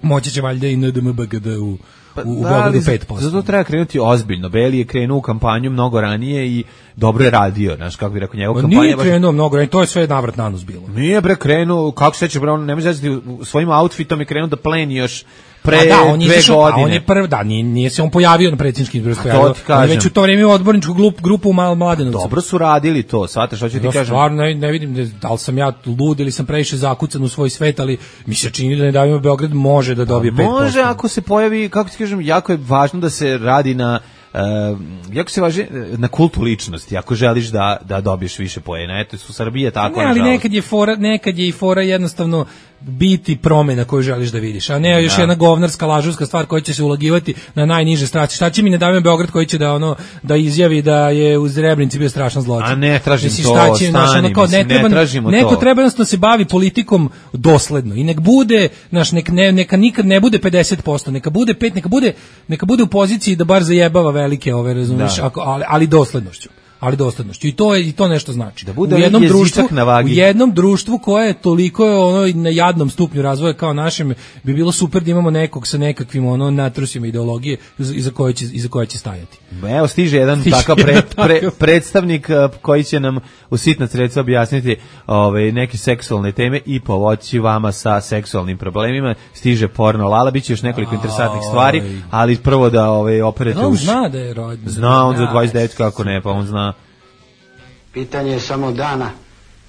F: moći će valjda i NDMBGD u Beogradu 5%.
E: Zato treba krenuti ozbiljno. Beli je krenuo u kampanju mnogo ranije i dobro je radio, znaš, kako bi rekao njegov kampanja.
F: Nije krenuo mnogo ranije, to je sve navrat na nos bilo.
E: Nije krenuo, kako se sećaš, on ne može znači svojim outfitom je krenuo da pleni još pre 2 godine.
F: On je prvi, nije se on pojavio na predsjedničkim izborima. On je već u to vrijeme u odborničku grupu u Mladenovcu.
E: Dobro su radili to, shvataš, hoću ti kažem.
F: Stvarno ne vidim da li sam ja lud ili sam previše zakucan u svoj svet, ali mi se čini da Ne davimo Beograd može da dobije 5%.
E: Može ako se pojavi, kako ti kažem, jako je važno da se radi na jako se važi na kultu ličnosti, ako želiš da dobiješ više poena. Eto, u Srbiji je tako.
F: Ne, ali nekad je i fora jednostavno biti promjena koju želiš da vidiš, a ne još jedna govnarska lažovska stvar koja će se ulagivati na najniže strasti. Šta će mi Ne davimo Beograd koji će da izjavi da je u Srebrenici bio strašan zločin?
E: A ne tražim to,
F: ne tražimo to. Neko treba jednostavno se bavi politikom dosledno i nek bude, neka nikad ne bude 50%, neka bude 5, neka bude u poziciji da bar zajebava velike ove, razumiješ, ali doslednošću. I to nešto znači.
E: Da bude
F: u jednom društvu koje je toliko na jadnom stupnju razvoja kao našem, bi bilo super da imamo nekog sa nekakvim natrusima ideologije iza koje će stajati.
E: Evo stiže jedan takav predstavnik koji će nam u sitna sredstva objasniti neke seksualne teme i pomoći vama sa seksualnim problemima. Stiže Porno Lala, biće još nekoliko interesantnih stvari, ali prvo da operete
F: uši. On zna da je rođen.
E: Zna on za 29, kako ne, pa on zna.
J: Pitanje je samo dana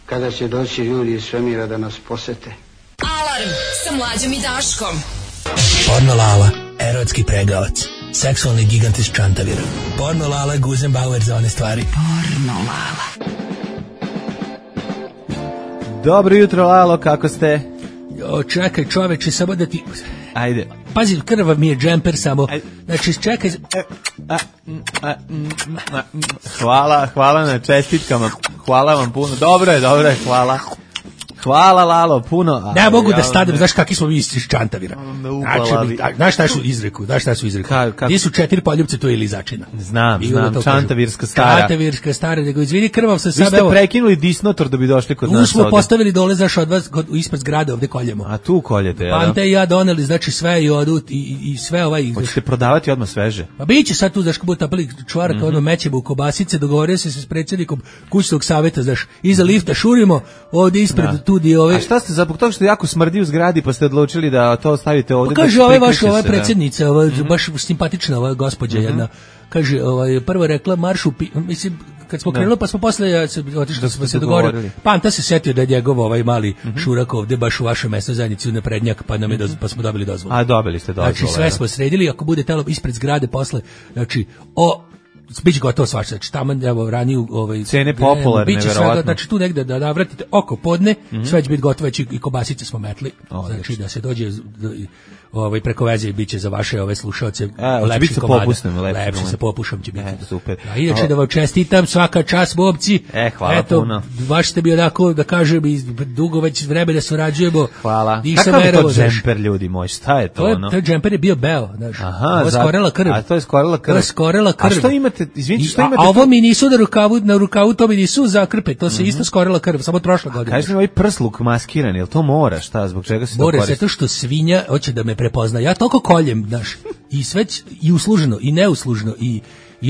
J: kada će doći ljudi iz svemira da nas posete.
C: Alarm sa Mlađom i Daškom.
K: Porno Lala, erotski pregavac, seksualni gigant iz Čantavira. Porno Lala, Guzenbauer za one stvari.
I: Porno Lala.
E: Dobro jutro, Lalo, kako ste?
F: Čekaj, čoveče, samo da ti...
E: Ajde.
F: Pazi, krvav mi je džemper samo. Znači, čekaj...
E: Hvala na čestitkama. Hvala vam puno. Dobro je, hvala. Hvala Lalo, puno.
F: Ne mogu da stanem, znaš kakvi smo mi iz Čantavira. Znaš šta su izreku? Gdje su 4 poljubce, to je Lizačina.
E: Znam, Čantavirska stara.
F: Čantavirska stara, nego izvini krvav sam
E: sad. Vi ste prekinuli disnotor da bi došli kod nas
F: ovdje. Tu smo postavili dole, znaš, od vas, ispred zgrade ovdje koljemo.
E: A tu koljete, ja?
F: Pante i ja doneli, znači sve i odut i sve ovaj...
E: Hoćete prodavati odmah sveže?
F: Pa biće sad tu, znaš, kako bude tapali čvaraka, ono mećemo u kobasice, dogovorio se s predsjednikom kućnog savjeta, znaš, iza lifta šurimo, ovdje ispred tudi ove...
E: A šta ste, zbog toga što jako smrdi u zgradi, pa ste odlučili da to stavite ovdje?
F: Pa kaže, ova predsjednica, baš simpatična ova gospođa jedna, kaže, prvo rekla maršu, mislim, kad smo krenuli, pa smo posle otišli, da smo se dogovorili. Panta se setio da je njegov ovaj mali šurak ovde baš u vašoj mesnoj zajednici u naprednjak, pa smo dobili dozvolu.
E: A dobili ste dozvolu.
F: Znači sve smo sredili, ako bude telo ispred zgrade posle, znači biće gotovo svašta, znači tamo evo raniju
E: cene popularne, verovatno.
F: Znači tu negde da navratite oko podne, sve će biti gotovo, već i kobasice smo metli, znači da se dođe preko veze i biće za vaše ove slušaoce lepši komada. Lepši sa popušom će biti.
E: Super.
F: A inače da vam čestitam, svaka čast momci.
E: Hvala puno.
F: Baš ste bi onako, da kažem, dugo već vreme da surađujemo.
E: Hvala. Kakav je to džemper, ljudi moji, šta je to ono?
F: To džemper je bio beo, znaš.
E: Aha,
F: skorela krv.
E: A to je skorela krv.
F: To je skorela krv.
E: A što imate, izvinite, što imate?
F: A ovo mi nisu na rukavu, to mi nisu za krpe, to se isto skorela krv, samo prošle godine.
E: Kažete mi ovaj prsluk maskiran, jel to mora, šta, zbog čega se to koristi?
F: Mora, zato što svinja hoće da me prepozna. Ja toliko koljem, znaš, i sve i usluženo i neusluženo i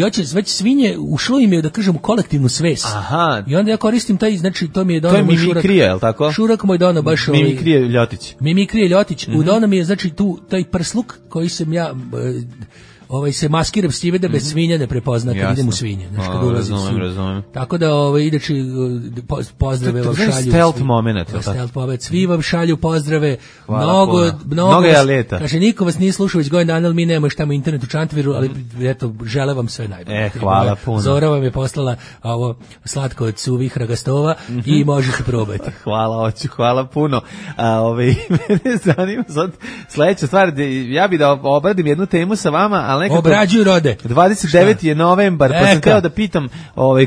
F: hoće već svinje ušlo im je, da kažem, u kolektivnu svest.
E: Aha.
F: I onda ja koristim taj, znači to mi je dono
E: moj šurak. To je mimikrija, je li tako?
F: Šurak moj dono baš
E: Mimikrije Ljotić.
F: Mimikrije Ljotić. U dono mi je, znači tu taj prsluk koji sam ja se maskiram s time da bez svinja ne prepozna kad idem u svinje, znači kad ulazim.
E: Razumem.
F: Tako da ideći pozdrave vam šalju.
E: Stealth moment.
F: Stealth moment. Svi vam šalju pozdrave.
E: Mnogo je leta.
F: Kaže, niko vas nije slušao već godin dana, ali mi nemamo šta mu internet u Čantaviru, ali eto, žele vam sve najbolje.
E: Hvala puno.
F: Zora vam je poslala ovo slatko od suvih ragastova i možete probati.
E: Hvala puno. Mene zanima sad sledeća stvar, ja bih da obradim jednu temu sa vama,
F: obrađuju rode.
E: 29. je novembar, pa sam hteo da pitam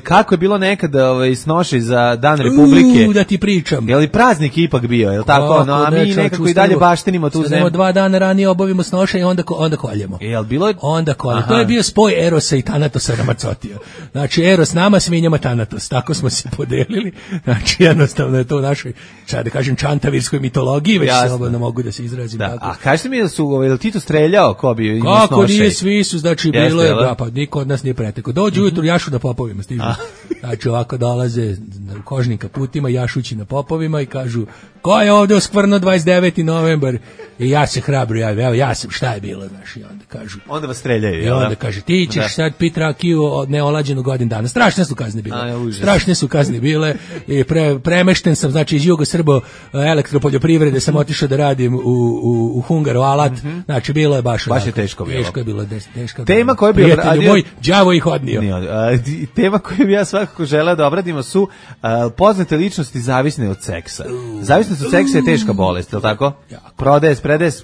E: kako je bilo nekad snošaj za Dan Republike.
F: Da ti pričam.
E: Je li praznik ipak bio, je li tako? No, a mi nekako i dalje baštinimo tu zemlju.
F: 2 dana ranije obavimo snošaj i onda koljemo.
E: Jel bilo?
F: Onda koljemo. To je bio spoj Erosa i Tanatosa na Macotija. Znači Eros nama, svinjama Tanatos. Tako smo se podelili. Znači jednostavno je to u našoj, da kažem, čantavirskoj mitologiji, već slobodno mogu da se izrazim tako.
E: A kažete mi da su Tito streljao ko bi imao snošaj?
F: Kako nije, svi su, znači bilo je, pa niko od nas nije pretekao. Dođu ujutru jašu na popovima, stižu. Znači ovako dolaze u kožnim kaputima, jašući na popovima i kažu, ko je ovdje oskvrno 29. novembar? I ja se hrabro javim, evo ja sam, šta je bilo, znaš, i onda kažu.
E: Onda vas streljaju,
F: i onda kaže, ti ćeš sad pit rakiju od neolađenu godin dana. Strašne su kazne bile. Strašne su kazne bile i premešten sam, znači iz Jugosrbo elektropoljoprivrede sam otišao da radim u Hungaru alat, znači bilo je baš
E: je teško bilo.
F: Teško je bilo, teško.
E: Tema koju bi
F: obradio moj đavo ih odnio.
E: Tema koju bi ja svakako želeo da obradimo su poznate ličnosti zavisne od seksa. Zavisnost od seksa je teška bolest, je li tako?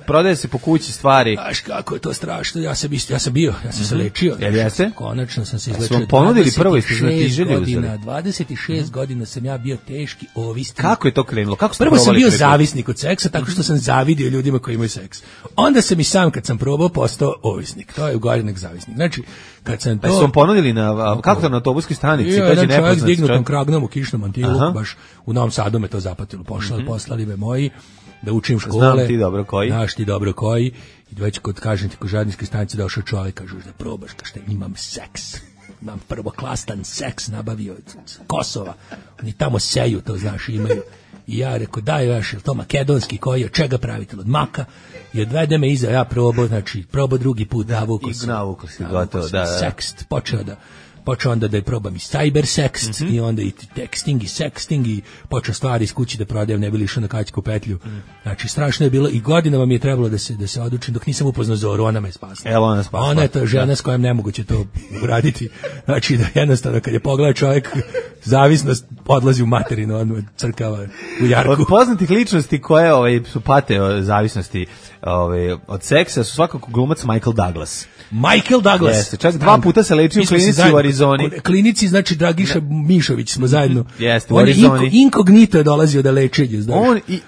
E: Prodaje se po kući stvari.
F: Znaš kako je to strašno, ja sam se lečio.
E: Jel jeste?
F: Konačno sam se izlečio.
E: Smo ponudili prvo i ste znatiželji uzeli.
F: 26 godina sam ja bio teški ovisnik.
E: Kako je to krenulo?
F: Prvo sam bio zavisnik od seksa, tako što sam zavidio ljudima koji imaju seks. Onda sam i sam, kad sam probao, postao ovisnik. To je ugorenik zavisnik. Znači, kad sam to...
E: Pa su vam ponudili kako to na autobuskoj stanici?
F: Jedan čovjek s dignutom kragnom u kišnom mantilu, baš u Novom Sadu me to zapatilo. Poslali me moji da učim škole.
E: Znam ti dobro koji.
F: Znaš ti dobro koji. I već kod, kažem ti, kod žadničke stanice došao čovjek, kažu da probaš, kažete, imam seks. Imam prvoklastan seks, nabavio od Kosova. Oni tamo seju, to znaš, imaju. I ja rekao, daj vaš, je to makedonski koji, od čega pravite? Od maka. I odvede me iza, ja probao, znači, probao drugi put, navukao
E: si, gotovo, da.
F: Sekst, počeo onda da je probam i cyber sext i onda i texting i sexting i počeo stvari iz kući da prodajem, ne bi li išao na kaćku petlju. Znači strašno je bilo i godinama mi je trebalo da se odučim dok nisam upoznao Zoru, ona me spasla.
E: Evo ona spasla.
F: Ona je to žena s kojom nemoguće to uraditi. Znači da jednostavno kad je pogleda čovjek zavisnost odlazi u materinu, on crkava u jarku.
E: Od poznatih ličnosti koje su pate od zavisnosti od seksa su svakako glumac Michael Douglas.
F: Michael Douglas.
E: Jeste, čak 2 puta se lečio u klinici u Arizoni. Arizoni.
F: Klinici, znači Dragiša Mišović smo zajedno.
E: Jeste, u
F: On je
E: Arizoni.
F: inkognito je dolazio da lečenje, znaš.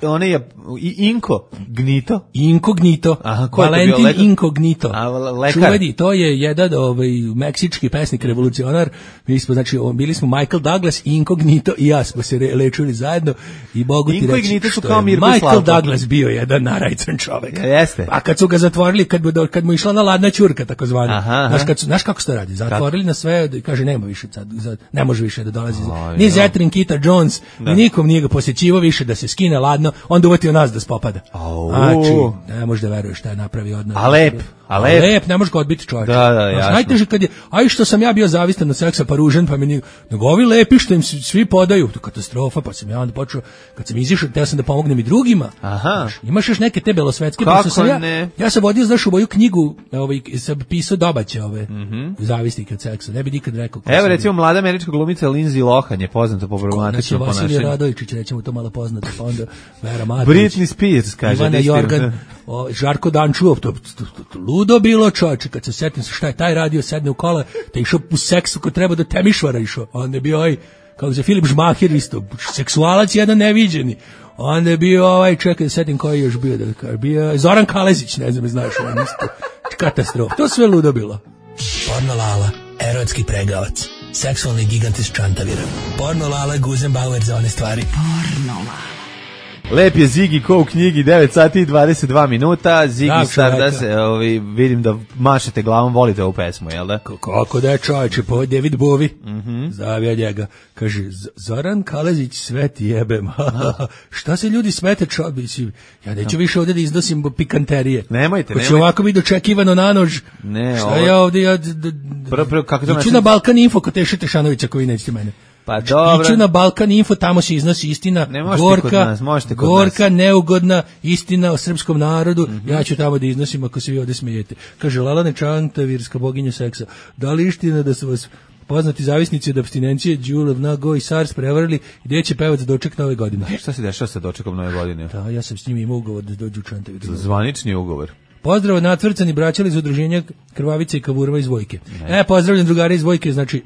E: On je inkognito.
F: Inkognito.
E: Aha, ko je to bio
F: Valentin
E: lekar?
F: Inkognito.
E: A, lekar.
F: Čuveni, to je jedan meksički pesnik, revolucionar. Mi smo, znači, bili smo Michael Douglas, Inkognito i ja smo se lečili zajedno i mogu ti reći
E: Inkognito su
F: što
E: kao
F: je
E: Mirko i
F: Michael
E: Slavko.
F: Douglas bio jedan narajcan čovek.
E: Jeste.
F: A kad su ga zatvorili, kad mu išla na ladna ćurka, takozvana.
E: Aha.
F: Znaš kako se to radi? Zatvorili na sve, kaže nema više sad, ne može više da dolazi. Ni Zetrin, Kita Jones, ni nikom nije ga posjećivao više da se skine ladno, onda uvatio nas da spopada. Znači, ne možeš da veruješ šta je napravio od nas.
E: A lep,
F: ne možeš ga odbiti čovjek.
E: Da, jasno.
F: Najteže kad je, aj što sam ja bio zavistan od seksa pa ružan, pa meni, nego ovi lepi što im svi podaju, to katastrofa, pa sam ja onda počeo, kad sam izišao, teo sam da pomognem i drugima.
E: Aha.
F: Imaš još neke te belosvetske,
E: kako
F: sam
E: ne?
F: ja sam vodio, znaš, u moju knjigu, sam pisao dobaće zavisnike od seksa, ne bi nikad rekao.
E: Evo recimo mlada američka glumica Lindsay Lohan je poznata po problematičnom
F: Vasilij
E: ponašanju.
F: Radovičić, rećemo to malo poznato, pa onda Vera Matović,
E: Britney Spears, kaže.
F: Ivana Jorgan, Žarko Dančuov, to ludo bilo, čovječe, kad se setim šta je taj radio, sedne u kola, te išao u seksu ko treba do Temišvara išao, onda je bio kako se Filip Žmahir isto, seksualac jedan neviđeni, onda je bio čekaj da setim koji je još bio Zoran Kalezić, ne znam, znaš, on isto, katastrofa, to sve ludo bilo.
K: Porno Lala, erotski pregavac, seksualni gigant iz Čantavira. Porno Lala, Guzenbauer za one stvari. Porno Lala.
E: Lep je Ziggy ko u knjigi, 9 sati i 22 minuta. Ziggy Stardust, vidim da mašete glavom, volite ovu pesmu, jel da?
F: Kako da je čovječe, po David Bowie, zavija njega, kaže, Zoran Kalezić, sve ti jebem, šta se ljudi smete čovječe, ja neću više ovdje da iznosim pikanterije.
E: Nemojte.
F: Ko će ovako biti dočekivano na nož, šta ja ovdje, iću na Balkan Info kod Teše Tešanovića koji nećete mene.
E: Pa dobro.
F: Iću na Balkan Info, tamo se iznosi istina, gorka, neugodna istina o srpskom narodu, ja ću tamo da iznosim ako se vi ovdje smijete. Kaže, Lalane Čantavirska, boginja seksa, da li istina da su vas poznati zavisnici od apstinencije Đulev, Nago i SARS prevarili i gdje će pevac doček nove godine?
E: Šta se dešava sa dočekom nove godine?
F: Da, ja sam s njim imao ugovor da dođu u Čantavirsku.
E: Zvanični ugovor.
F: Pozdrav natvrcani braćali iz udruženja Krvavice i Kavurva iz Vojke. Pozdravljam drugari iz Vojke, znači,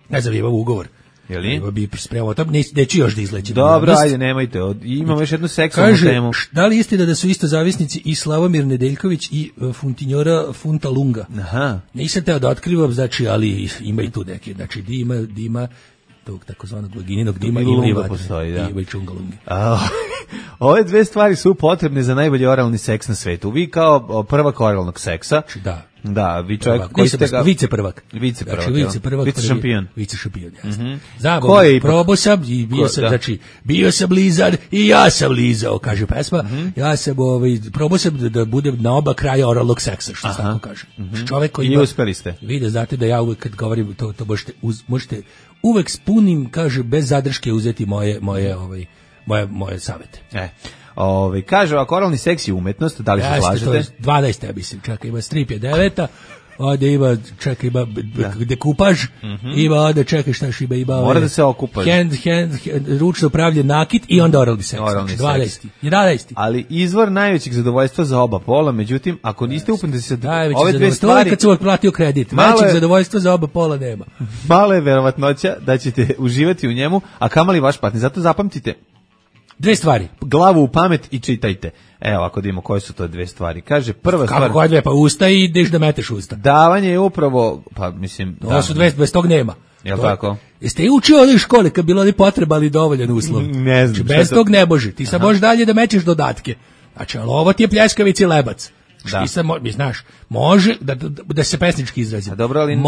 F: ne znam, imam ugovor.
E: Jeli?
F: Bi spremao to, neću još da izlećem.
E: Dobro, ajde, nemojte. Imamo još jednu seksualnu temu.
F: Kaže, da li istina da su isto zavisnici i Slavomir Nedeljković i Funtinjora Funta Lunga?
E: Aha.
F: Nisam teo da otkrivam, znači, ali ima i tu neke, znači, dima, tog takozvanog vagininog dima, ima i čungalunge.
E: Ove dve stvari su potrebne za najbolji oralni seks na svetu. Vi kao prvak oralnog seksa. Da, vi čovjek koji ste ga...
F: Viceprvak.
E: Vicešampion.
F: Vicešampion, jasno. Probao sam i bio sam lizar i ja sam lizao, kaže pesma. Ja sam, probao sam da budem na oba kraja oralnog seksa, što se tako kaže. Čovjek koji
E: i uspeli ste.
F: Vide, znate da ja uvek kad govorim, to možete uvek s punim, kaže, bez zadrške uzeti moje savete.
E: Kaže, ovako, oralni seks je umetnost, da li se slažete?
F: 12, ja mislim, čekaj, ima strip je 9, ovdje ima, čekaj, ima dekupaž, ima ovdje, čekaj, šta još ima...
E: Mora da se okupaš.
F: Ručno pravljen nakit i onda oralni seks. 11.
E: Ali izvor najvećeg zadovoljstva za oba pola, međutim, ako niste upuniti se ove dve stvari...
F: To je kad sam otplatio kredit, većeg zadovoljstva za oba pola nema.
E: Mala je verovatnoća da ćete uživati u njemu, a kamali vaš partner. Zato zapamtite,
F: dve stvari.
E: Glavu u pamet i čitajte. Evo, ako vidimo koje su to dve stvari. Kaže, prva stvar...
F: Kako koje dve? Pa usta i ideš da meteš usta.
E: Davanje je upravo, pa mislim...
F: To su dve, bez tog nema.
E: Jel' tako?
F: Jeste i učio ovdje u školi kad bilo li potreba ali dovoljan uslov?
E: Ne znam.
F: Bez tog ne može. Ti sad možeš dalje da mećeš dodatke. Znači, ali ovo ti je pljeskavica i lebac. Znaš, može da se pesnički izrazim.
E: Dobro, ali ne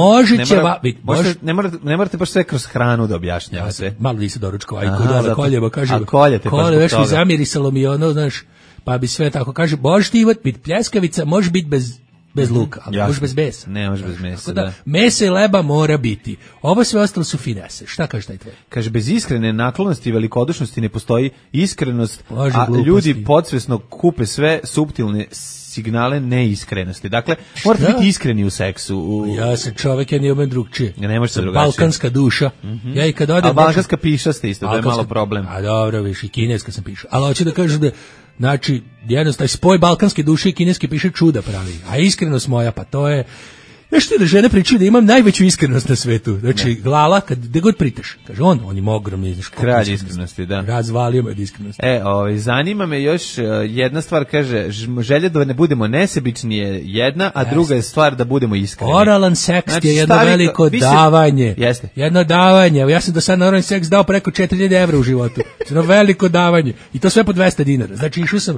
E: morate baš sve kroz hranu da objašnjava sve.
F: Malo nisi doručkova, i kod koljeva, kaže,
E: a koljete baš zbog toga.
F: Zamirisalo mi ono, znaš, pa bi sve tako, kaže, možeš ti biti pljeskavica, može biti bez luka, ali može bez mesa.
E: Ne, može bez mesa,
F: da. Mesa i leba mora biti. Ovo sve ostalo su finese. Šta kaže taj tvoj?
E: Kaže, bez iskrene naklonosti i velikodušnosti ne postoji iskrenost, a ljudi podsvesno kupe sve suptilne signale neiskrenosti. Dakle, morate biti iskreni u seksu.
F: Ja sam čovjek, ja nijem drugčije.
E: Ne može se drugačije.
F: Balkanska duša. Ja i kad odem...
E: A balkanska piša ste isto, to je malo problem.
F: A dobro, viš, i kineska sam piša. Ali hoću da kažem da, znači, jednostavno, spoj balkanske duše i kineske piše čuda pravi. A iskrenost moja, pa to je... Nešto da žene pričaju da imam najveću iskrenost na svetu. Znači, Lala, gde god pritaš, kaže on ima ogromni
E: kralj iskrenosti, da.
F: Razvalio me od iskrenosti.
E: Zanima me još jedna stvar, kaže, želja da ne budemo nesebični je jedna, a druga je stvar da budemo iskreni.
F: Oralan seks je jedno veliko davanje.
E: Jeste.
F: Jedno davanje. Ja sam do sad na oralan seks dao preko 4000 evra u životu. Jedno veliko davanje. I to sve po 200 dinara. Znači, išao sam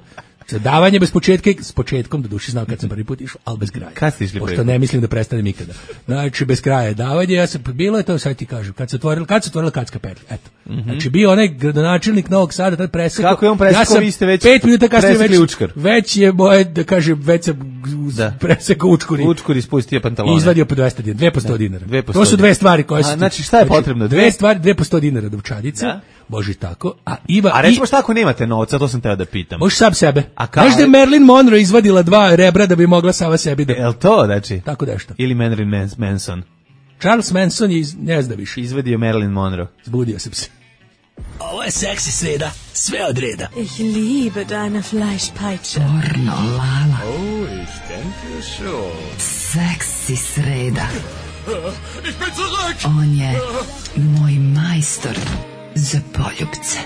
F: davanje bez početka, s početkom, do duše znam kad sam prvi put išao, ali bez kraja.
E: Kad ste išli prvi?
F: Pošto ne mislim da prestanem ikada. Znači, bez kraja je davanje, ja sam, bilo je to, sad ti kažem, kad se otvorila Kacka petlja, eto. Znači, bio onaj gradonačelnik Novog Sada, tad presekao.
E: Kako je on presekao, vi ste već
F: 5 minuta kasnije
E: već
F: je moje, da kažem, već sam presekao učkuri.
E: Učkuri spustio pantalone.
F: I izvadio po 200 dinara, 2 po 100 dinara. To su dve stvari koje su...
E: Znači, šta je potrebno?
F: Dve stvari, 2 po 100 dinara dovčadice. Boži tako. A
E: recimo šta ako nemate novca, to sam teo da pitam.
F: Možeš sam sebe. Znaš da je Marilyn Monroe izvadila 2 rebra da bi mogla sama sebi da...
E: Jel to, znači?
F: Tako nešto.
E: Ili Marilyn Manson.
F: Charles Manson je, ne zna više.
E: Izvadio Marilyn Monroe.
F: Zbudio sam se.
K: Ovo je seksi sreda, sve od reda.
L: Ich liebe deine Fleischpeitsche.
C: Pornolala.
H: Oh, ich denke schon.
C: Seksi sreda.
H: Ich bin zurück!
C: On je moj majstor za poljubce.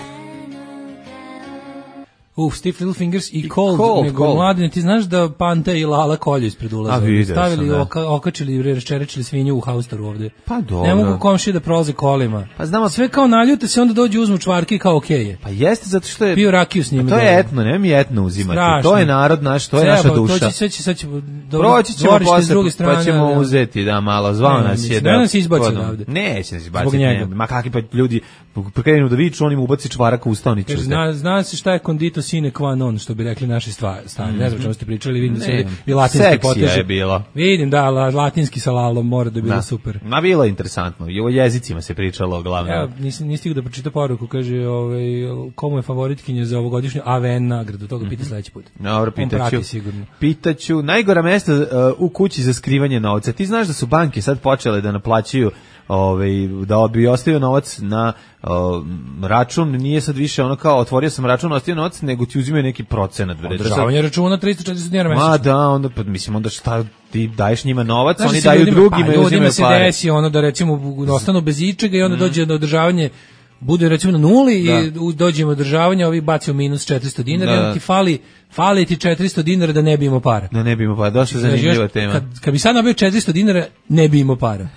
F: Stiff Little Fingers i Cold. Nego mladine, ti znaš da Pante i Lala kolju ispred ulaza. Stavili, okačili, raščerečili svinju u haustoru ovde.
E: Pa dobro.
F: Ne mogu komšije da prolaze kolima.
E: Pa znamo,
F: sve kao naljute se, onda dođu uzmu čvarke i kao okeje.
E: Pa jeste, zato što je...
F: Pio rakiju s njima.
E: To je etno, nema mi etno uzimati.
F: Strašno.
E: To je narod naš, to je naša duša.
F: Sad će
E: proći ćemo posle, pa ćemo uzeti, da, malo. Zvao nas je da...
F: Ne nas izbaci ovde.
E: Neće nas izbaciti. Ma kakvi pa ljudi krenu da viču, on im ubaci čvarak u ustaonicu.
F: Zna se šta je condito sine qua non, što bi rekli naši stari. Ne znam čemu ste pričali, vidim da se i latinski poteže.
E: Seksija je bilo.
F: Vidim, da, latinski sa lalom mora da je bilo super.
E: Ma bilo je interesantno, i o jezicima se pričalo glavno.
F: Ja nisam stigao da pročita poruku, kaže komu je favoritkinja za ovogodišnju AVN nagradu, toga pita sledeći put.
E: Dobro, pitaću. Najgora mesta u kući za skrivanje novca. Ti znaš da su banke sad počele da naplaćuju da bi ostavio novac na račun, nije sad više ono kao otvorio sam račun, ostavio novac, nego ti uzimaju neki procenat.
F: Održavanje računa 340 dinara mesečno.
E: Ma da, onda, mislim, onda šta ti daješ njima novac, oni daju drugima i uzimaju pare.
F: Ljudima se desi ono da recimo ostanu bez ičega i onda dođe do održavanje, bude recimo na nuli i dođemo održavanje, ovi baci u minus 400 dinara i onda ti fali ti 400 dinara da ne bi imao para.
E: Da ne bi imao para, dosta zanimljiva tema.
F: Kad bi sad nabio 400 dinara, ne bi imao para.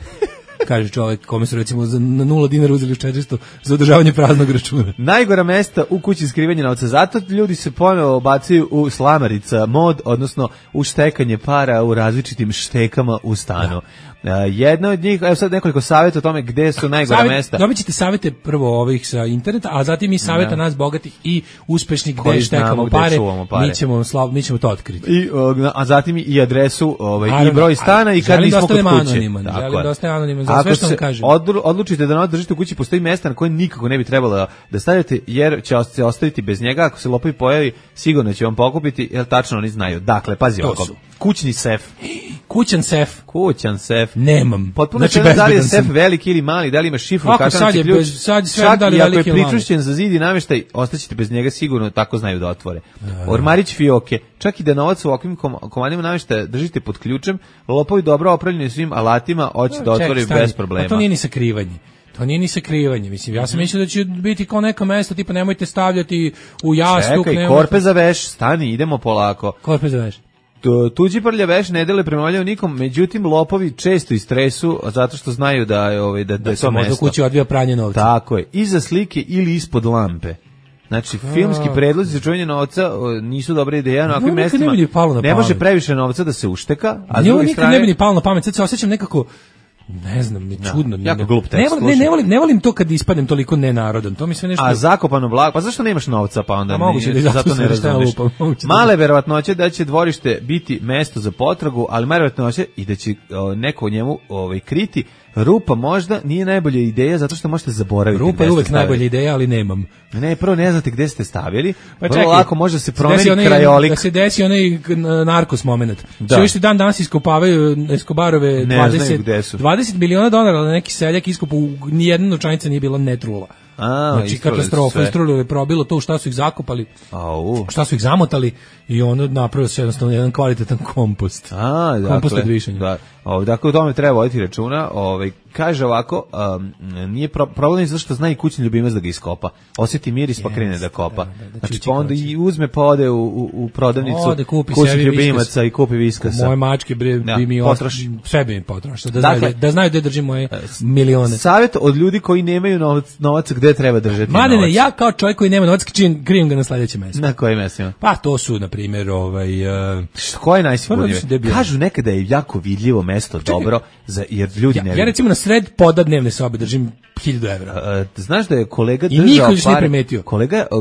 F: Kaže čovjek kome su recimo na 0 dinara uzeli 400 za održavanje praznog računa.
E: Najgora mesta u kući skrivanja novca. Zato ljudi se ponovo bacaju u slamarica mod, odnosno u štekanje para u različitim štekama u stanu. Jedna od njih, evo sad nekoliko savjeta o tome gde su najgora mesta.
F: Dobit ćete savjete prvo ovih sa interneta, a zatim i savjeta nas bogatih i uspešnih gde štekamo pare. Mi ćemo to otkriti.
E: A zatim i adresu i broj stana i kad nismo kod kuće.
F: Želim da ostane anoniman, za sve što vam kažem.
E: Odlučite da novac držite u kući, postoji mesta na koje nikako ne bi trebalo da stavite, jer će se ostaviti bez njega. Ako se lopovi pojavi, sigurno će vam pokupiti, jer tačno oni znaju. Dakle, pazi ovako. Kućni sef.
F: Kućan sef.
E: Nemam. Potpuno znači, da li je sef veliki ili mali, da li ima šifru, katanci ključ. Čak i ako je pričušćen za zid i namještaj, ostaćete bez njega sigurno, tako znaju da otvore. Ormarić fioke. Čak i da novac u ovakvim komadima namještaja držite pod ključem, lopovi dobro opremljeni svim alatima, hoće da otvore bez problema.
F: To nije ni sakrivanje. Mislim, ja sam mislio da će biti kao neka mesta, tipa nemojte stavljati u jastuk.
E: Čekaj, korpe za veš, stani, idemo polako.
F: Korpe za veš.
E: Tuđi prlja veš ne dele prema nikom, međutim lopovi često istresu zato što znaju da je to mesto.
F: Možda kući odvija pranje novca.
E: Tako je, iza slike ili ispod lampe. Znači, filmski predlozi za čuvanje novca nisu dobra ideja na ovakvim mestima. Ne može previše novca da se ušteka, a s druge strane...
F: Ne bi ni palo na pamet, sad se osjećam nekako... Ne znam, čudno.
E: Jako glup tekst.
F: Ne volim to kad ispadnem toliko nenarodan. To mi sve nešto...
E: A zakopano blago, pa zašto nemaš novca, pa onda zato ne razumeš. Male verovatnoće da će dvorište biti mesto za potragu, ali male verovatnoće i da će neko u njemu kriti. Rupa možda nije najbolja ideja zato što možete zaboraviti.
F: Rupa je uvek najbolja ideja, ali nemam.
E: Ne, prvo ne znate gde ste stavili. Vrlo lako može se promeni krajolik.
F: Da se desi onaj narkos moment. Sve što dan danas iskopavaju Escobarove 20 miliona dolara, ali neki seljak iskopa, nijedna novčanica nije bila netrula. Znači katastrofa, istrulilo, probilo to, šta su ih zakopali, šta su ih zamotali i ono napravio se jednostavno jedan kvalitetan kompost. Kompost od višanja.
E: Da. Dakle, o tome treba voditi računa. Kaže ovako, nije problem zato što zna i kućni ljubimac da ga iskopa. Osjeti miris pa krene da kopa. Znači, pa onda i uzme pa ode u prodavnicu kućnih ljubimaca i kupi viskas.
F: Moje mačke bi mi sve bi mi potrošio. Da znaju gde držim moje milione.
E: Savjet od ljudi koji nemaju novac gde treba držati novac.
F: Mladene, ja kao čovjek koji nema novac krijem ga na sledećem mestu.
E: Na kojim mestima?
F: Pa to su, na primjer,
E: koje je najsigurnije? Kažu nekada je jako vidljivo mesto dobro, jer ljudi ne...
F: Ja recimo na sred poda dnevne sobe držim 1000 evra.
E: Znaš da je kolega
F: držao pare... I niko još ne primetio.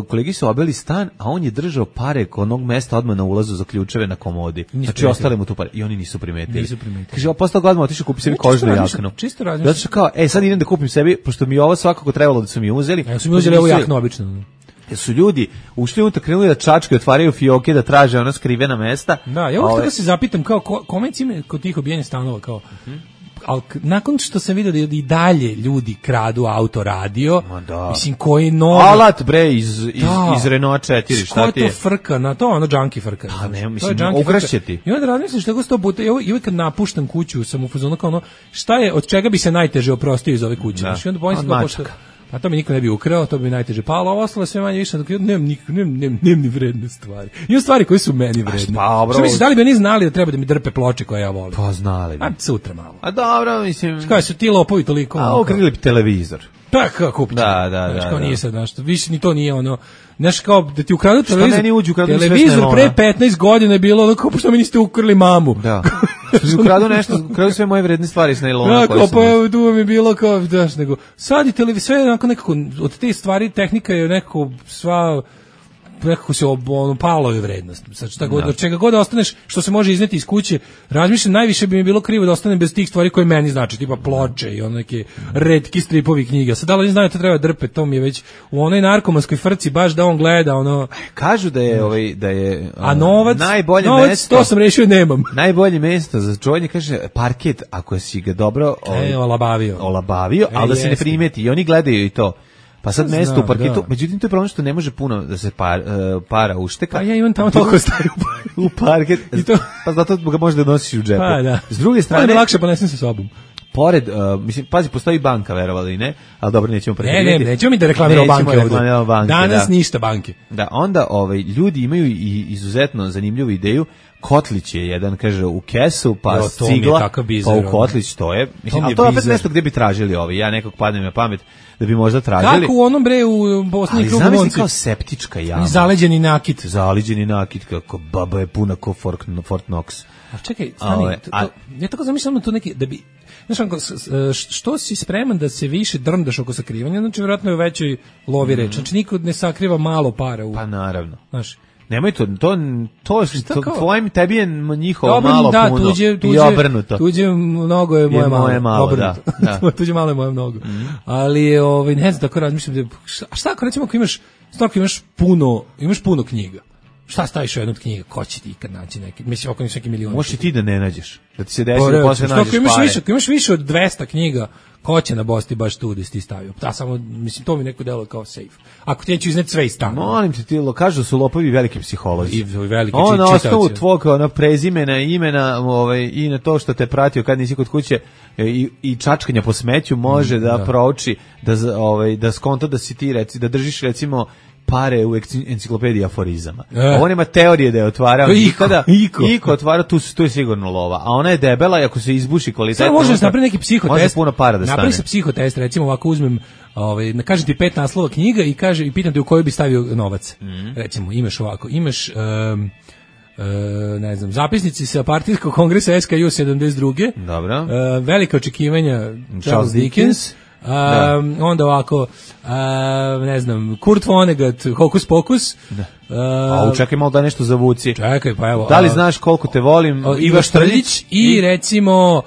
E: Kolegi su obeli stan, a on je držao pare kod onog mesta odmah na ulazu za ključeve na komodi. Znači ostale mu tu pare. I oni nisu primetili. Kaže, posle toga odmah otišao kupi sebi kožnu jaknu.
F: Čisto razmišljam.
E: Zato što kao, sad idem da kupim sebi, pošto mi ovo svakako trebalo da su mi uzeli.
F: Ja su mi uzeli ovu jaknu obično.
E: Jer su ljudi ušli unutra, krenuli da čačkaju, otvaraju fioke, da traže ona skrivena mesta.
F: Da, ja uvijek tako se zapitam, kao, kome cime kod tih obijenja stanova, kao... Ali nakon što sam vidio da i dalje ljudi kradu auto radio, mislim koji novi...
E: Alat bre iz Renault 4, šta ti je?
F: Ko je to frka, na to ono junkie frka.
E: Pa ne, mislim, ugrašće ti.
F: I onda razmislim što je 100 puta, i uvijek kad napuštam kuću sam u fazonu kao ono, šta je, od čega bi se najteže oprostio iz ove kuće? Znači, onda bojim se kao pošto... A to mi niko ne bi ukrao, to bi najteže palo, ovo ostalo sve manje više, dok ja nemam ni vredne stvari. Imam stvari koje su meni vredne. Što misliš, da li bi oni znali da treba da mi drpe ploče koje ja volim?
E: Pa znali bi.
F: A sutra malo.
E: A dobro, mislim...
F: Što su ti lopovi toliko?
E: A ukrili bi televizor.
F: Pa kako kupiti?
E: Da.
F: Kao nije sad nešto, više ni to nije ono... Znaš, kao da ti ukradu
E: televizor
F: pre 15 godina je bilo ono, kao što mi niste ukrili mamu.
E: Da. Ukradu sve moje vredne stvari s nailona.
F: Da, pa tu mi je bilo kao, daš, nego, sad i televizor, sve je nekako, od te stvari tehnika je nekako se palo je vrednost. Sad šta god, čega god da ostaneš, što se može izneti iz kuće, razmišljam, najviše bi mi bilo krivo da ostanem bez tih stvari koje meni znači, tipa ploče i neke retki stripovi knjiga. Sad da li znaju to treba drpe, to mi je već u onoj narkomanskoj frci baš da on gleda ono.
E: Kažu da je
F: a novac,
E: najbolje mesto.
F: To sam rešio nemam.
E: Najbolje mesto za čuvanje, kaže, parket, ako si ga dobro olabavio, ali da se ne primeti i oni gledaju i to. Pa sad mesto u parketu, međutim to je problem što ne može puno da se para ušteka.
F: Pa ja imam tamo toliko staju
E: u parket, pa zato ga možda nosiš u džepu.
F: Pa da.
E: S druge strane...
F: Pa je lakše ponesem sa sobom.
E: Pored, mislim, pazi, postoji banka, verovali ne, ali dobro, nećemo pretjerati.
F: Nećemo mi da reklamiramo banke ovdje. Danas ništa banke.
E: Da, onda ljudi imaju i izuzetno zanimljivu ideju. Kotlić je jedan, kaže, u kesu, pa cigla, pa u kotlić, to je. Mislim, ali to je opet nešto gdje bi tražili ja nekog padnem na pamet da bi možda tražili.
F: Kako u onom bre u Bosni i Krugom?
E: Ali zamisli kao septička jama.
F: Zaleđeni nakit, kako baba je puna ko Fort Knox. A čekaj, stani, ja tako zamišljam to neki, da bi, znaš, što si spreman da se više drndaš oko sakrivanja, znači vjerojatno je u većoj lovi reč, znači niko ne sakriva malo para u...
E: Pa naravno.
F: Znaš,
E: nemoj to tvojim, tebi je njihovo malo puno i obrnuto.
F: Tuđe mnogo je moje malo, obrnuto. Da. Tuđe malo je moje mnogo. Ali, ne znam, tako razmišljam, a šta ako recimo ako imaš puno knjiga? Šta staviš u jednu od knjiga? Ko će ti ikad naći neki? Mislim, oko neki milion.
E: Možeš i ti da ne nađeš. Da ti se desi da posle nađeš pare.
F: Ako imaš više od 200 knjiga, ko će na Bosti baš tu da si ti stavio? Da, samo, mislim, to mi neko delo kao safe. Ako ti neću izneti sve iz stana.
E: Molim te, ti kažu da su lopovi veliki psiholozi.
F: I veliki
E: čitavci. Na osnovu tvog prezimena, imena i na to što te pratio kad nisi kod kuće i čačkanja po smeću može da prouči, da skonta da si ti, da držiš recimo pare u enciklopediji aforizama. Ovo nema teorije da je otvarao nikada. Iko otvara, tu je sigurno lova. A ona je debela i ako se izbuši kvalitetno...
F: Samo možeš napraviti neki psihotest.
E: Može puno para da stane.
F: Napravi se psihotest, recimo ovako uzmem, kažem ti 5 naslova knjiga i pitam te u kojoj bi stavio novac. Recimo, imaš ovako, imaš... ne znam, zapisnici sa partijskog kongresa SKU 72.
E: Dobro.
F: Velika očekivanja Charles Dickens. Onda ovako, ne znam, Kurt Vonnegut, Hokus Pokus.
E: Čekaj malo da nešto zavuci.
F: Čekaj, pa evo.
E: Da li znaš koliko te volim?
F: Ivo Štrljić i recimo...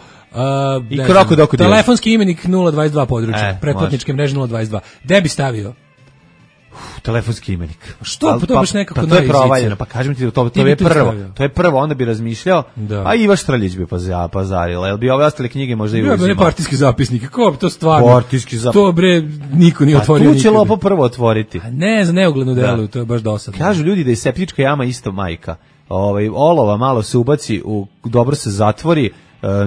E: I Krokodoko
F: telefonski imenik 022 područja, pretplatničke mreže 022. Gde bi stavio?
E: Telefonski imenik.
F: Što? Pa to baš nekako
E: pa to je provaljeno, pa kažem ti, to je prvo. To je prvo, onda bi razmišljao, a Iva Štrljić bi pazarila. Jel bi ove ostale knjige možda i uzimao?
F: Ne partijski zapisnik, kako bi to stvarno?
E: Partijski zapisnik.
F: To bre, niko nije otvorio nikada.
E: A tu će Lopo prvo otvoriti.
F: A ne, za neuglednu delu, to je baš dosadno.
E: Kažu ljudi da je septička jama isto majka. Olova malo se ubaci, dobro se zatvori,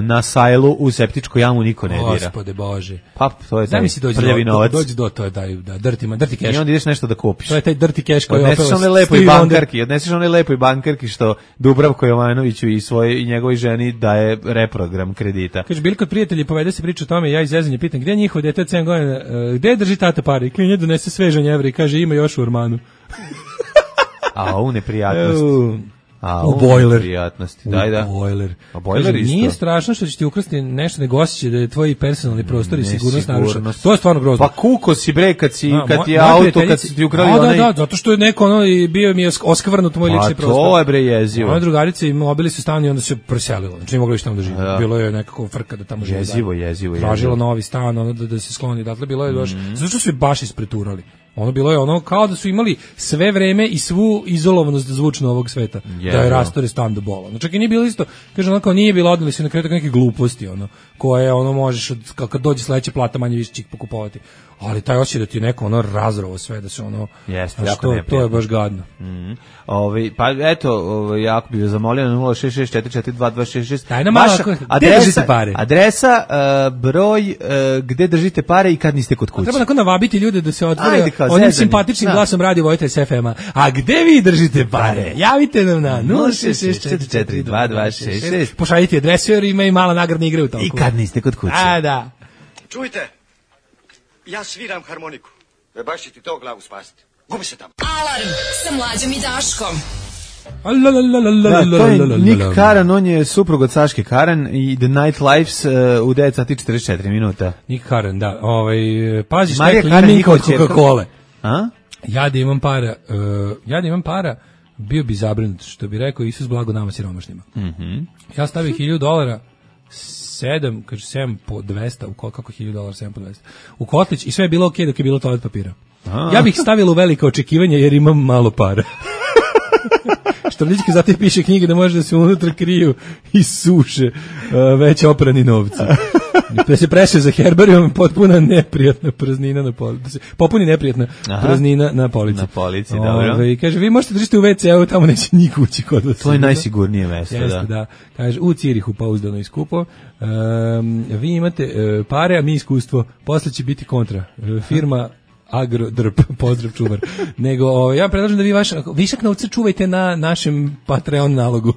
E: na sajlu u septičku jamu niko ne dira.
F: Gospode Bože.
E: Pa to je taj prljavi novac.
F: Dođi do to je taj dirty cash.
E: I onda ideš nešto da kupiš.
F: To je taj dirty cash koji
E: odneseš onoj lepoj bankarki što Dubravko Jovanoviću i njegovoj ženi daje reprogram kredita.
F: Kaže, bili kod prijatelji, povede se priča o tome, ja iz zezanja pitam, gde je njihov dete od 7 godina, gde drži tata pare? I klinje donese svežanj evra i kaže, ima još u ormanu.
E: A u neprijatnosti.
F: U bojler.
E: Prijatnosti. Daj, da.
F: U bojler isto. Nije strašno što će ti ukrasti nešto, nego osjećaj da je tvoj personalni prostor i sigurnost narušena. To je stvarno grozno.
E: Pa kuko si bre kad ti auto, kad si ti ukrali onaj...
F: Da, zato što je neko bio mi je oskvrnut moj lični prostor.
E: Pa to je bre jezivo.
F: Moja drugarica i mobili su stan i onda se preselila. Znači nije mogla više tamo da živi. Bilo je nekako frka da tamo živi.
E: Jezivo.
F: Tražila novi stan, da se skloni. Dakle, bilo je baš... Zato što su baš ispreturali. Ono bilo je ono kao da su imali sve vreme i svu izolovanost zvučno ovog sveta. Da je rastore stan do bola. No, čak i nije bilo isto, kaže ono kao nije bilo, odneli su na kraju neke gluposti, ono, koje ono možeš, kad dođe sledeća plata manje više čik pokupovati. Ali taj osjećaj da ti je neko ono razrovo sve, da se ono...
E: Jeste, jako neprijatno.
F: To je baš gadno.
E: Pa eto, jako bih zamolio na 066-442-266.
F: Daj nam malo, gde držite pare?
E: Adresa, broj, gde držite pare i kad niste kod kuće.
F: Treba nakon navabiti ljude da se otvore onim simpatičnim glasom radi Vojta s FM-a. A gde vi držite pare? Javite nam na
E: 066-442-266.
F: Pošaljite adresu jer ima i mala nagradna igra u toku.
E: I kad niste kod kuće.
F: A, da.
D: Čujte, ja sviram harmoniku. Baš će ti to glavu spasiti. Gubi se tamo.
C: Alarm sa Mlađom i Daškom.
E: To je Nick Karan, on je suprug od Saške Karan i The Nightlifes u 9 sati 44 minuta.
F: Nick Karan, da. Pazi šta je klinika od Coca-Cola. Ja da imam para, bio bi zabrinut, što bi rekao Isus blago nama siromašnima. Ja stavio $1,000, 7 po 200, kako $1,000, 7 po 200, u kotlić i sve je bilo okej dok je bilo toalet papira. Ja bih stavila u velika očekivanja jer imam malo para. Štrljićka zato piše knjige da može da se unutra kriju i suše već oprani novci. Da se preše za herbarijom potpuna neprijatna praznina na polici. Popuni neprijatna praznina na polici.
E: Na polici, dobro.
F: I kaže, vi možete držite u WC-u, tamo neće niko ući kod vas.
E: To je najsigurnije mesto,
F: da. Kaže, u Cirihu pouzdano i skupo. Vi imate pare, a mi iskustvo. Posle će biti kontra. Firma Agrodrp, pozdrav čuvar. Nego, ja predlažem da vi višak novca čuvajte na našem Patreon nalogu.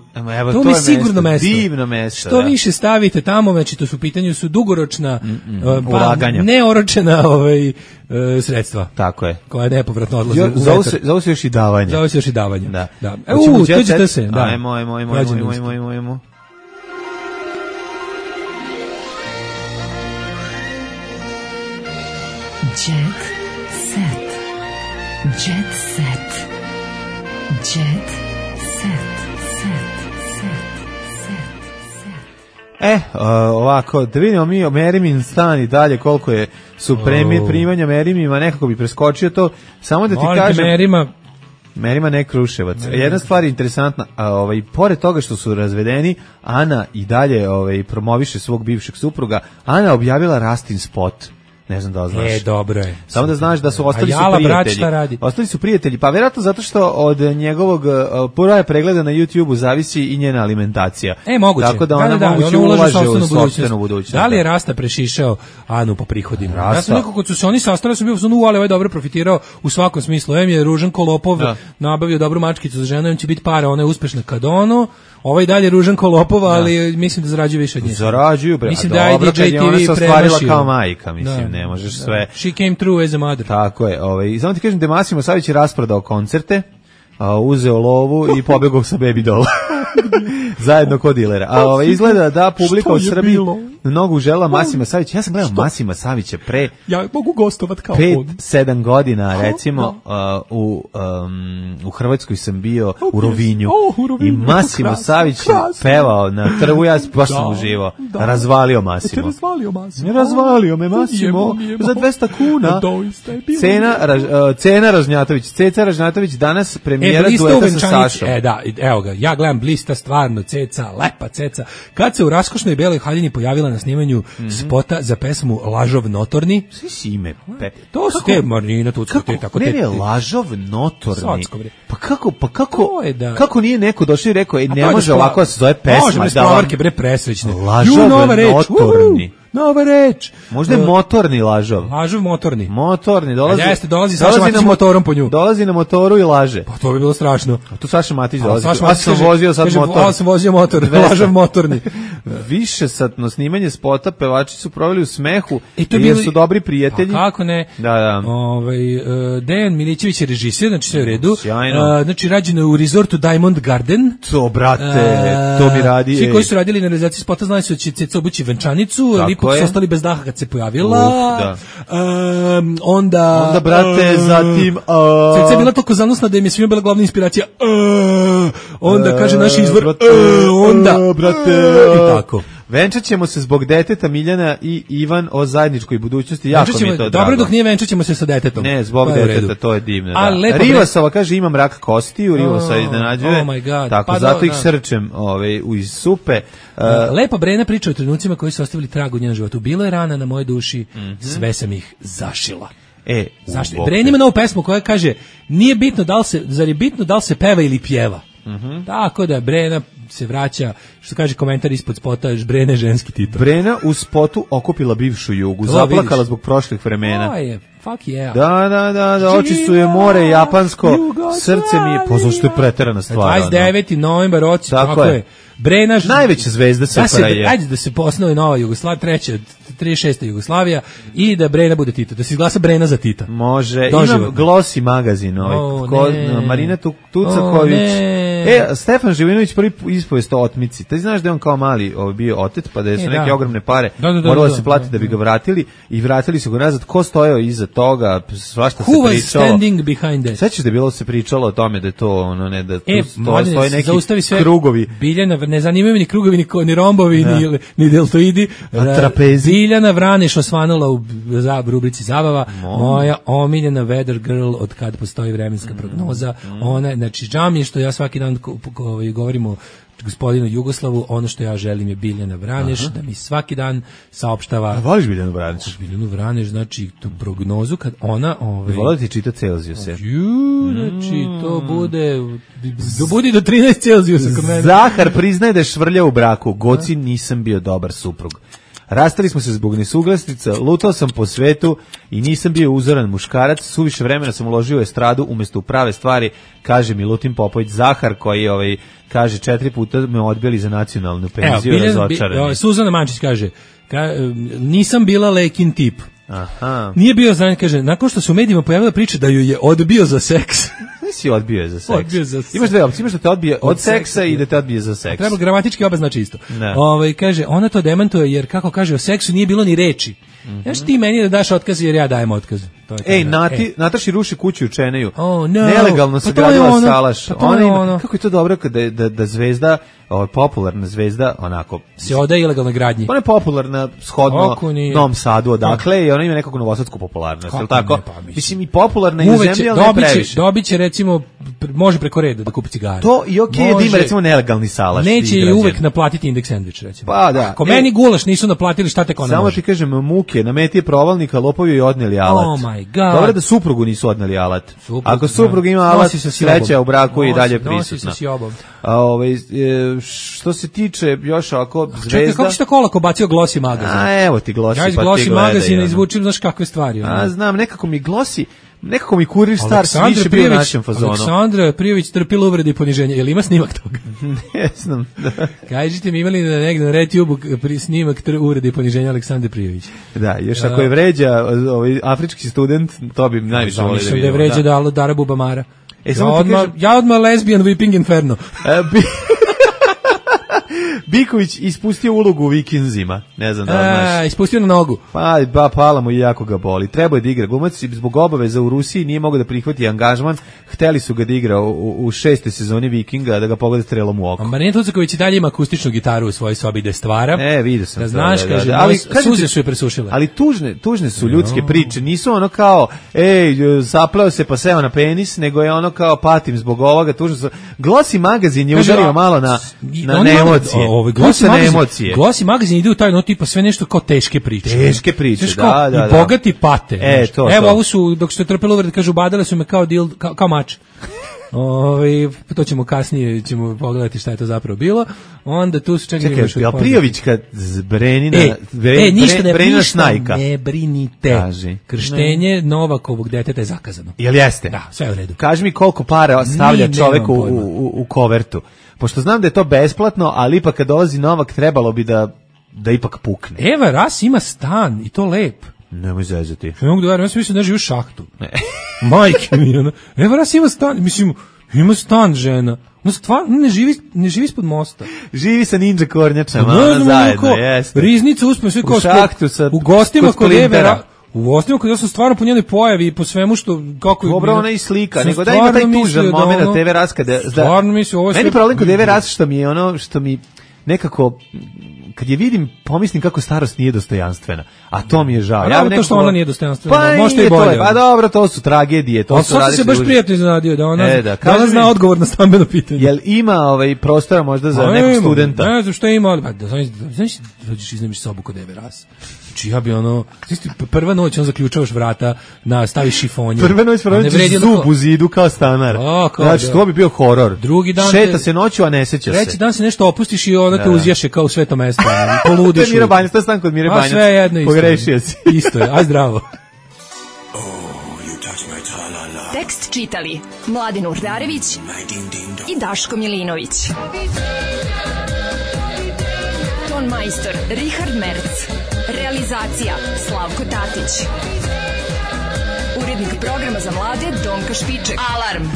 E: To
F: mi je sigurno mesto.
E: Divno mesto.
F: Što više stavite tamo, znači to su u pitanju su dugoročna
E: ulaganja.
F: Neoročena sredstva.
E: Tako je.
F: Koja nepovratno odlaze u vetar.
E: Zove se još i davanje.
F: Da.
E: To
F: ćete se.
E: Ajmo.
C: Jet set.
E: Ovako, da vidimo mi o Merimin stan i dalje koliko su primanja Merimima, nekako bi preskočio to, samo da ti kažem... Merima ne Kruševac. Jedna stvar je interesantna, pored toga što su razvedeni, Ana i dalje promoviše svog bivšeg supruga. Ana objavila Rastin spot. Ne znam da znaš.
F: Dobro je.
E: Samo da znaš da su ostali prijatelji. Ostali su prijatelji, pa vjerojatno zato što od njegovog prva pregleda na YouTubeu zavisi i njena alimentacija.
F: Moguće.
E: Tako da ona moguće ulaže u sopstvenu budućnost.
F: Da li je Rasta prešišao Anu po prihodima? Ja sam nekako kad su se oni sastali, sam bio ali ovaj dobro profitirao u svakom smislu. Je Ružan Kolopov nabavio dobru mačkicu za ženu, on će biti para, ona je uspešna kad ono. Ovaj dalje Ružan Kolopova, ali mislim da zarađuju više od nje.
E: Zarađuju, bre.
F: Mislim da IDJ TV
E: se ostvarila kao majka, mislim, ne možeš sve.
F: She came through as a mother.
E: Tako je. I samo ti kažem da Massimo Savić je rasprodao koncerte, uzeo lovu i pobegao sa Baby Doll. Zajedno kod dilera. A izgleda da publika u Srbiji mnogo užela Masima Savića. Ja sam gledao Masima Savića pre...
F: Ja mogu gostovat kao
E: 5-7 godina, recimo, u Hrvatskoj sam bio u Rovinju. I Masimo Savić pevao na trgu, ja baš sam uživao. Razvalio Masimo. Razvalio me Masimo za 200 kuna. Cena Ražnjatović. Ceca Ražnjatović danas premijera dueta sa Sašom.
F: Da, evo ga, ja gledam Blista, stvarno, Ceca, lepa Ceca. Kad se u raskošnoj beloj haljini pojavila na snimanju spota za pesmu Lažov notorni.
E: Svi si ime.
F: To su te Marina Tucko, te tako.
E: Ne, Lažov notorni. Kako nije neko došao i rekao, ne može ovako da se zove pesma.
F: Može, bez provarke, bre, presrećne.
E: Lažov notorni.
F: Nova reč.
E: Možda je motorni Lažov.
F: Lažov motorni.
E: Motorni,
F: dolazi Saša Matić motorom po nju.
E: Dolazi na motoru i laže.
F: Pa to bi bilo strašno.
E: A tu Saša Matić dolazi.
F: Ja sam vozio sad motor. Ja sam vozio motor, Lažov motorni.
E: Višesatno snimanje spota, pevači su proveli u smehu, jer su dobri prijatelji.
F: Pa kako ne?
E: Da.
F: Dejan Milićević je režisir, znači sve u redu. Znači rađeno u resortu Diamond Garden.
E: To, brate, to mi radi.
F: Svi koji su radili na realizaciji spota znali su da će Ceca obući venčanicu, ipak su ostali bez daha kad se pojavila. Onda
E: brate, zatim
F: Ceca je bila toliko zanosna da im je svima bila glavna inspiracija. Onda kaže naš izvor onda
E: brate
F: i tako.
E: Venčat ćemo se zbog deteta Miljana i Ivan o zajedničkoj budućnosti. Jako mi je to drago.
F: Dobro, dok nije venčat ćemo se sa detetom.
E: Ne, zbog deteta, to je divno. Rivasova kaže imam rak kostiju, Rivasova iznenađuje.
F: Oh my god.
E: Tako, zato ih srčem iz supe.
F: Lepa Brena priča o trenucima koji su ostavili trag u njenom životu. Bilo je rana na mojoj duši, sve sam ih zašila. Zašto? Brena ima novu pesmu koja kaže, nije bitno zar je bitno da li se peva ili pjeva. Tako da Brena se vraća, što kaže komentar ispod spota, Brena ženski titul.
E: Brena u spotu okupila bivšu Jugu, zaplakala zbog prošlih vremena.
F: Fuck yeah.
E: Da, oči su je more, japansko, srce mi je, zašto je preterana stvar.
F: 29. novembar, tako je. Brena,
E: najveća zvezda SFRJ je.
F: Ajde da se posnovi nova Jugoslavija, 36. Jugoslavija i da Brena bude Tito, da se izglasa Brena za Tita.
E: Može, imam Glossy magazin, Marina Tucaković. Stefan Živinović prvi ispovest o otmici. Ti znaš da je on kao mali bio otet, pa da su neke ogromne pare moralo se platiti da bi ga vratili i vratili su ga nazad. Ko stojao iza toga, svašta se pričalo.
F: Who was standing behind that?
E: Sećaš da je bilo se pričalo o tome da je to da tu stoje neki krugovi.
F: Biljana, ne zanimaju mi ni krugovi, ni rombovi, ni deltoidi.
E: Trapezi.
F: Biljana Vraneš osvanula u rubrici zabava. Moja omiljena weather girl od kad postoji vremenska prognoza. Ona, znači, žao mi je što ja svaki dan govorimo gospodinu Jugoslavu, ono što ja želim je Biljana Vraneš, da mi svaki dan saopštava.
E: A voliš Biljanu Vraneš?
F: Biljanu Vraneš, znači tu prognozu kad ona...
E: Volio da ti čita Celzijuse.
F: Znači to bude do 13 Celzijusa kod mene.
E: Zahar priznaje da je švrljao u braku. Goci, nisam bio dobar suprug. Rastali smo se zbog nesuglasnica, lutao sam po svetu i nisam bio uzoran muškarac, suviše vremena sam uložio u estradu umjesto u prave stvari, kaže Milutin Popović. Zahar koji kaže 4 puta me odbili za nacionalnu penziju, razočarani.
F: Suzana Mančić kaže, nisam bila Lekin tip.
E: Aha.
F: Nije bio znan, kaže, nakon što se u medijima pojavila priča da ju je odbio za seks.
E: Nisi odbio za seks. Imaš dve opcije, imaš da te odbije od seksa i da te odbije za seks.
F: Treba gramatički oba znači isto. Kaže, ona to demantuje jer kako kaže o seksu nije bilo ni reči. Znaš ti meni da daš otkaz jer ja dajem otkaz.
E: Nataši ruši kuću u Čeneju. Nelegalno se gradila salaš. Kako je to dobro da zvezda, popularna zvezda, onako
F: se odaje ilegalnoj gradnji.
E: Ona je popularna shodno Novom Sadu odakle i ona ima nekakvu novosadsku popularnost, je li tako? Mislim i popularna i u zemlji, ali ne previše.
F: Dobiće recimo, može preko reda da kupi cigare.
E: To i okej da ima recimo nelegalni salaš.
F: Neće i uvek naplatiti indeks sendvič recimo.
E: Pa da.
F: Ako meni gulaš nisu naplatili, šta tek ona
E: samo
F: može?
E: Samo ti kažem, muke, na meti je provalnika, lopovi joj odneli alat.
F: Oh my god.
E: Dobro da suprugu nisu odneli alat. Ako suprug ima alat, sreća u braku i dalje prisutna. Što se tiče još ovako zvezda...
F: Kako si tako olako bacio Glossy magazin?
E: Evo ti Glossy,
F: ja iz Glossy magazina izvučim, znaš kakve stvari.
E: Znam, nekako mi Glossy, nekako mi Kurir Stars više bio u našem fazonu.
F: Aleksandra Prijović trpila uvrede i poniženje. Jel ima snimak toga?
E: Ne znam.
F: Kažite mi, imali negdje na RedTube snimak uvrede i poniženja Aleksandre Prijović?
E: Da, još ako je vređa afrički student, to bi najviše volio da vidimo.
F: Mislim da je vređa Dara Bubamara. Ja odmah lesbian whipping inferno.
E: Biković ispustio ulogu u Vikinzima. Ne znam da li znaš.
F: Ispustio na nogu.
E: Pa pala mu i jako ga boli. Trebao je da igra. Glumac zbog obaveza u Rusiji nije mogao da prihvati angažman. Hteli su ga da igra u 6. sezoni Vikinga, da ga pogode strelom u oko.
F: Marina Tucaković i dalje ima akustičnu gitaru u svojoj sobi da je stvara.
E: Vidio sam.
F: Da znaš, kaže, ali suze su je presušile.
E: Ali tužne su ljudske priče. Nisu ono kao, zapleo se pa seo na penis, nego je ono kao patim zbog ovoga. Tužno su. Glossy magazin je udario malo na emocije.
F: Glossy magazin ide u taj tipa sve nešto kao teške priče.
E: Teške priče, da.
F: I bogati pate.
E: To.
F: Ovo su, dok ste trpeli uvrede, kažu, badale su me kao mač. To ćemo kasnije pogledati šta je to zapravo bilo. Onda tu su
E: čekaj, Prijovićka Brenina snajka.
F: Ne brinite. Krštenje Novakovog deteta je zakazano.
E: Jel jeste?
F: Da, sve je u redu.
E: Kaži mi koliko para stavlja čovek u kovertu. Pošto znam da je to besplatno, ali ipak kad dolazi Novak trebalo bi da ipak pukne.
F: Eva Ras ima stan i to lep.
E: Nemoj zezati.
F: Ne mogu da verujem, ja sam mislio da živi u šahtu. Majke mi, ono. Eva Ras ima stan, mislim, ima stan žena. No stvarno, ne živi ispod mosta.
E: Živi sa ninja kornjačama, ona zajedno, jeste.
F: Riznica uspio sve kao
E: u šahtu sa
F: u gostima kod Eve Ras. U gostima kod ja sam stvarno po njenoj pojavi i po svemu što kako
E: dobro ona i slika, nego da ima taj tužan momenat Eve Ras kada
F: stvarno mislim ovo sve.
E: Meni problem kod Eve Ras što mi nekako kad je vidim, pomislim kako starost nije dostojanstvena. A to mi je žao.
F: Ja to što ona nije dostojanstvena.
E: Pa
F: možda i bolje.
E: Pa dobro, to su tragedije, to su
F: različite. Se baš prijatno iznenadio da ona zna odgovor na stambeno pitanje.
E: Jel ima prostora možda za nekog studenta?
F: Ne znam što ima, ali znaš, dođeš iznemiš sobu kod Eve Ras. Znači ja bi prva noć on zaključavaš vrata, staviš šifonju.
E: Prva noć zub u zidu kao stanar. Znači to bi bio horor.
F: Drugi dan
E: šeta se noću, a ne seća se.
F: Treći dan se nešto opustiš i ona te uzjaše kao u sveto mesto. Poludiš.
E: To je Mira Banjac, to je stan kod Mire Banjac.
F: Sve jedno isto.
E: Pogrešio si.
F: Isto je, aj zdravo.
C: Tekst čitali Mladin Urdarević i Daško Milinović. Ton majstor Richard Merc. Realizacija Slavko Tatić. Urednik programa za mlade Donka Špiček. Alarm!